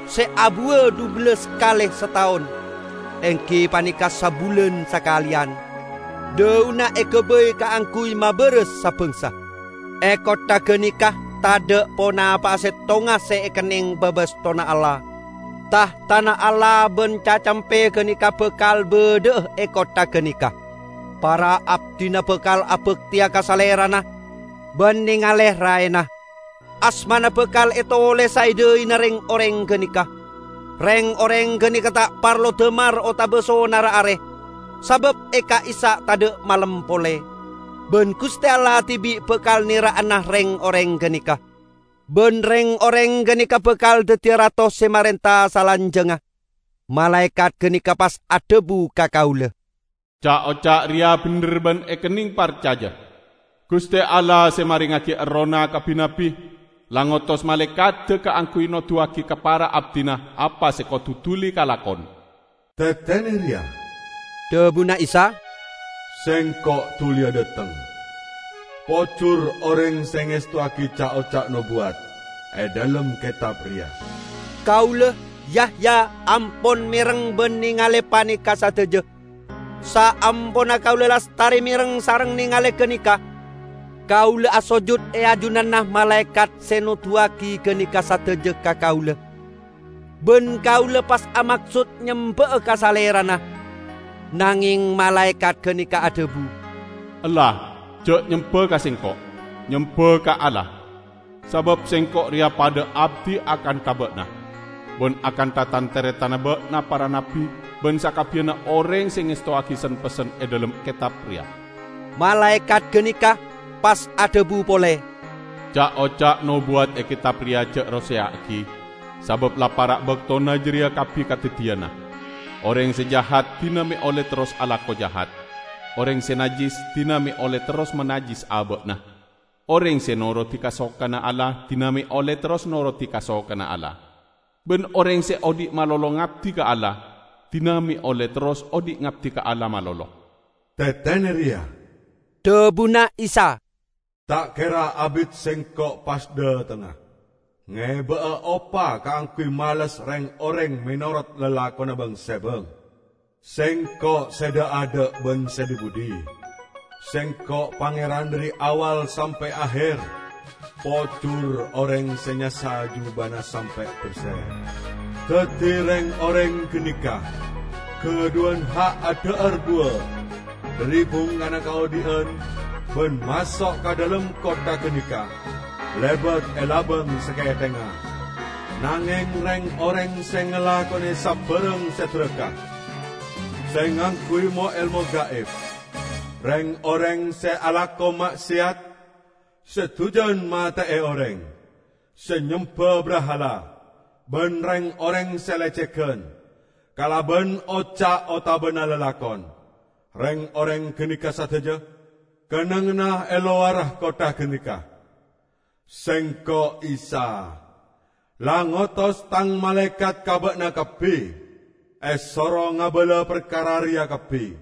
sè abuwâ dhubellâs kalè sataon, èngghi panèka sabulân sakalèyan. Dhâuna èghâbây kaangghuy mabârâs sa-bângsa. È kottha ghânèka tadâ' ponapa'a sèttonga sè èkennèng bâbâstona Allah. Tahtana Allah bân Cacempè ghânèka bhâkal bâdâ'â è kottha ghânèka. Para abdhina bhâkal abhâktèya ka Salèrana bân nèngalè raèna. Asmana bhâkal ètolèsa è dhâina rèng-orèng ghânèka. Rèng-orèng ghânèka ta' parlo dâmar otabâ sonarra arè, sabâb è ka'issa' tadâ' malem polè. Bân Ghustè Allah dhibi' bhâkal nèra'ana rèng-orèng ghânèka. Bân rèng-orèng ghânèka bhâkal dhâddhiyâ rato sè marènta salanjhângnga. Malaèkat ghânèka pas adhâbu ka kaulâ, "Ca'-oca' rèya bhendher bân èkennèng parcajâ. Ghustè Allah sè marèngaghi Errohna ka bi-nabbi, la ngotos malaèkaddhâ kaangghuy noduwâghi ka para abdhina apa sè kodhu dhuli kalakon." "Tetene reya," dhabuna Isa, "Sengko' duliya dhateng. Pojur oreng se ngestowagi ca'-oca' nobuwat e dhalem ketab reya." Kaula, Yahya, ampon mereng ban nengale paneka sadaja. Saamponna kaula lastare mereng sareng nengale ganeka, kaula asojud e ajunanna malaekat se noduwagi ganeka sadaja ka kaula. Ban kaula pas amaksod nyemba'a ka Salerana. Nangeng malaekat ganeka adhabu, "Ella, ja' nyemba ka Sengko', nyemba ka Allah. Sabab Sengko' reya padha abdi akanta ba'na, ban akanta tan-taretanna ba'na para nabbi ban sakabbiyanna oreng se ngestowagi sen-pessen e dhalem ketab reya." Malaekat ganeka pas adhabu pole, "Ca'-oca' nobuwat e ketab reya ja' roseya'agi, sabab la para' baktona jareya kabbi kadaddiyana. Oreng se jahat dina me' olle terros alako jahat. Oreng se najjis dina me' olle terros manajjis aba'na. Oreng se norodi kasokanna Allah dina me' olle terros norodi kasokanna Allah. Ban oreng se odhi' malolo ngabdi ka Allah, dina me' olle terros odhi' ngabdi ka Allah malolo." "Tetene reya," dhabuna Isa, "ta' kera abit Sengko' pas dhatengnga, ngeba'a opa kaangguy males reng-oreng menorot lalakonna bang-sebang. Sengko' se dha'-adha' ban se dhi-budhi. Sengko' Pangeran dhari awal sampe' aher. Pojur oreng se nyassa jubana sampe' berse. Daddi reng-oreng ganeka gadhuwan ha' adha'ar buwa dhari bungkana kaodhi'an ban maso' ka dhalem kottha ganeka lebat e labang sakethengnga. Nangeng reng-oreng se ngalakone sabarang se dhuraka, se ngangguy mo-elmo gaib, reng-oreng se alako ma'seyat, se dujan mate'e oreng, se nyemba brahala, ban reng-oreng se lecegan kalaban oca' otabana lalakon, reng-oreng ganeka sadaja kennengnganna e lowara kottha ganeka. Sengko' Isa la ngotos Tang malaekat ka ba'na kabbi, esoro ngabala parkara reya kabbi,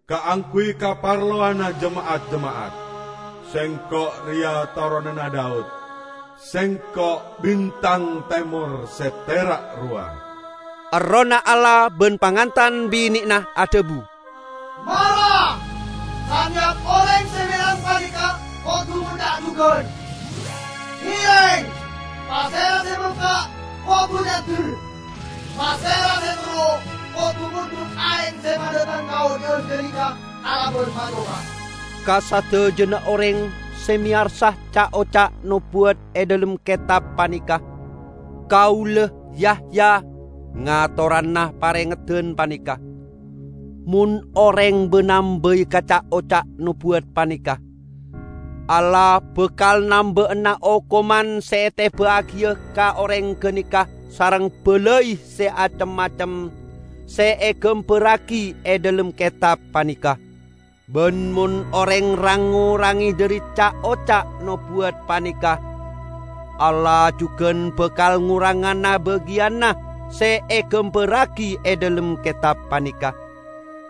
kaangguy kaparlowanna jema'at-jema'at. Sengko' reya toronanna Daud. Sengko' bintang temor se tera' rowa." Errohna Allah ban pangantan binena adhabu, "Mara! Saneyap oreng Ngèrèng! Pasèra sè bengka, kodhu nyander! Pasèra sè terro, kodhu mondhut aèng sè padâteng ka odhi'ân ghânèka kalabân macoka. Ka sadhâjâna orèng sè mèyarsa ca'-oca' nobuwat è dhâlem kètab panèka, kaulâ, Yahya, ngatorana parèngedhân panèka. Mon orèng bân-nambâi ka ca'-oca' nobuwat panèka, Allah bhâkal nambâ'âna okoman sè ètèbâ'âghiyâ ka orèng ghânèka sareng bâlâi sè acem-macem sè èghâmbhârrâghi è dhâlem kètab panèka. Bân mon orèng rang-ngorangè dhâri ca'-oca' nobuwat panèka, Allah jhughân bhâkal ngorangana bâgiyânna sè èghâmbhârrâghi è dhâlem kètab panèka,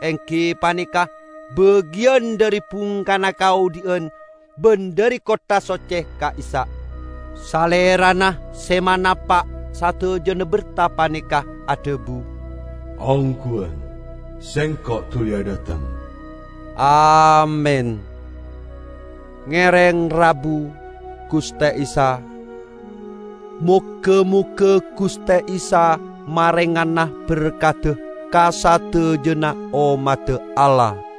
èngghi panèka bâgiyân dhâri bhungkana kaodhi'ân bân dhâri kottha soccè ka'issa'. Salèrana sè manapa' sadhâjâna berta panèka adhâbu, "Ongghuwân, Sèngko' dhuli adhâteng." Amin. Ngèrèng rabu, Ghustè Isa. Moghâ-moghâ Ghustè Isa marèngana berkadhâ ka sadhâjâna ommaddhâ Allah.